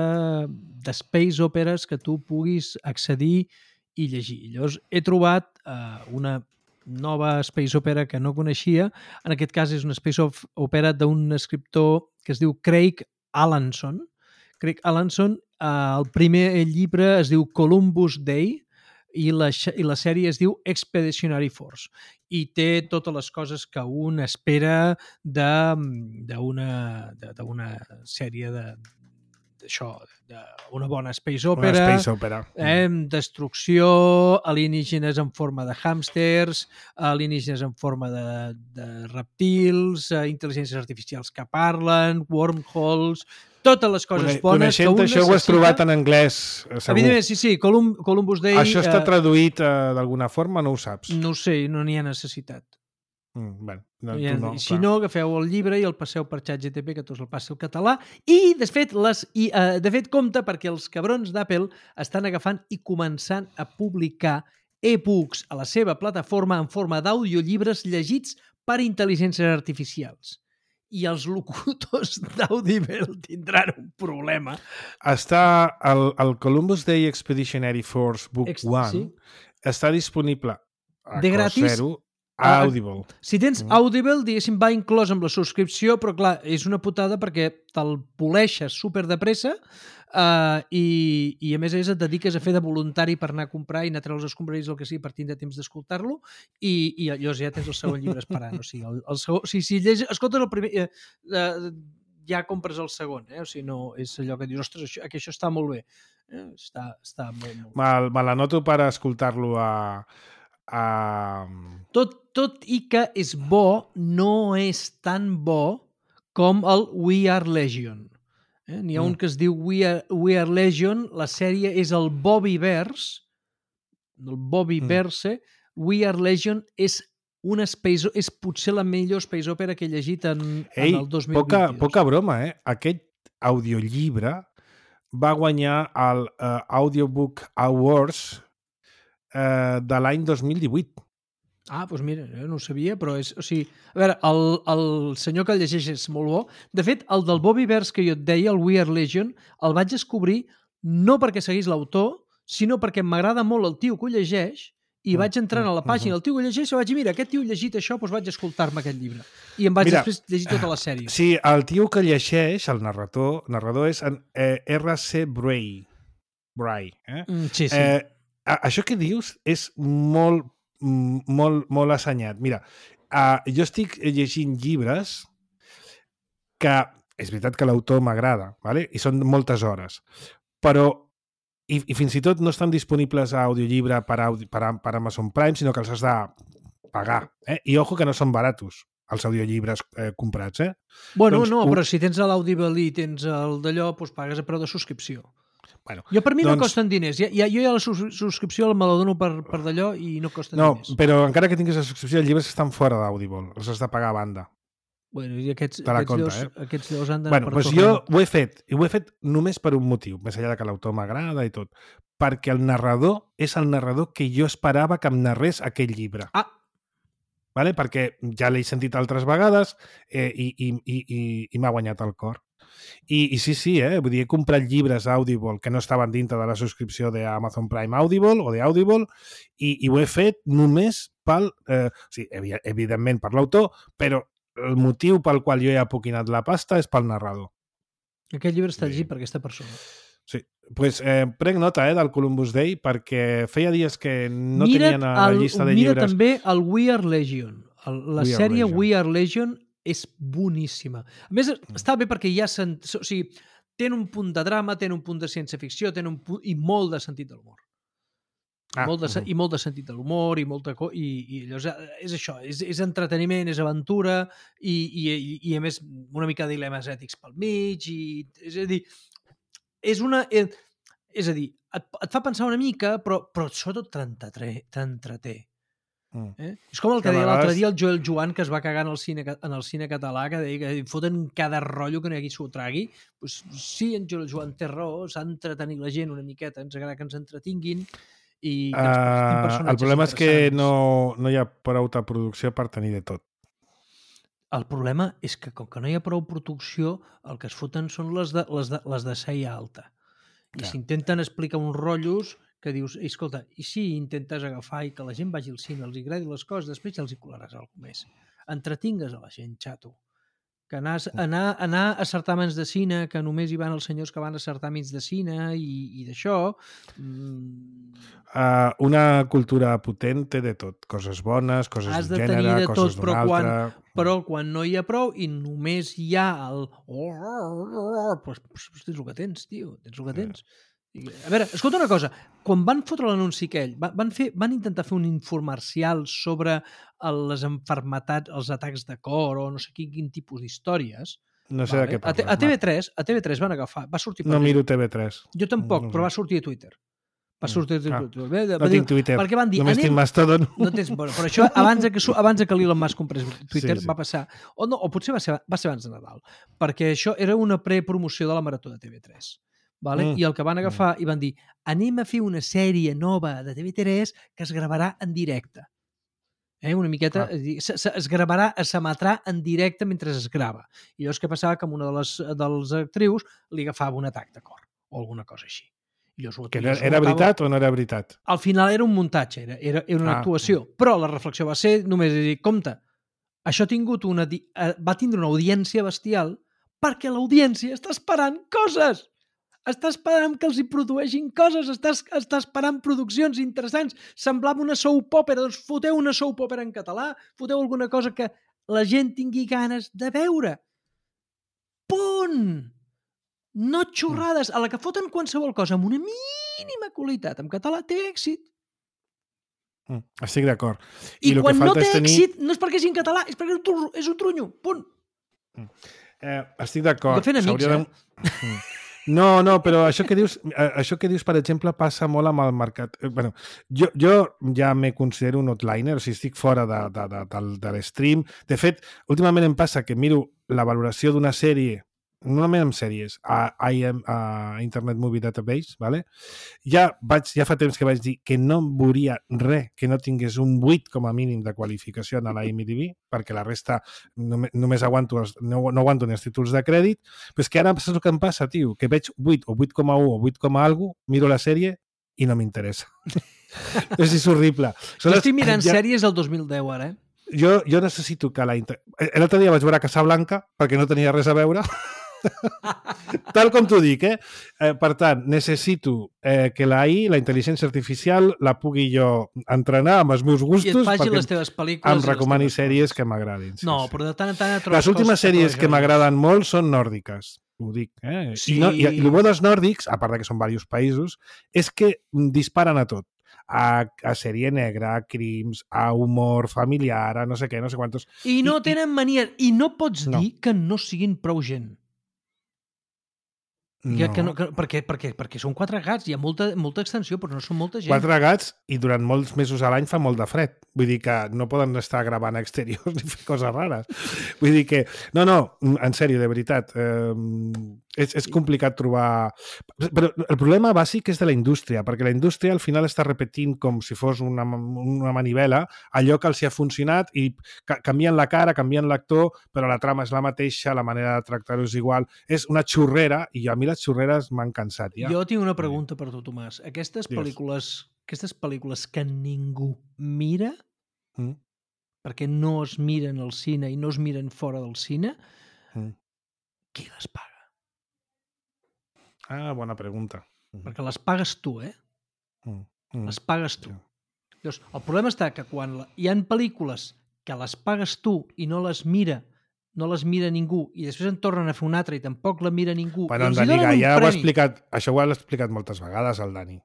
Speaker 3: de space operes que tu puguis accedir i llegir. Llavors, he trobat uh, una nova space opera que no coneixia. En aquest cas és una space opera d'un escriptor que es diu Craig Allanson. Craig Allanson, eh, el primer llibre es diu Columbus Day i la, i la sèrie es diu Expeditionary Force i té totes les coses que un espera d'una sèrie de d'això, d'una bona space opera,
Speaker 2: una space opera.
Speaker 3: Eh, destrucció, alienígenes en forma de hàmsters, alienígenes en forma de, de reptils, eh, intel·ligències artificials que parlen, wormholes, totes les coses
Speaker 2: Coneixent
Speaker 3: bones que un
Speaker 2: això
Speaker 3: necessita.
Speaker 2: Ho has trobat en anglès, segur.
Speaker 3: Evidentment, sí, sí, Colum Columbus Day...
Speaker 2: Això està
Speaker 3: eh,
Speaker 2: traduït eh, d'alguna forma, no ho saps?
Speaker 3: No ho sé, no n'hi ha necessitat.
Speaker 2: Mm, bueno, no,
Speaker 3: Ja,
Speaker 2: tu no,
Speaker 3: si
Speaker 2: clar.
Speaker 3: no, agafeu el llibre i el passeu per ChatGPT, que tu us el passi al català. I, de fet, les, i, uh, de fet, compte, perquè els cabrons d'Apple estan agafant i començant a publicar e-books a la seva plataforma en forma d'audiollibres llegits per intel·ligències artificials. I els locutors d'Audible tindran un problema.
Speaker 2: Està el, el Columbus Day Expeditionary Force Book
Speaker 3: Ex
Speaker 2: one,
Speaker 3: sí.
Speaker 2: Està disponible a
Speaker 3: De
Speaker 2: cost
Speaker 3: gratis?
Speaker 2: zero a Audible.
Speaker 3: Si tens
Speaker 2: Mm.
Speaker 3: Audible, diguéssim, va inclòs amb la subscripció, però clar, és una putada perquè te'l poleixes super de pressa uh, i, i a més a més et dediques a fer de voluntari per anar a comprar i anar a treure els escombraris o el que sigui per tindre temps d'escoltar-lo i, i llavors ja tens el segon llibre esperant. O sigui, el, el segon, si, si llegis, escoltes el primer... Eh, eh, ja compres el segon, eh? O sigui, no és allò que dius, ostres, això, que això està molt bé. Eh? Està, està molt, molt bé.
Speaker 2: Me, me l'anoto per escoltar-lo a... a...
Speaker 3: Tot, tot i que és bo, no és tan bo com el We Are Legion. Eh? N'hi ha mm. un que es diu We Are, We Are Legion, la sèrie és el Bobbyverse, el Bobbyverse, mm. We Are Legion és una space, és potser la millor space opera que he llegit en,
Speaker 2: Ei,
Speaker 3: en el dos mil vint-i-dos.
Speaker 2: poca, poca broma, eh? Aquest audiollibre va guanyar el uh, Audiobook Awards uh, de l'any dos mil divuit.
Speaker 3: Ah, doncs mira, jo no ho sabia, però és... O sigui, a veure, el, el senyor que el llegeix és molt bo. De fet, el del Bobbyverse que jo et deia, el We Are Legion, el vaig descobrir no perquè seguís l'autor, sinó perquè m'agrada molt el tio que ho llegeix i vaig entrant a la pàgina, el tio que ho llegeix, i vaig dir, mira, aquest tio ha llegit això, doncs vaig escoltar-me aquest llibre. I em vaig
Speaker 2: Mira,
Speaker 3: després llegir tota la sèrie.
Speaker 2: Sí, el tio que llegeix, el narrador, narrador és en, eh, R C Bray. Bray, eh?
Speaker 3: Mm, sí, sí.
Speaker 2: Eh, a- això que dius és molt, mm, molt, molt assenyat. Mira, uh, jo estic llegint llibres que és veritat que l'autor m'agrada, ¿vale? I són moltes hores, però i, i fins i tot no estan disponibles a audiollibre per, audi, per, a- per Amazon Prime, sinó que els has de pagar. Eh? I ojo que no són baratos els audiollibres eh, comprats. Eh?
Speaker 3: Bueno,
Speaker 2: doncs
Speaker 3: no,
Speaker 2: ho-
Speaker 3: però si tens l'Audible i tens el d'allò, doncs pagues a preu de subscripció.
Speaker 2: Bueno,
Speaker 3: Jo per mi no
Speaker 2: doncs-
Speaker 3: costen diners. Ja, ja, jo ja la sus- subscripció me la dono per, per d'allò i no costen
Speaker 2: no,
Speaker 3: diners.
Speaker 2: però encara que tinguis la subscripció, els llibres estan fora d'Audible, els has de pagar a banda.
Speaker 3: Bueno, i aquests,
Speaker 2: Te la
Speaker 3: aquests,
Speaker 2: compta,
Speaker 3: dos,
Speaker 2: eh?
Speaker 3: aquests dos han d'anar
Speaker 2: Bueno,
Speaker 3: per
Speaker 2: doncs
Speaker 3: torrent.
Speaker 2: jo ho he fet, i ho he fet només per un motiu, més enllà de que l'autor m'agrada i tot, perquè el narrador és el narrador que jo esperava que em narrés aquell llibre.
Speaker 3: Ah,
Speaker 2: Vale? Perquè ja l'he sentit altres vegades eh, i, i, i, i, i m'ha guanyat el cor. I, I sí, sí, eh? Vull dir, he comprat llibres Audible que no estaven dintre de la subscripció d'Amazon Prime Audible o d'Audible i, i ho he fet només pel... Eh, o sigui, evi evidentment per l'autor, però el motiu pel qual jo he apoquinat la pasta és pel narrador.
Speaker 3: aquest llibre està
Speaker 2: Sí.
Speaker 3: llegit per aquesta persona.
Speaker 2: Sí. Pues, eh, prenc nota eh, del Columbus Day perquè feia dies que no
Speaker 3: Mira't
Speaker 2: tenien a la
Speaker 3: el-
Speaker 2: llista de
Speaker 3: mira
Speaker 2: llibres.
Speaker 3: també el We Are Legion. El, la
Speaker 2: We Are
Speaker 3: sèrie
Speaker 2: Legion.
Speaker 3: We Are Legion és boníssima. A més, està bé perquè ja sen... o sigui, tenen un punt de drama, tenen un punt de ciència-ficció, tenen un punt... i molt de sentit de l'humor.
Speaker 2: Ah,
Speaker 3: molt de, se-
Speaker 2: mhm.
Speaker 3: I molt de sentit de l'humor i molta co i, i llavors eh, és això, és, és entreteniment, és aventura i, i, i, i a més una mica de dilemes ètics pel mig i, és a dir, és una eh, és a dir, et, et fa pensar una mica però, però sobretot t'entreté.
Speaker 2: Mm.
Speaker 3: Eh? És com el que
Speaker 2: Que a
Speaker 3: deia l'altre
Speaker 2: vegades-
Speaker 3: dia el Joel Joan, que es va cagar en el cine, ca- en el cine català, que deia que foten cada rotllo que no hi s'ho tragui. Pues, sí, en Joel Joan té raó, s'ha d'entretenir la gent una miqueta, ens agrada que ens entretinguin i que ens portin
Speaker 2: Uh,
Speaker 3: personatges
Speaker 2: el problema és que
Speaker 3: interessants.
Speaker 2: no, no hi ha prou de producció per tenir de tot.
Speaker 3: El problema és que com que no hi ha prou producció, el que es foten són les de, les de, les de seia alta. I
Speaker 2: Ja.
Speaker 3: s'intenten explicar uns rotllos que dius, "Ei, escolta, i si intentes agafar i que la gent vagi al cine, els agradi les coses, després ja els hi colaràs alguna més. Entretingues a la gent, xato. Que anar, anar, anar a certàmens de cine, que només hi van els senyors que van a certàmens de cine i, i d'això... Mmm,
Speaker 2: Uh, una cultura potent té de tot. Coses bones, coses
Speaker 3: Has
Speaker 2: d'un
Speaker 3: de tenir
Speaker 2: gènere,
Speaker 3: de
Speaker 2: coses
Speaker 3: tot,
Speaker 2: d'un
Speaker 3: però quan-
Speaker 2: altre...
Speaker 3: Però quan no hi ha prou i només hi ha el... Doncs pues, pues tens el que tens, tio, tens el que tens. I, a veure, escolta una cosa, quan van fotre l'anunci aquell, va- van, fer, van intentar fer un infomercial sobre el, les enfermetats, els atacs de cor o no sé quin, quin tipus d'històries.
Speaker 2: No sé de què
Speaker 3: a, T-
Speaker 2: parles.
Speaker 3: a T V tres, a T V tres van agafar, va sortir per
Speaker 2: No
Speaker 3: Twitter.
Speaker 2: miro T V tres.
Speaker 3: Jo tampoc,
Speaker 2: no sé.
Speaker 3: però va sortir a Twitter. Va sortir a
Speaker 2: Ah,
Speaker 3: Twitter. Bé,
Speaker 2: No
Speaker 3: va dir-
Speaker 2: tinc Twitter.
Speaker 3: perquè van dir,
Speaker 2: Només
Speaker 3: anem-
Speaker 2: tinc Mastodon.
Speaker 3: no tens, bueno, però això abans de que, su- abans de que l'Elon Musk comprés Twitter
Speaker 2: Sí, sí.
Speaker 3: va passar, o, no, o potser va ser, va ser abans de Nadal, perquè això era una prepromoció de la Marató de T V tres. Vale?
Speaker 2: Mm.
Speaker 3: I el que van agafar i van dir, anem a fer una sèrie nova de T V tres que es gravarà en directe. Eh? Una miqueta,
Speaker 2: Clar.
Speaker 3: és a dir, se, se, es gravarà, es emetrà en directe mentre es grava. I llavors què passava? Que amb una de les, de les actrius li agafava un atac de cor o alguna cosa així. I llavors, ho-
Speaker 2: Que
Speaker 3: i
Speaker 2: era,
Speaker 3: llavors ho
Speaker 2: era
Speaker 3: acaba-
Speaker 2: veritat o no era veritat?
Speaker 3: al final era un muntatge, era, era, era una
Speaker 2: Ah.
Speaker 3: actuació. Però la reflexió va ser només dir, compte, això ha tingut una, di- eh, va tindre una audiència bestial perquè l'audiència està esperant coses. Està esperant que els hi produeixin coses, està, està esperant produccions interessants. Semblava una soap opera, doncs foteu una soap opera en català, foteu alguna cosa que la gent tingui ganes de veure. Punt! No xorrades. A la que foten qualsevol cosa amb una mínima qualitat en català té èxit.
Speaker 2: Mm, estic d'acord.
Speaker 3: I, I
Speaker 2: el
Speaker 3: quan
Speaker 2: que
Speaker 3: no
Speaker 2: falta
Speaker 3: té
Speaker 2: és tenir...
Speaker 3: èxit no és perquè és en català, és perquè és un trunyo, és un trunyo. Punt.
Speaker 2: Eh, estic d'acord.
Speaker 3: De fent amics,
Speaker 2: S'hauria
Speaker 3: eh?
Speaker 2: Mm. No, no, però això que dius, eh, això que dius, per exemple, passa molt amb el mercat. Eh, bueno, jo, jo ja me considero un outliner, o sigui, estic fora de, de, de, de, de l'stream. De fet, últimament em passa que miro la valoració d'una sèrie, normalment amb sèries, a, I M, a Internet Movie Database, ¿vale? ja, vaig, ja fa temps que vaig dir que no veuria res que no tingués un vuit com a mínim de qualificació a la I M D B, perquè la resta només, només aguanto els, no, no aguanto ni els títols de crèdit, però és que ara saps el que em passa, tio? Que veig vuit o vuit coma u o vuit, alguna, miro la sèrie i no m'interessa. És, és horrible.
Speaker 3: Jo estic mirant ja... sèries del dos mil deu, ara, eh?
Speaker 2: Jo, jo necessito que la... Inter... L'altre dia vaig veure Casablanca perquè no tenia res a veure. Tal com t'ho dic, eh? eh? Per tant, necessito eh, que la I, la intel·ligència artificial, la pugui jo entrenar amb els meus gustos
Speaker 3: perquè
Speaker 2: les
Speaker 3: teves pel·lícules
Speaker 2: em recomani sèries que m'agradin. Sí,
Speaker 3: no,
Speaker 2: sí.
Speaker 3: però de tant en tant et trobes
Speaker 2: les últimes
Speaker 3: coses
Speaker 2: sèries que
Speaker 3: que
Speaker 2: m'agraden molt són nòrdiques. Ho dic, eh?
Speaker 3: Sí.
Speaker 2: I, no, i, i el bo dels nòrdics, a part de que són diversos països, és que disparen a tot. A, a sèrie negra, a crims, a humor familiar, a no sé què, no sé quantos...
Speaker 3: I no I, tenen mania. I no pots
Speaker 2: no.
Speaker 3: dir que no siguin prou gent.
Speaker 2: No.
Speaker 3: Que, que no, que, perquè, perquè, perquè són quatre gats, hi ha molta, molta extensió, però no són molta gent.
Speaker 2: Quatre gats i durant molts mesos a l'any fa molt de fred. Vull dir que no poden estar gravant a exteriors ni fer coses rares. Vull dir que... No, no, en sèrio, de veritat. Eh, és, és complicat trobar... Però el problema bàsic és de la indústria, perquè la indústria al final està repetint com si fos una, una manivela allò que els hi ha funcionat i canvien la cara, canvien l'actor, però la trama és la mateixa, la manera de tractar-ho és igual. És una xurrera i a mi les xurreres m'han cansat. Ja.
Speaker 3: Jo tinc una pregunta per tu, Tomàs. Aquestes
Speaker 2: Digues.
Speaker 3: pel·lícules, aquestes pel·lícules que ningú mira, mm. perquè no es miren al cine i no es miren fora del cine, mm. qui les paga?
Speaker 2: Ah, bona pregunta.
Speaker 3: Mm. Perquè les pagues tu, eh? Mm. Mm. Les pagues tu. Sí. Llavors, el problema està que quan hi ha pel·lícules que les pagues tu i no les mira no les mira ningú, i després en tornen a fer una altra i tampoc la mira ningú.
Speaker 2: Bueno, en Dani Gaia ho ha explicat, això ho ha explicat moltes vegades, el Dani,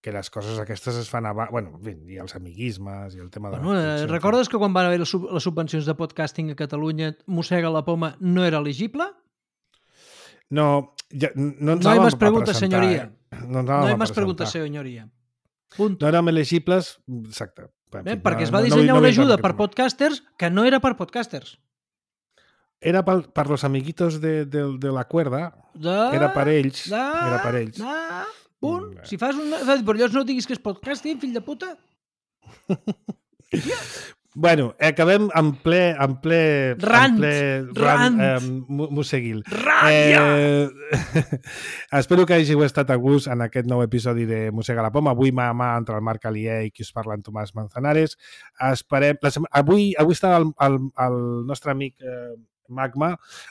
Speaker 2: que les coses aquestes es fan abans, bueno, i els amiguismes i el tema de...
Speaker 3: Bueno, eh, recordes que quan van haver les, les subvencions de podcasting a Catalunya, Mossega la Poma no era elegible?
Speaker 2: No, ja, no ens
Speaker 3: no
Speaker 2: anàvem
Speaker 3: más preguntes,
Speaker 2: a presentar.
Speaker 3: senyoria.
Speaker 2: Eh? No,
Speaker 3: no hi ha més preguntes, senyoria. Punto.
Speaker 2: No érem elegibles, exacte.
Speaker 3: En fi, perquè no, es va dissenyar no, no, no una ajuda per podcasters que no era per podcasters.
Speaker 2: Era per, per los amiguitos de, de, de la cuerda, de, era per ells, de, era per ells.
Speaker 3: De, punt. Mm, si fas un... Per llavors no diguis que és podcasting, fill de puta.
Speaker 2: Yeah. Bueno, acabem en ple... En ple
Speaker 3: rant,
Speaker 2: en ple,
Speaker 3: rant.
Speaker 2: rant eh, Museguil.
Speaker 3: Rant,
Speaker 2: eh, espero que hàgiu estat a gust en aquest nou episodi de Mossega la Poma. Avui mà a mà entre el Marc Alier i qui us parla en Tomàs Manzanares. Esperem... La sema... avui, avui està el, el, el nostre amic... Eh, Magma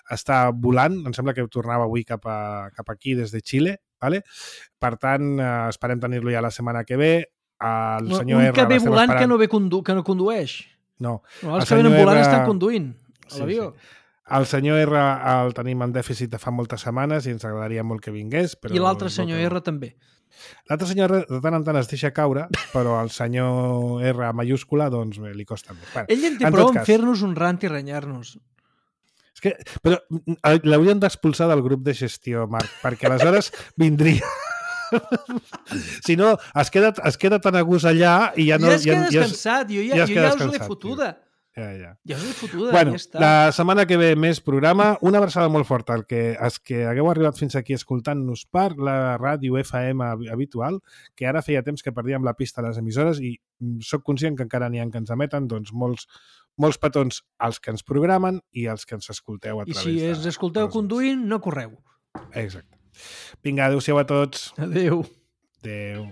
Speaker 2: està volant, em sembla que tornava avui cap, a, cap aquí des de Xile, vale? Per tant, eh, esperem tenir-lo ja la setmana que ve. El
Speaker 3: no,
Speaker 2: senyor
Speaker 3: un
Speaker 2: R
Speaker 3: que ve volant
Speaker 2: esperant...
Speaker 3: que no ve condu que no condueix.
Speaker 2: No.
Speaker 3: no els el que venen volant R... estan conduint a l'avió.
Speaker 2: Sí, sí. El senyor R el tenim en dèficit de fa moltes setmanes i ens agradaria molt que vingués. Però
Speaker 3: I l'altre senyor R també.
Speaker 2: L'altre senyor R de tant en tant es deixa caure, però el senyor R mayúscula, doncs bé, li costa més. Bueno,
Speaker 3: ell en té prou en fer-nos un rant i renyar-nos.
Speaker 2: És que, però l'haurien d'expulsar del grup de gestió, Marc, perquè aleshores vindria... si no, es queda, es queda tan a gust allà i ja no...
Speaker 3: Ja es queda ja, descansat, jo ja, ja, jo ja us l'he fotuda.
Speaker 2: Ja, ja.
Speaker 3: Ja us l'he fotuda,
Speaker 2: bueno,
Speaker 3: ja està.
Speaker 2: La setmana que ve més programa, una abraçada molt forta al que, als que hagueu arribat fins aquí escoltant-nos per la ràdio F M habitual, que ara feia temps que perdíem la pista a les emissores i sóc conscient que encara n'hi ha que ens emeten, doncs molts molts petons als que ens programen i als que ens escolteu a través de...
Speaker 3: I si ens escolteu de... conduint, no correu.
Speaker 2: Exacte. Vinga, adéu-siau a tots.
Speaker 3: Adéu.
Speaker 2: Adéu.